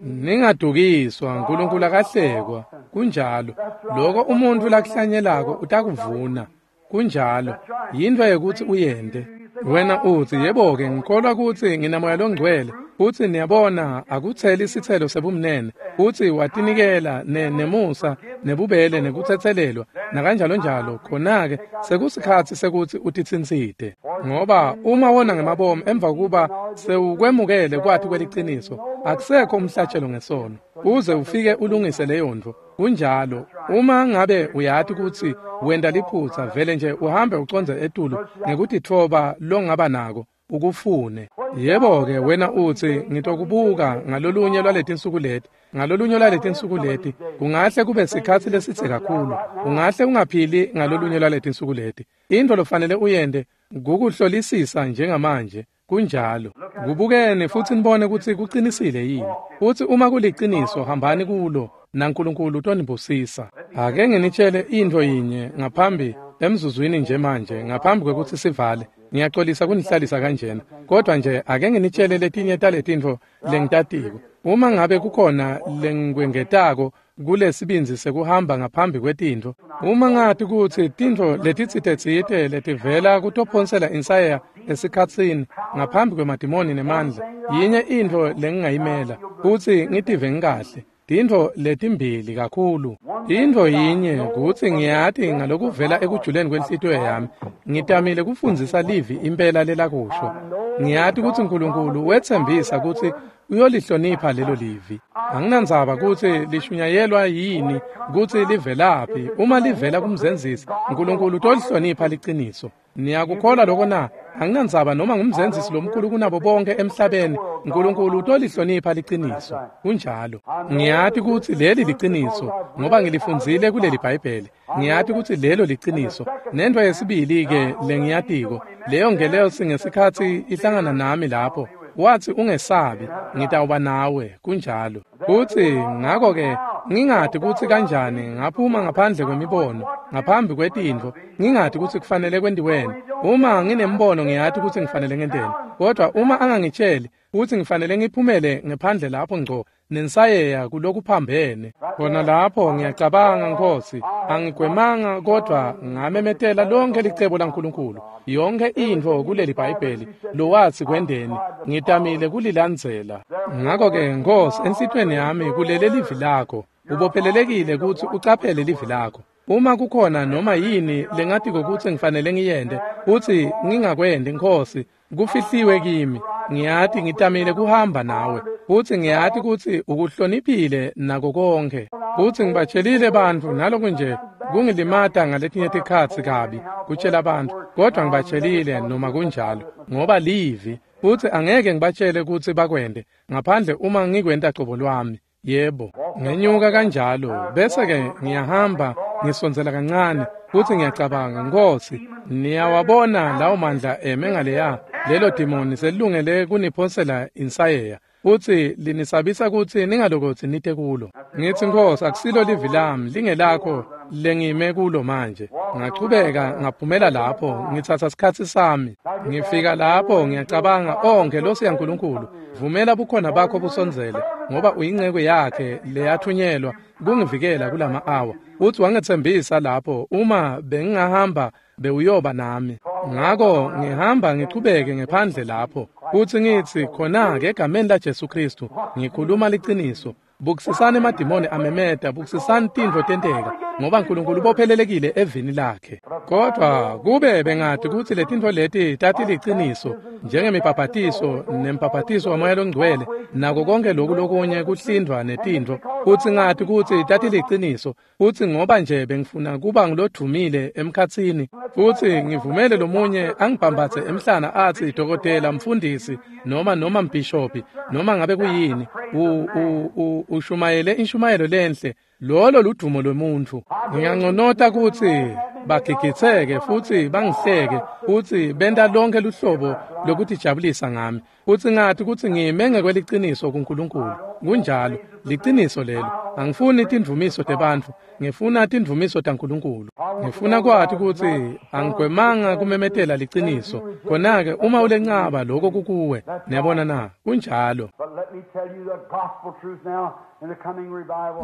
ningadukiswa. Nkulunkulu akahlekwa. Kunjalo. Loko umuntfu lakuhlanyelako utakuvuna. Kunjalo. Yintfo yekutsi uyente. Wena utsi, "Yebo-ke ngikholwa kutsi nginamoya longcwele." Futsi niyabona akutseli sitselo sebumnene, futsi watinikela ne nemusa nebubele nekutsetselelwa nakanjalo njalo. Khona-ke sekusikhatsi sekutsi utitsintsite, ngoba uma wona ngemabomu emva kuba sewukwemukele kwati kweliciniso, akusekho umhlatshelo ngesono uze ufike ulungise leyo ntfo. Kunjalo. Uma ngabe uyati kutsi wenta liphutsa, vele nje uhambe ucondze etulu ngekutitfoba longaba nako ukufune. Yebo-ke wena utsi, "Ngitokubuka ngalolunye lwaletinsuku leti, ngalolunye lwaletinsuku leti." Kungahle kube sikhatsi lesitse kakhulu. Ungahle ungaphili ngalolunye lwaletinsuku leti. Intfo lofanele uyente kukuhlolisisa njengamanje. Kunjalo. Kubukeni futsi nibone kutsi kucinisile yini. Futsi uma kuliciniso, hambani kulo naNkulunkulu utonibusisa. Ake nginitshele intfo yinye ngaphambi emzuzwini nje manje, ngaphambi kwekutsi sivale. Ngiyaxolisa kunihlalisa kanjena, kodwa nje ake nginitshele letinye taletintfo lengitatiko. Uma ngabe kukhona lengikwengetako kulesibindzi sekuhamba ngaphambi kwetintfo, uma ngati kutsi tintfo letitsite-tsite letivela kutophonsela insayeya esikhatsini ngaphambi kwemadimoni nemandla, yinye intfo lengingayimela kutsi ngitive ngikahle. Tintfo letimbili kakhulu. Intfo yinye kutsi ngiyati ngalokuvela ekujuleni kwenhlitiyo yami, ngitamile kufundzisa livi impela lelakusho. Ngiyati kutsi Nkulunkulu wetsembisa kutsi uyolihlonipha lelo livi. Anginandzaba kutsi lishunyayelwa yini, kutsi livelaphi. Uma livela kumzenzisi, Nkulunkulu utolihlonipha liciniso. Niyakukholwa lokho na? Anginandzaba noma ngumzenzisi lomkhulu kunabo bonke emhlabeni, Nkulunkulu utolihlonipha liciniso. Kunjalo. Ngiyati kutsi leli liciniso ngoba ngilifundzile kuleli Bhayibheli. Ngiyati kutsi lelo liciniso. Nento yesibili-ke lengiyatiko, leyo ngelosi ngesikhatsi ihlangana nami lapho, wathi ungesabi, ngitawuba nawe. Kunjalo. Kutsi ngakho-ke ngingati kutsi kanjani ngaphuma ngaphandle kwemibono, ngaphambi kwetintfo, ngingati kutsi kufanele kwentiweni. Uma nginembono ngiyati kutsi ngifanele ngenteni, kodwa uma angangitsheli kutsi ngifanele ngiphumele ngephandle lapho ngco nensayeya kulokuphambene, khona lapho ngiyacabanga, Nkosi, angigwemanga kodwa ngamemetela lonke licebo laNkulunkulu, yonke intfo kuleli Bhayibheli lowatsi kwendeni, ngitamile kulilandzela. Ngakho-ke Nkosi, enhlitiyweni yami kulele livi lakho. Ubophelelekile kutsi ucaphele livi lakho. Uma kukhona noma yini lengatiko kutsi ngifanele ngiyente, kutsi ngingakwendi, Nkosi, kufihliwe kimi. Ngiyati ngitamile kuhamba nawe, futsi ngiyati kutsi ukuhloniphile nako konke. Futsi ngibatshelile bantfu naloku nje kungilimata ngaletinye tikhatsi kabi kutshela bantfu, kodwa ngibatshelile noma kunjalo, ngoba livi, futsi angeke ngibatshele kutsi bakwente ngaphandle uma ngikwenta cobo lwami. Yebo, ngenyuka kanjalo, bese-ke ngiyahamba ngisondzela kancane, futsi ngiyacabanga, Nkosi, niyawabona lawo mandla eme ngaleya, lelo dimoni selilungele kuniphonsela insayeya, futsi linisabisa kutsi ningalokotsi nite kulo. Ngithi, Nkosi, akusilo livi lami, lingelakho lengime kulo manje. Ngachubeka ngaphumela lapho, ngitsatsa sikhatsi sami. Ngifika lapho ngiyacabanga, oh ngelosi yaNkulunkulu, vumela bukhona bakho busondzele, ngoba uyinceku yakhe leyathunyelwa kungivikela kulama awa. Uthi wangetsembisa lapho uma bengingahamba bewuyoba nami. Ngako ngihamba ngichubeke ngephandle lapho, futsi ngitsi khona-ke egameni laJesu Khristu ngikhuluma liciniso. Bukisisani emadimoni amemeta, bukisisani tintfo tenteka, ngoba Nkulunkulu ubophelelekile evini lakhe. Kodwa kube bengati kutsi letintfo leti tatiliciniso, njengemibhabhatiso nembhabhatiso waMoya loNgcwele, nako konke loku lokunye kuhlindvwa netintfo, futsi ngati kutsi tatiliciniso, futsi ngoba nje bengifuna kuba ngulodvumile emkhatsini, futsi ngivumele lomunye angibhambatse emhlana atsi dokotela, mfundisi, noma noma mbhishophi, noma ngabe kuyini, u u ushumayele inshumayelo lenhle, lolo ludumo lwemuntfu. Ngiyanconota kutsi bagigitseke futsi bangihleke, futsi benta lonke luhlobo lokutijabulisa ngami, futsi ngati kutsi ngime ngekweliciniso kuNkulunkulu. Kunjalo, liciniso lelo. Angifuni tindvumiso tebantfu, ngifuna tindvumiso taNkulunkulu. Ngifuna kwati kutsi angigwemanga kumemetela liciniso. Khona-ke uma ulencaba lokho kukuwe. Niyabona na? Kunjalo.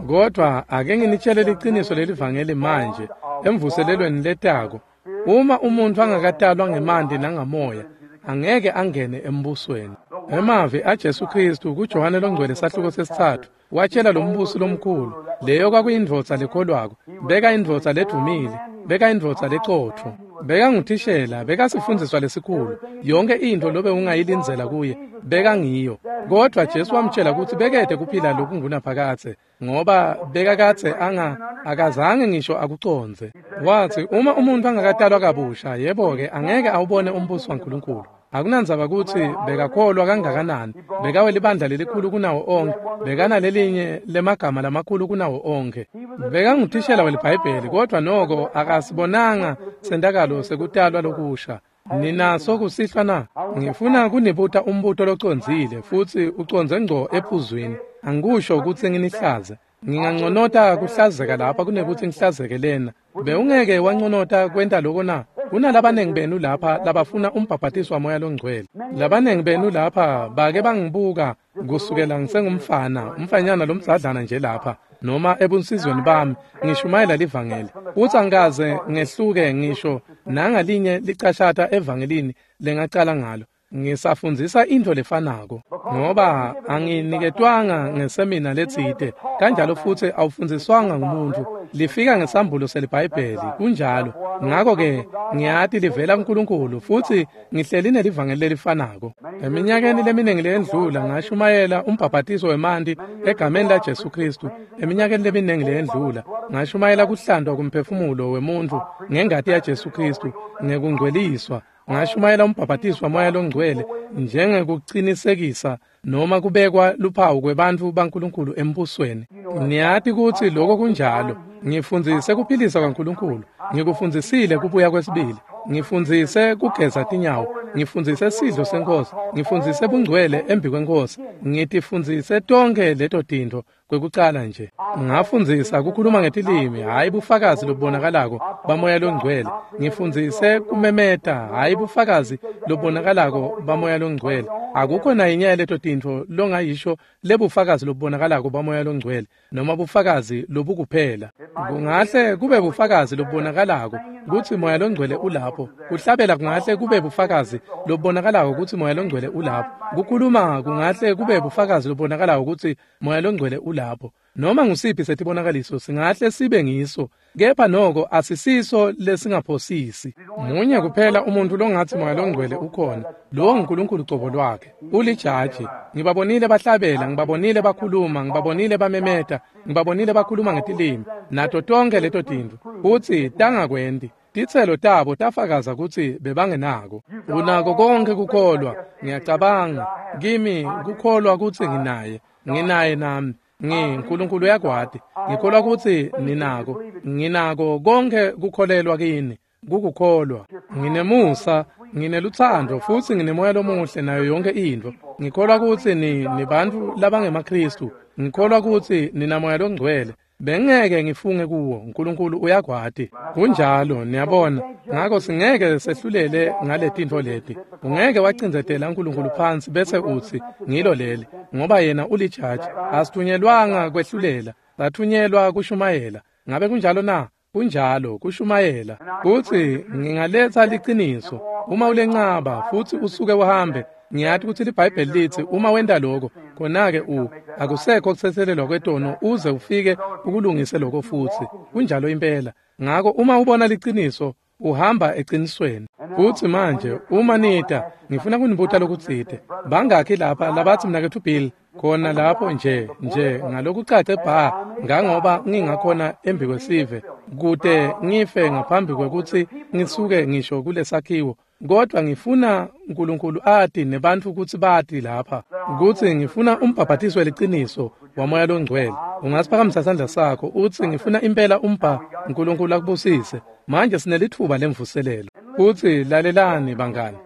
Kodwa ake nginitshele liciniso lelivangeli manje emvuselelweni letako. Uma umuntfu angakatalwa ngemanti nangamoya, angeke angene embusweni. Emavi aJesu Khristu kuJohane loNgcwele sahluko sesitsatfu watshela lombusi lomkhulu, leyo kwakuyindvodza lekholwako, beka indvodza ledvumile, beka indvodza lecotfo, beka nguthishela, beka sifundziswa lesikhulu, yonke intfo lobe ungayilindzela kuye, beka ngiyo. Kodwa Jesu wamtshela kutsi bekete kuphila lokungunaphakadze, ngoba bekakadze anga akazange ngisho akucondze. Watsi uma umuntfu angakatalwa kabusha, yebo-ke angeke awubone umbuso waNkulunkulu. Akunandzaba kutsi bekakholwa kangakanani, bekawelibandla lelikhulu kunawo onke, bekanalelinye lemagama lamakhulu kunawo onke. Bekanguthishela weliBhayibheli, kodwa noko akasibonanga sentakalo sekutalwa lokusha. Ninaso kusihlwa na? Ngifuna kunibuta umbuto locondzile futsi ucondze ngco ephuzwini. Angikusho kutsi nginihlaze. Nginganconota kuhlazeka lapha kunekutsi ngihlazeke lena. Bewungeke wanconota kwenta loko na? Kunalabanengi benu lapha labafuna umbhabhatiso waMoya loNgcwele. Labanengi benu lapha bake bangibuka kusukela ngisengumfana, umfanyana lomdzadlana nje lapha, noma ebunsizweni bami ngishumayela livangeli. Uthi angikaze ngehluke ngisho nangalinye licashata evangelini lengacala ngalo. Ngisafundzisa into lefanako ngoba anginiketwanga ngesemina letsite, kanjalo futsi awufundziswanga ngumuntu. Lifika ngesambulo seliBhayibheli, kunjalo. Ngako-ke ngiyati livela kuNkulunkulu futsi ngihleli nelivangeli lelifanako. Eminyakeni leminingi leyendlula ngashumayela umbhabhatiso wemanti egameni laJesu Khristu. Eminyakeni leminingi leyendlula ngashumayela kuhlantwa kumphefumulo wemuntfu ngengati yaJesu Khristu ngekungcweliswa. Ngashumayela umbhabhatiso waMoya loNgcwele njengekucinisekisa noma kubekwa luphawu kwebantfu baNkulunkulu embusweni. Niyati kutsi lokho kunjalo. Ngifundzise kuphilisa kwaNkulunkulu, ngikufundzisile kubuya kwesibili, ngifundzise kugeza tinyawo, ngifundzise sidlo senkosi, ngifundzise bungcwele embi kwenkosi, ngitifundzise tonkhe leto tintfo kwekucala nje. Ngafundzisa kukhuluma ngetilimi, hhayi bufakazi lobubonakalako baMoya loNgcwele. Ngifundzise kumemeta, hhayi bufakazi lobubonakalako baMoya loNgcwele. Akukho nayinye yaleto tintfo longayisho lebufakazi lobubonakalako baMoya loNgcwele noma bufakazi lobukuphela. Kungahle kube bufakazi lobubonakalako kutsi Moya loNgcwele ulapho. Kuhlabela kungahle kube bufakazi lobubonakalako kutsi Moya loNgcwele ulapho. Kukhuluma kungahle kube bufakazi lobubonakalako kutsi Moya loNgcwele ulapho. Noma ngusiphi setibonakaliso singahle sibe ngiso, kepha noko asisiso lesingaphosisi. Munye kuphela umuntu longatsi Moya loNgcwele ukhona, lowo nguNkulunkulu cobo lwakhe. Ulijaji. Ngibabonile bahlabela, ngibabonile bakhuluma, ngibabonile bamemeta, ngibabonile bakhuluma ngetilimi, nato tonkhe leto tintfo. Futsi tangakwenti. Titselo tabo tafakaza kutsi bebangenako. Unako konke kukholwa. Ngiyacabanga kimi kukholwa kutsi nginaye, nginaye nami. NgiNkulunkulu uyakwati. Ngikholwa kutsi ninako. Nginako konke kukholelwa kini. Kukukholwa. Nginemusa, nginelutsandvo futsi nginemoya lomuhle nayo yonke intfo. Ngikholwa kutsi ni nibantfu labangemaKhristu. Ngikholwa kutsi ninamoya loNgcwele. Bengeke ngifunge kuwo, uNkulunkulu uyakwati. Kunjalo, niyabona. Ngako singeke sehlulele ngaletintfo leti. Ungeke wacindzetela uNkulunkulu phansi bese utsi ngilo leli, ngoba yena ulijaji. Asithunyelwanga kwehlulela, sathunyelwa kushumayela. Ngabe kunjalo na? Kunjalo, kushumayela. Kutsi ngingaletsa liciniso. Uma ulencaba futsi usuke uhambe, ngiyati kutsi liBhayibheli litsi uma wenta lokho, khona-ke u akusekho kutsetselelwa kwetono uze ufike ukulungise lokho futsi. Kunjalo impela. Ngako uma ubona liciniso, uhamba ecinisweni. Futsi manje uma nita, ngifuna kunibuta lokutsite. Bangakhi lapha labatsi mnaketfu Bill khona lapho nje nje ngalokucace bha ngangoba ngingakhona embi kwesive kute ngife ngaphambi kwekutsi ngisuke ngisho kulesakhiwo, kodwa ngifuna uNkulunkulu ati nebantfu kutsi bati lapha kutsi ngifuna umbhabhatiso weliciniso waMoya loNgcwele. Ungasiphakamisa sandla sakho utsi ngifuna impela umbha. uNkulunkulu akubusise. Manje sinelitfuba lemvuselelo. Futsi lalelani bangani,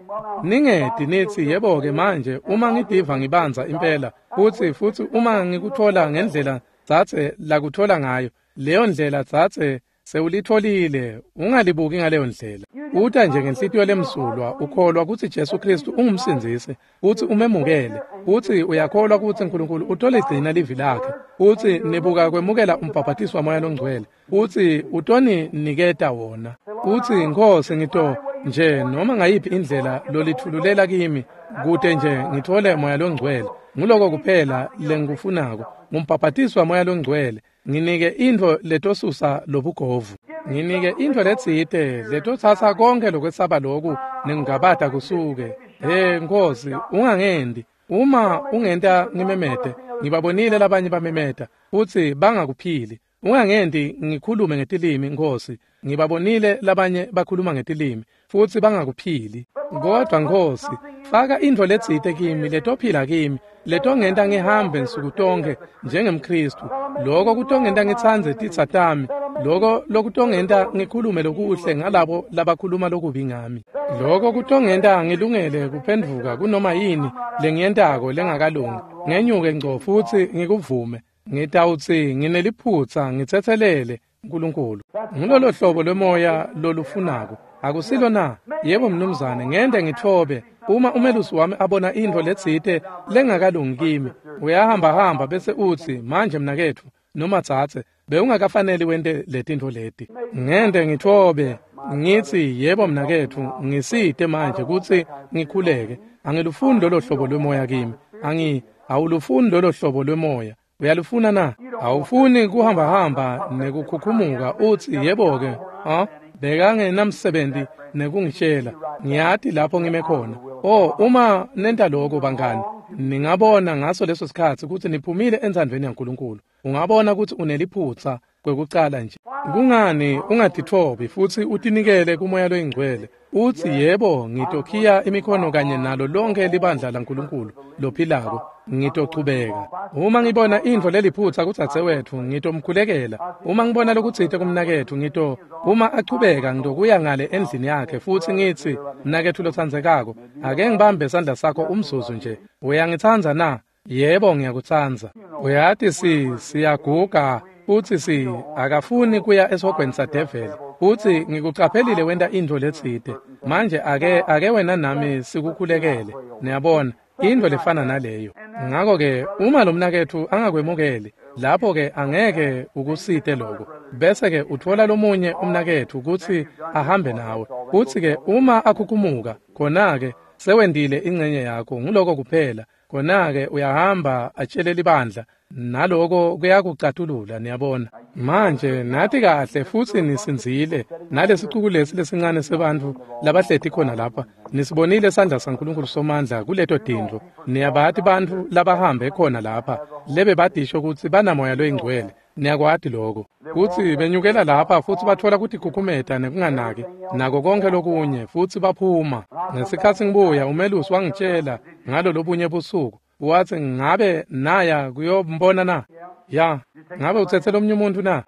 ningeti nitsi yebo-ke manje uma ngidiva ngibanza impela futsi futsi uma ngikutfola ngendlela dzadze lakutfola ngayo, leyo ndlela dzadze sewulitfolile, ungalibuki ngaleyo ndlela. Uta nje ngenhlitiyo lemsulwa, ukholwa kutsi Jesu Khristu ungumsindzisi, futsi umemukele, futsi uyakholwa kutsi uNkulunkulu utoligcina livi lakhe, futsi nibuka kwemukela umbhabhatiso waMoya loNgcwele, futsi utoniniketa wona. Utsi Nkhosi ngito nje noma ngayiphi indlela lolitfululela kimi kute nje ngitfole Moya loNgcwele. Nguloko kuphela lengikufunako, ngumbhabhatiso waMoya loNgcwele. Nginike intfo letosusa lobugovu. Nginike intfo letsite letotsatsa konkhe lokwesaba loku nengingabata kusuke. He Nkhosi, ungangendi. Uma ungenta ngimemete, ngibabonile labanye bamemeta futsi bangakuphili. Ungangendi ngikhulume ngetilimi Nkhosi, ngibabonile labanye bakhuluma ngetilimi futsi bangakuphili. Kodwa Nkhosi, faka intfo letsite kimi letophila kimi, letongenta ngihambe nsuku tonkhe njengemKhristu. Loko kutongenta ngitsandze titsa tami, loko lokutongenta ngikhulume lokuhle ngalabo labakhuluma lokubi ngami. Loko kutongenta ngilungele kuphendvuka kunoma yini lengiyentako lengakalungi, ngenyuke ngco futsi ngikuvume. Ngitawutsi ngineliphutsa, ngitsetselele Nkulunkulu. Ngulolo hlobo lwemoya lolufunako. Akusilo na? Yebo mnumzane, ngende ngithobe. Uma umelusi wami abona intfo letsite lengakalungi kimi, uyahamba hamba bese utsi, manje mnaketfu noma dzadze, bewungakafaneli wente letintfo leti. Ngende ngithobe ngitsi, yebo mnaketfu, ngisite manje kutsi ngikhuleke. Angilufuni lolo hlobo lwemoya kimi. Angi awulufuni lolo hlobo lwemoya. Uyalufuna na? Awufuni kuhamba hamba nekukhukhumuka utsi, yebo ke, ha? Bekangenamsebenzi nekungitshela. Ngiyati lapho ngime khona. Oh, uma nenta lokho bangani, ningabona ngaso leso sikhatsi kutsi niphumile entsandvweni yaNkulunkulu. Ungabona kutsi uneliphutsa kwekucala nje. Kungani ungatitfobi futsi utinikele kuMoya loyiNgcwele? Utsi, yebo, ngitokhiya imikhono kanye nalo lonke libandla laNkulunkulu lophilako. Ngitochubeka. Uma ngibona intfo leliphutsa kudzadzewetfu, ngitomkhulekela. Uma ngibona lokutsite kumnaketfu, ngito uma achubeka ngitokuya ngale endlini yakhe futsi ngitsi, mnaketfu lotsandzekako, ake ngibambe sandla sakho umzuzu nje. Uyangitsandza na? Yebo, ngiyakutsandza. Uyati si siyaguga futsi si akafuni kuya esihogweni sadeveli. Futsi ngikucaphelile wenta intfo letsite. Manje ake ake wena nami sikukhulekele. Niyabona, intfo lefana naleyo. Ngako ke uma lo mnaketfu angakwemukeli, lapho ke angeke ukusite lokho. Bese ke utfola lomunye umnaketfu kutsi ahambe nawe. Futsi ke uma akhukhumuka, khona ke sewendile ingcenye yakho, nguloko kuphela. Khona ke uyahamba atshele libandla, naloko kuyakucatulula, niyabona. Manje nathi kahle futsi nisindzile nalesicuku lesi lesincane sebantfu labahleti khona lapha. Nisibonile sandla saNkulunkulu somandla kuleto tintfo. Niyabati bantfu labahambe khona lapha lebe badisho kutsi banamoya loyingcwele. Niyakwati lokho. Kutsi benyukela lapha futsi batfola kutikhukhumeta nekunganaki nako konke lokunye futsi baphuma. Ngesikhatsi ngibuya umelusi wangitshela ngalo lobunye busuku. Watsi, ngabe naya kuyombona na? Ya. Ngabe utsetse lomunye umuntu na?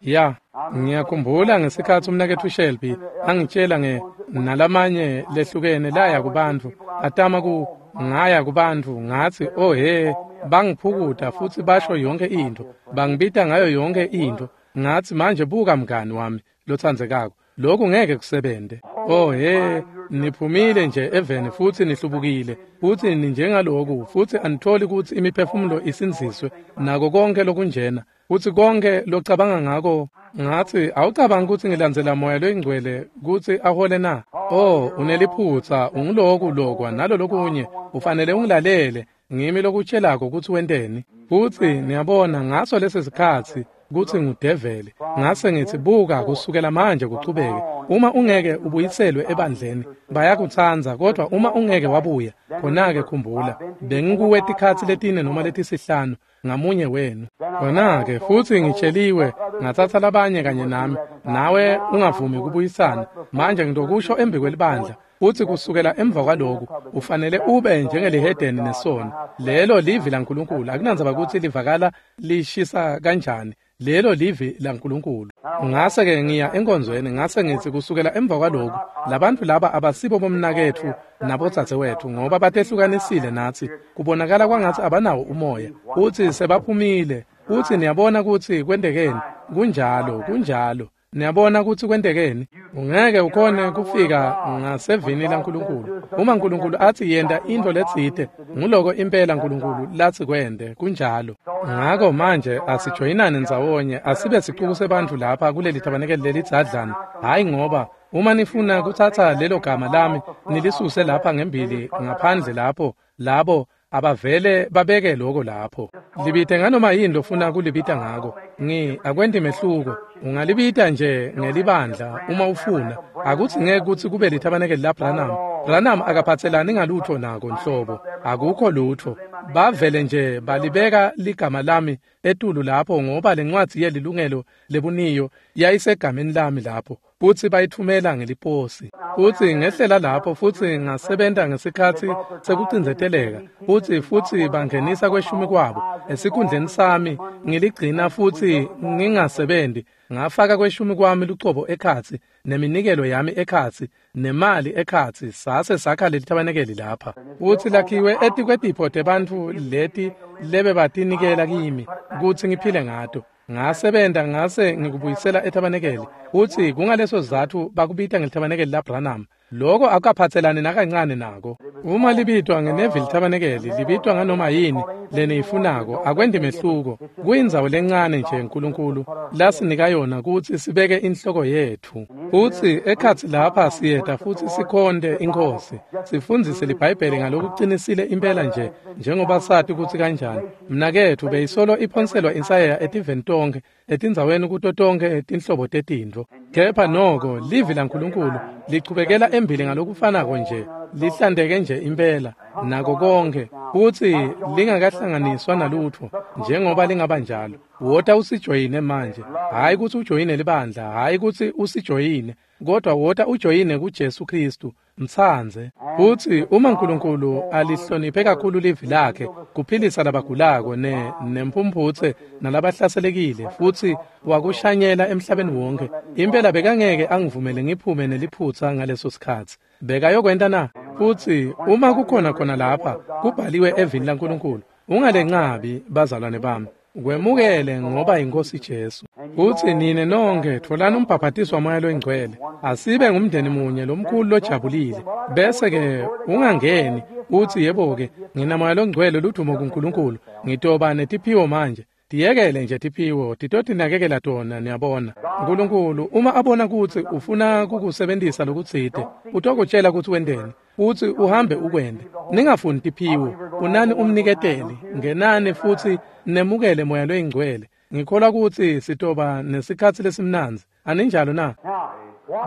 Ya. Ngiyakhumbula ngesikhatsi umnaketfu Shelby angitshela nge nalamanye lehlukene laya kubantfu atama ku ngaya kubantfu ngatsi, oh he, bangiphukuta futsi basho yonke intfo, bangibita ngayo yonke intfo. Ngatsi, manje buka mngani wami lotsandzekako, lokhu ngeke kusebente. Oh he, niphumile nje eveni futsi nihlubukile futsi ninjengaloku futsi anitholi kutsi imiphefumulo isindziswe nako konke lokunjena futsi konke locabanga ngako. Ngatsi, awucabangi kutsi ngilandzela Moya loyiNgcwele kutsi ahole na? Oh, uneliphutsa, unguloku lokwa nalo lokunye, ufanele ungilalele, ngimi lokutshelako kutsi wenteni. Futsi niyabona ngaso lesi sikhatsi kutsi ngudeveli. Ngase ngithi, buka, kusukela manje kuchubeke, uma ungeke ubuyiselwe ebandleni, bayakutsandza, kodwa uma ungeke wabuya, khona-ke khumbula, bengikuwe tikhatsi letine noma letisihlanu ngamunye wenu. Khona-ke futsi ngitsheliwe, ngatsatsa labanye kanye nami, nawe ungavumi kubuyisana. Manje ngitokusho embi kwelibandla, futsi kusukela emva kwaloku ufanele ube njengelihedeni nesono. Lelo livi laNkulunkulu, akunandzaba kutsi livakala lishisa kanjani, lelo livi laNkulunkulu. Ngase ke ngiya enkonzweni, ngase ngitsi kusukela emva kwaloku labantfu laba abasibo bomnaketfu nabodzadzewetfu, ngoba batehlukanisile natsi, kubonakala kwangatsi abanawo umoya, futsi sebaphumile. Futsi niyabona kutsi kwentekeni. Kunjalo, kunjalo. Niyabona kutsi kwentekeni. Ungeke ukhone kufika ngasevini laNkulunkulu. Uma Nkulunkulu atsi yenta intfo letsite, nguloko impela Nkulunkulu latsi kwente. Kunjalo. Ngako manje asijoyinane ndzawonye, asibe sicuku sebantfu lapha kuleli thabanekeli lelidzadlana. Hhayi, ngoba uma nifuna kutsatsa lelo gama lami nilisuse lapha ngembili ngaphandle lapho, labo abavele babeke lokho lapho. Libite nganoma yini lofuna kulibita ngako. Ngi akwenti mehluko. Ungalibita nje ngelibandla uma ufuna. Akutsi ngeke kutsi kube lithabanekeli la Branham. Branham akaphatselani ngalutho nako nhlobo. Akukho lutho. Bavele nje balibeka ligama lami etulu lapho ngoba lencwadzi yelilungelo lebuniyo yayisegameni lami lapho. Futsi bayithumela ngeliposi. Futsi ngehlela lapho futsi ngasebenta ngesikhatsi sekucindzeteleka. Futsi futsi bangenisa kweshumi kwabo esikhundleni sami, ngiligcina futsi ngingasebenzi. Ngafaka kweshumi kwami lucobo ekhatsi, neminikelo yami ekhatsi, nemali ekhatsi, sase sakha lelithabanekeli lapha. Futsi lakhiwe etikwetipho tebantfu leti lebe batinikela kimi kutsi ngiphile ngato. Ngasebenta ngase ngikubuyisela etabenekeli. Futsi kungaleso sizatfu bakubita ngelitabenekeli laBranham. Loko akukaphatselani nakancane nako. Uma libitwa ngeNeville Tabernacle, libitwa nganoma yini leniyifunako, akwendi mehluko. Kuyindzawo lencane nje uNkulunkulu lasinika yona kutsi sibeke inhloko yetfu. Futsi ekhatsi lapha siyeta futsi sikhonte iNkhosi, sifundzise liBhayibheli ngalokucinisile impela nje njengoba sati kutsi kanjani. Mnaketfu beyisolo iphonselwa insayeya etiveni tonkhe, etindzaweni kuto tonkhe tinhlobo tetintfo. Kepha noko livi laNkulunkulu lichubekela embili ngalokufanako nje, lihlanteke nje impela nako konke, futsi lingakahlanganiswa nalutfo njengoba lingaba njalo. Wota usijoyine manje, hhayi kutsi ujoyine libandla, hhayi kutsi usijoyine, kodwa wota ujoyine kuJesu Kristu, mtsandze. Futsi uma uNkulunkulu alihloniphe kakhulu livi lakhe kuphilisa labagulako ne nemphumphutse nalabahlaselekile, futsi wakushanyela emhlabeni wonke, impela bekangeke angivumele ngiphume neliphutsa ngaleso sikhatsi. Bekayokwenta na? Futsi uma kukhona khona lapha kubhaliwe evini laNkulunkulu, ungalencabi bazalwane bami, kwemukele ngoba iNkhosi Jesu. Futsi nine nonke tfolani umbhaphatiswa Moya loNgcwele, asibe ngumndeni munye lomkhulu lojabulile. Bese-ke ungangeni utsi yebo-ke ngina Moya loNgcwele, ludumo kuNkulunkulu, ngitoba netiphiwo manje. Tiyekele nje tiphiwo, titotinakekela tona, niyabona. Nkulunkulu uma abona kutsi ufuna kukusebentisa lokutsite, utokutjela kutsi wenteni, futsi uhambe ukwente. Ningafuni tiphiwo, unani umniketeli, ngenani futsi nemukele Moya loNgcwele. Ngikholwa kutsi sitoba nesikhatsi lesimnandzi. Aninjalo na?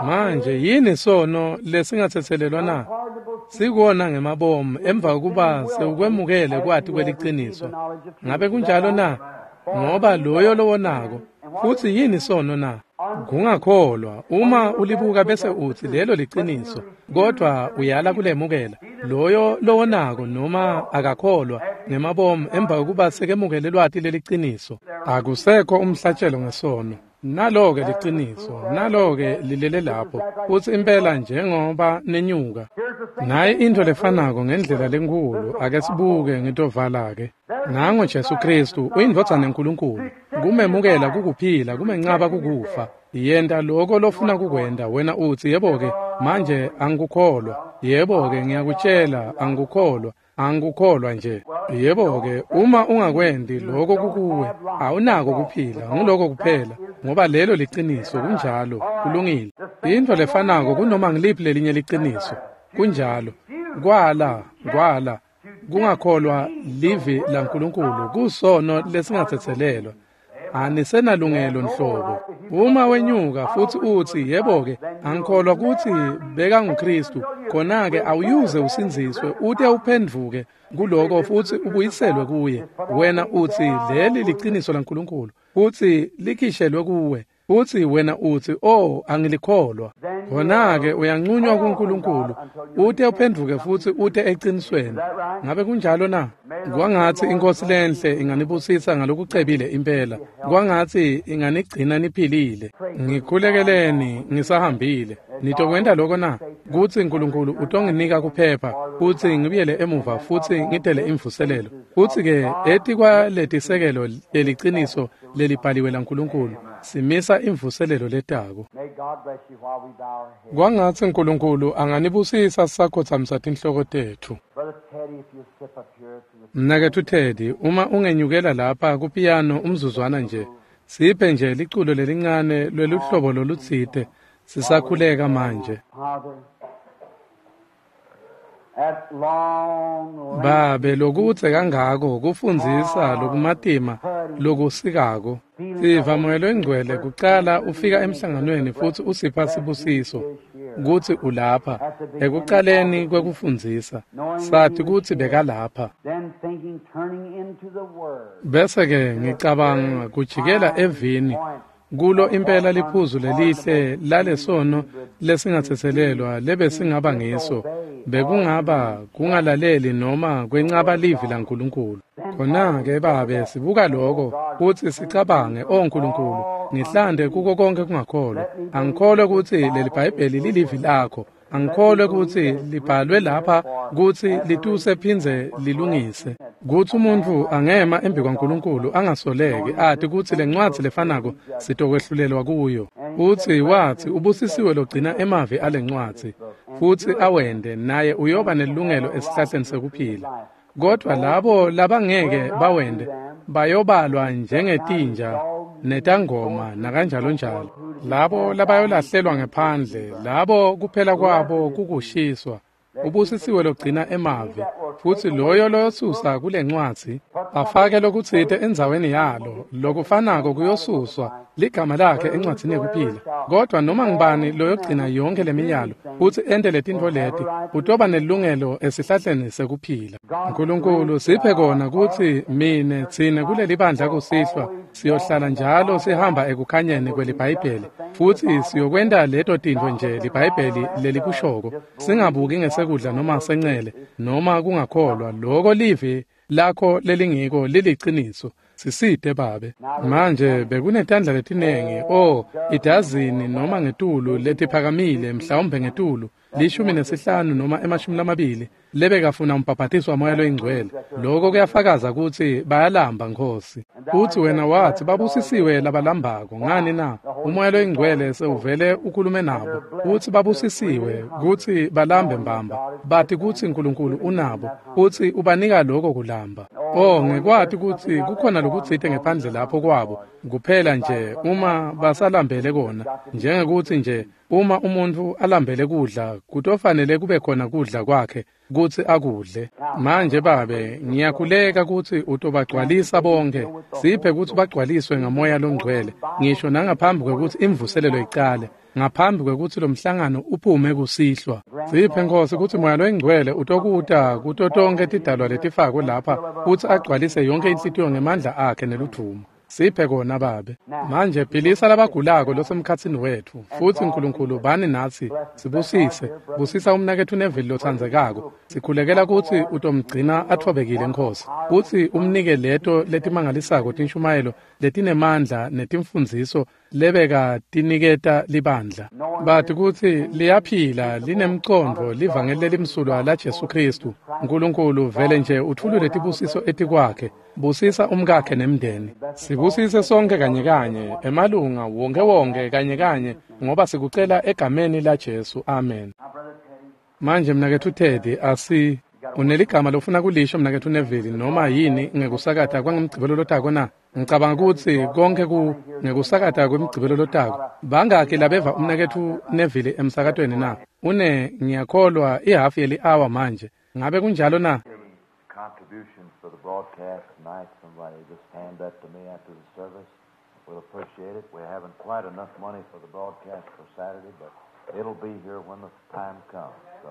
Manje yini sono lesingatsetselelwa na? Sikona ngemabomu emva kokuba sewukwemukele kwati kweliciniso. Ngabe kunjalo na? Ngoba loyo lowonako. Futsi yini sono na? Kungakholwa. Uma ulibuka bese utsi lelo liciniso, kodwa uyala kulemukela, loyo lowonako noma akakholwa ngemabomu emva kokuba sekemukele lwati leliciniso, akusekho umhlatshelo ngesono. Nalo-ke liciniso, nalo-ke lilele lapho, futsi impela njengoba nenyuka. Naye intfo lefanako ngendlela lenkhulu. Ake sibuke, ngitovala-ke. Nango Jesu Kristu uyindvodzana yaNkulunkulu. Kumemukela kukuphila, kumencaba kukufa. Yenta loko lofuna kukwenta. Wena utsi yebo-ke manje angikukholwa. Yebo-ke ngiyakutjela angikukholwa. Angikukholwa nje. Yebo-ke uma ungakwenti loko kukuwe, awunako kuphila, nguloko kuphela, ngoba lelo liciniso. Kunjalo, kulungile. Intfo lefanako kunoma ngiliphi lelinye liciniso. Kunjalo. Kwala, kwala, kungakholwa livi laNkulunkulu kusono lesingatsetselelwa. Anisenalungelo nhlobo. Uma wenyuka futsi utsi yebo-ke angikholwa kutsi bekanguKristu, khona-ke awuyuze usindziswe ute uphendvuke kuloko futsi ubuyiselwe kuye. Wena utsi leli liciniso laNkulunkulu, futsi likhishelwe kuwe, futsi wena utsi oh angilikholwa, khona-ke uyancunywa kuNkulunkulu ute uphendvuke futsi ute ecinisweni. Ngabe kunjalo na? Kwangatsi iNkhosi lenhle inganibusisa ngalokucebile impela, kwangatsi inganigcina niphilile. Ngikhulekeleni ngisahambile. Nitokwenta loko na? Kutsi Nkulunkulu utonginika kuphepha futsi ngibuyele emuva futsi ngitele imvuselelo. Futsi-ke etikwaletisekelo leliciniso lelibhaliwe laNkulunkulu simisa imvuselelo letako. Kwangatsi Nkulunkulu anganibusisa sisakhotsamisa tinhloko tetfu. Mnaketfu Teddy, uma ungenyukela lapha kupiyano umzuzwana nje, siphe nje liculo lelincane lweluhlobo lolutsite sisakhuleka manje. Babe, lokudze kangako kufundzisa lokumatima lokusikako. Siva Moya loNgcwele kucala ufika emhlanganweni futsi usipha sibusiso kutsi ulapha ekucaleni kwekufundzisa, sathi kutsi bekalapha. Bese-ke ngicabanga kujikela evini kulo impela liphuzu lelihle lalesono lesingatsetselelwa lebesingaba ngiso, bekungaba kungalaleli noma kwencaba livi laNkulunkulu. Khona-ke Babe, sibuka loko kutsi sicabange, o Nkulunkulu, ngihlande kuko konke kungakholwa. Angikholwe kutsi leli Bhayibheli lilivi lakho. Angikholwe kutsi libhalwe lapha kutsi lituse phindze lilungise. Kutsi umuntfu angema embi kwaNkulunkulu angasoleki ati kutsi lencwadzi lefanako sitokwehlulelwa kuyo. Utsi watsi ubusisiwe logcina emavi alencwadzi futsi awende naye uyoba nelungelo esihlahleni sekuphila. Kodwa labo labangeke bawende bayobalwa njengetinja netangoma nakanjalo njalo. Labo labayolahlelwa ngephandle, labo kuphela kwabo kukushiswa. Ubusisiwe logcina emavi, futsi loyo loyosusa kulencwadzi afake lokutsite endzaweni yalo, lokufanako kuyosuswa ligama lakhe encwadzini yekuphila. Kodwa noma ngubani loyogcina yonke lemiyalo futsi ente letintfo leti, utoba nelungelo esihlahleni sekuphila. Nkulunkulu siphe kona kutsi mine tsine kuleli bandla kusihlwa siyohlala njalo sihamba ekukhanyeni kweliBhayibheli, futsi siyokwenta leto tintfo nje liBhayibheli lelikushoko, singabuki ngesekudla noma sencele noma kungakholwa. Loko livi lakho lelingiko liliciniso. Sisite Babe. Manje bekunetandla letinengi, oh, idazini noma ngetulu letiphakamile, mhlawumbe ngetulu lishumi nesihlanu noma emashumi lamabili lebekafuna umbhabhatiso waMoya loyiNgcwele. Lokho kuyafakaza kutsi bayalamba, Nkhosi. Uthi wena wathi babusisiwe labalambako. Ngani na? UMoya loyiNgcwele sewuvele ukhulume nabo. Uthi babusisiwe kutsi balambe mbamba, bathi kutsi Nkulunkulu unabo, uthi ubanika lokho kulamba. Oh, ngekwati kutsi kukhona lokutsite ngephandle lapho kwabo, kuphela nje uma basalambele kona, njengekuthi nje uma umuntfu alambele kudla, kutofanele kube khona kudla kwakhe kutsi akudle. Manje Babe, ngiyakhuleka kutsi utobagcwalisa bonke. Siphe kutsi bagcwaliswe ngaMoya loNgcwele, ngisho nangaphambi kwekutsi imvuselelo icale, ngaphambi kwekutsi lomhlangano uphume kusihlwa. Siphe Nkhosi kutsi Moya loyiNgcwele utokuta kuto tonkhe tidalwa letifakwe lapha kutsi agcwalise yonke inhlitiyo ngemandla akhe neludvumo. Siphe kona Babe. Manje philisa labagulako losemkhatsini wetfu, futsi Nkulunkulu bani natsi, sibusise. Busisa umnaketfu Neville lotsandzekako. Sikhulekela kutsi utomgcina atfobekile Nkhosi, kutsi umnike leto letimangalisako tinshumayelo letinemandla netimfundziso lebeka tiniketa libandla. Bathi kutsi liyaphila linemcondvo livangeli lelimsulwa la Jesu Kristu. Nkulunkulu vele nje utfulule tibusiso etikwakhe. Busisa umkakhe nemndeni. Sibusise sonke kanye kanye, emalunga wonke wonke kanye kanye, ngoba sikucela egameni la Jesu. Amen. Manje mnaketfu Teddy, asi uneligama lofuna kulisho mnaketfu Neville noma yini ngekusakata kwangemgcibelo lotako na? Ngicabanga kutsi konke ku ngekusakata kwemgcibelo lotako. Bangaki labeva umnaketfu Neville emsakatweni na? Une ngiyakholwa ihafu yeli-hour manje. Ngabe kunjalo na? Contributions for the broadcast tonight, somebody just hand that to me after the service. We'll appreciate it. We haven't quite enough money for the broadcast for Saturday, but it'll be here when the time comes. So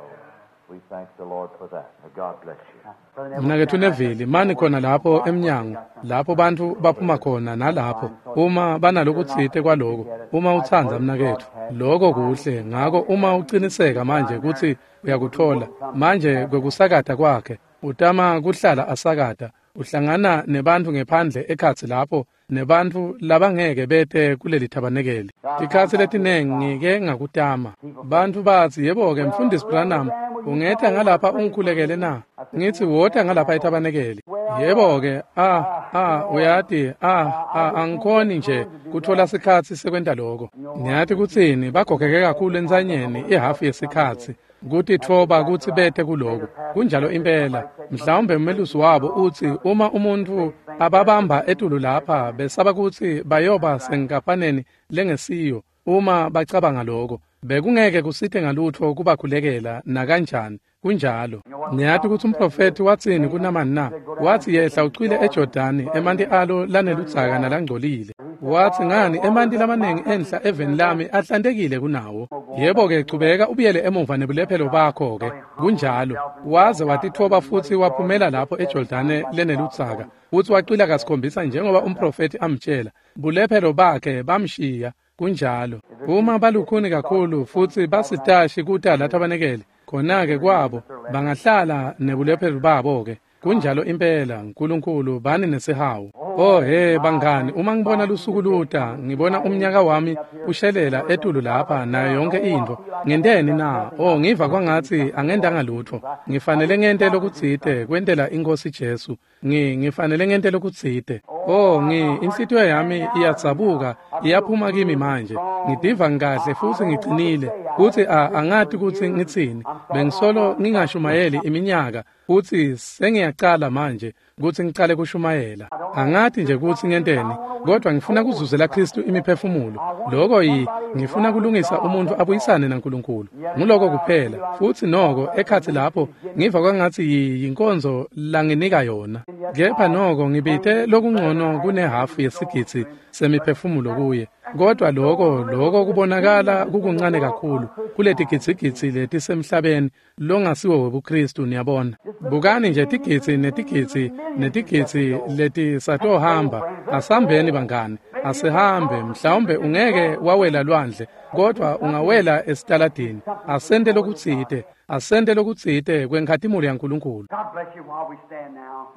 we thank the Lord for that. May God bless you. Mnaketfu Neville, mani khona lapho emnyango, lapho bantfu baphuma khona nalapho, uma banalokutsite kwaloko, uma utsandza mnaketfu, lokho kuhle. Ngako uma uciniseka manje kutsi uyakuthola, manje kwekusakata kwakhe, utama kuhlala asakata, uhlangana nebantfu ngephandle ekhatsi lapho, nebantfu labangeke bete kuleli thabanekeli. Tikhatsi letinengi ngike ngakutama. Bantfu batsi, yebo-ke Mfundisi Branham, ungetha ngalapha ungikhulekele na? Ngithi wota ngalapha ethabanekeli. Yebo-ke, ah, ah, uyati, ah, ah, angikhoni nje kuthola sikhatsi sekwenta loko. Niyati kutsini, bagogeke kakhulu entsanyeni ihafu yesikhatsi kutitfoba kutsi bete kuloko. Kunjalo impela. Mhlawumbe umelusi wabo utsi uma umuntfu ababamba etulu lapha besaba kutsi bayoba senkapaneni lengesiyo uma bacabanga loko. Bekungeke kusite ngalutfo kubakhulekela nakanjani. Kunjalo. Niyati kutsi umprofethi watsini kuNamani na? Watsi yehla ucwile eJordani, emanti alo laneludzaka nalangcolile. Watsi ngani emanti lamanengi enhla eveni lami ahlantekile kunawo. Yebo-ke, chubeka ubuyele emuva nebulephelo bakho-ke. Kunjalo. Waze watitfoba futsi waphumela lapho eJordane leneludzaka. Futsi wacwila kasikhombisa njengoba umprofethi amtjela. Bulephelo bakhe bamshiya. Kunjalo. Uma balukhuni kakhulu futsi basitashi kuta lathabanekele, khona-ke kwabo bangahlala nebulephelo babo-ke. Kunjalo impela. Nkulunkulu bani nesihawu. Oh he bangani, uma ngibona lusuku luta, ngibona umnyaka wami ushelela etulu lapha nayo yonke intfo. Ngenteni na? Oh, ngiva kwangatsi angendanga lutfo. Ngifanele ngente lokutsite kwentela iNkhosi Jesu. Ngi ngifanele ngente lokutsite. Oh, ngi inhlitiyo yami iyadzabuka, iyaphuma kimi manje. Ngidiva ngikahle futsi ngicinile. Kutsi angati kutsi ngitsini. Bengisolo ngingashumayeli iminyaka futsi sengiyacala manje kutsi ngicale kushumayela. Angati nje kutsi ngenteni, kodwa ngifuna kuzuzela Kristu imiphefumulo. Lokho yi ngifuna kulungisa umuntu abuyisane naNkulunkulu. Nguloko kuphela. Futsi noko ekhatsi lapho ngiva kwangatsi yinkonzo langinika yona. Kepha noko ngibite lokungcono kunehafu yesigidzi semiphefumulo kuye. Kodwa lokho lokho kubonakala kukuncane kakhulu kuletigidzigidzi letisemhlabeni longasiwo webuKristu, niyabona. Bukani nje tigidzi netigidzi netigidzi letisatohamba. Asambeni bangani, asihambe. Mhlawumbe ungeke wawela lwandle, kodwa ungawela esitaladini. Asente lokutsite, asente lokutsite kwenkhatimulo yaNkulunkulu.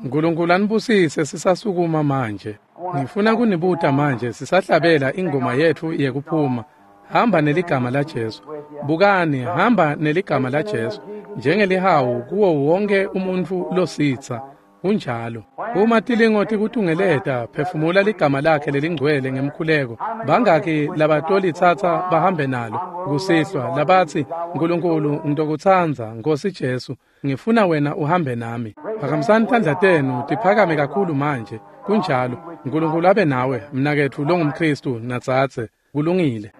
Nkulunkulu anibusise sisasukuma manje. Ngifuna kunibuta manje sisahlabela ingoma yetfu yekuphuma. Hamba neligama la Jesu. Bukani, hamba neligama la Jesu njengelihawu kuwo wonke umuntfu lositsa. Kunjalo. Uma tilingo tikutungeleta, phefumula ligama lakhe lelingcwele ngemkhuleko. Bangaki labatolitsatsa bahambe nalo kusihlwa labatsi, Nkulunkulu ngitokutsandza, Nkosi Jesu, ngifuna wena uhambe nami. Phakamisani tandla tenu tiphakame kakhulu manje. Kunjalo. Nkulunkulu abe nawe, mnaketfu longumKristu natsatse. Kulungile.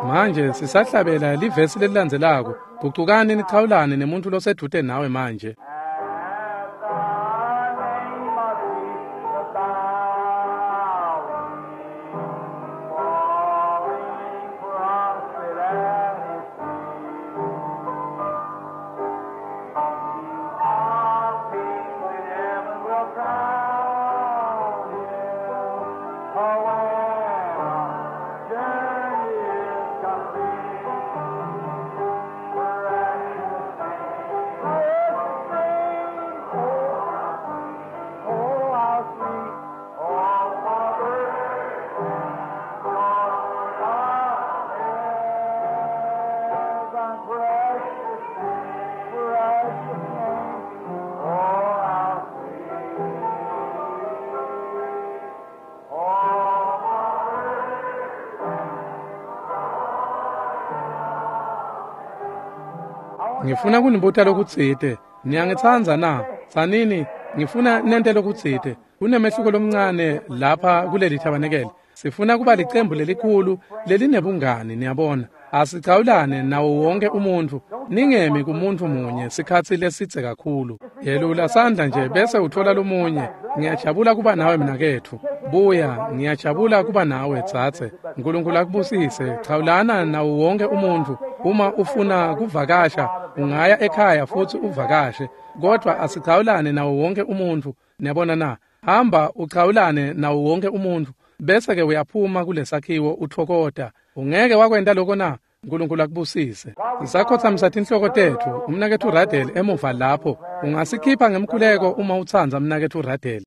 Manje sisahlabela livesi lelilandzelako. Gucukani nichawulane nemuntu losedvute nawe manje. Ngifuna kunibuta lokutsite. Niyangitsandza na? Tsanini, ngifuna nente lokutsite. Kunemehluko lomncane lapha kuleli thabanekele. Sifuna kuba licembu lelikhulu lelinebungani, niyabona. Asichawulane nawo wonke umuntfu. Ningemi kumuntu munye sikhatsi lesidze kakhulu. Yelula sandla nje bese uthola lomunye. Ngiyajabula kuba nawe mnaketfu. Buya, ngiyajabula kuba nawe tsatse. Nkulunkulu akubusise. Chawulana nawo wonke umuntfu. Uma ufuna kuvakasha, ungaya ekhaya futsi uvakashe. Kodwa asichawulane nawo wonke umuntfu. Niyabona na? Hamba uchawulane nawo wonke umuntfu. Bese ke uyaphuma kulesakhiwo uthokota. Ungeke wakwenta lokho na? Nkulunkulu akubusise. Sisakhothamisa tinhloko tetfu. Umnaketfu Radel emuva lapho. Ungasikhipha ngemkhuleko uma utsandza mnaketfu Radel.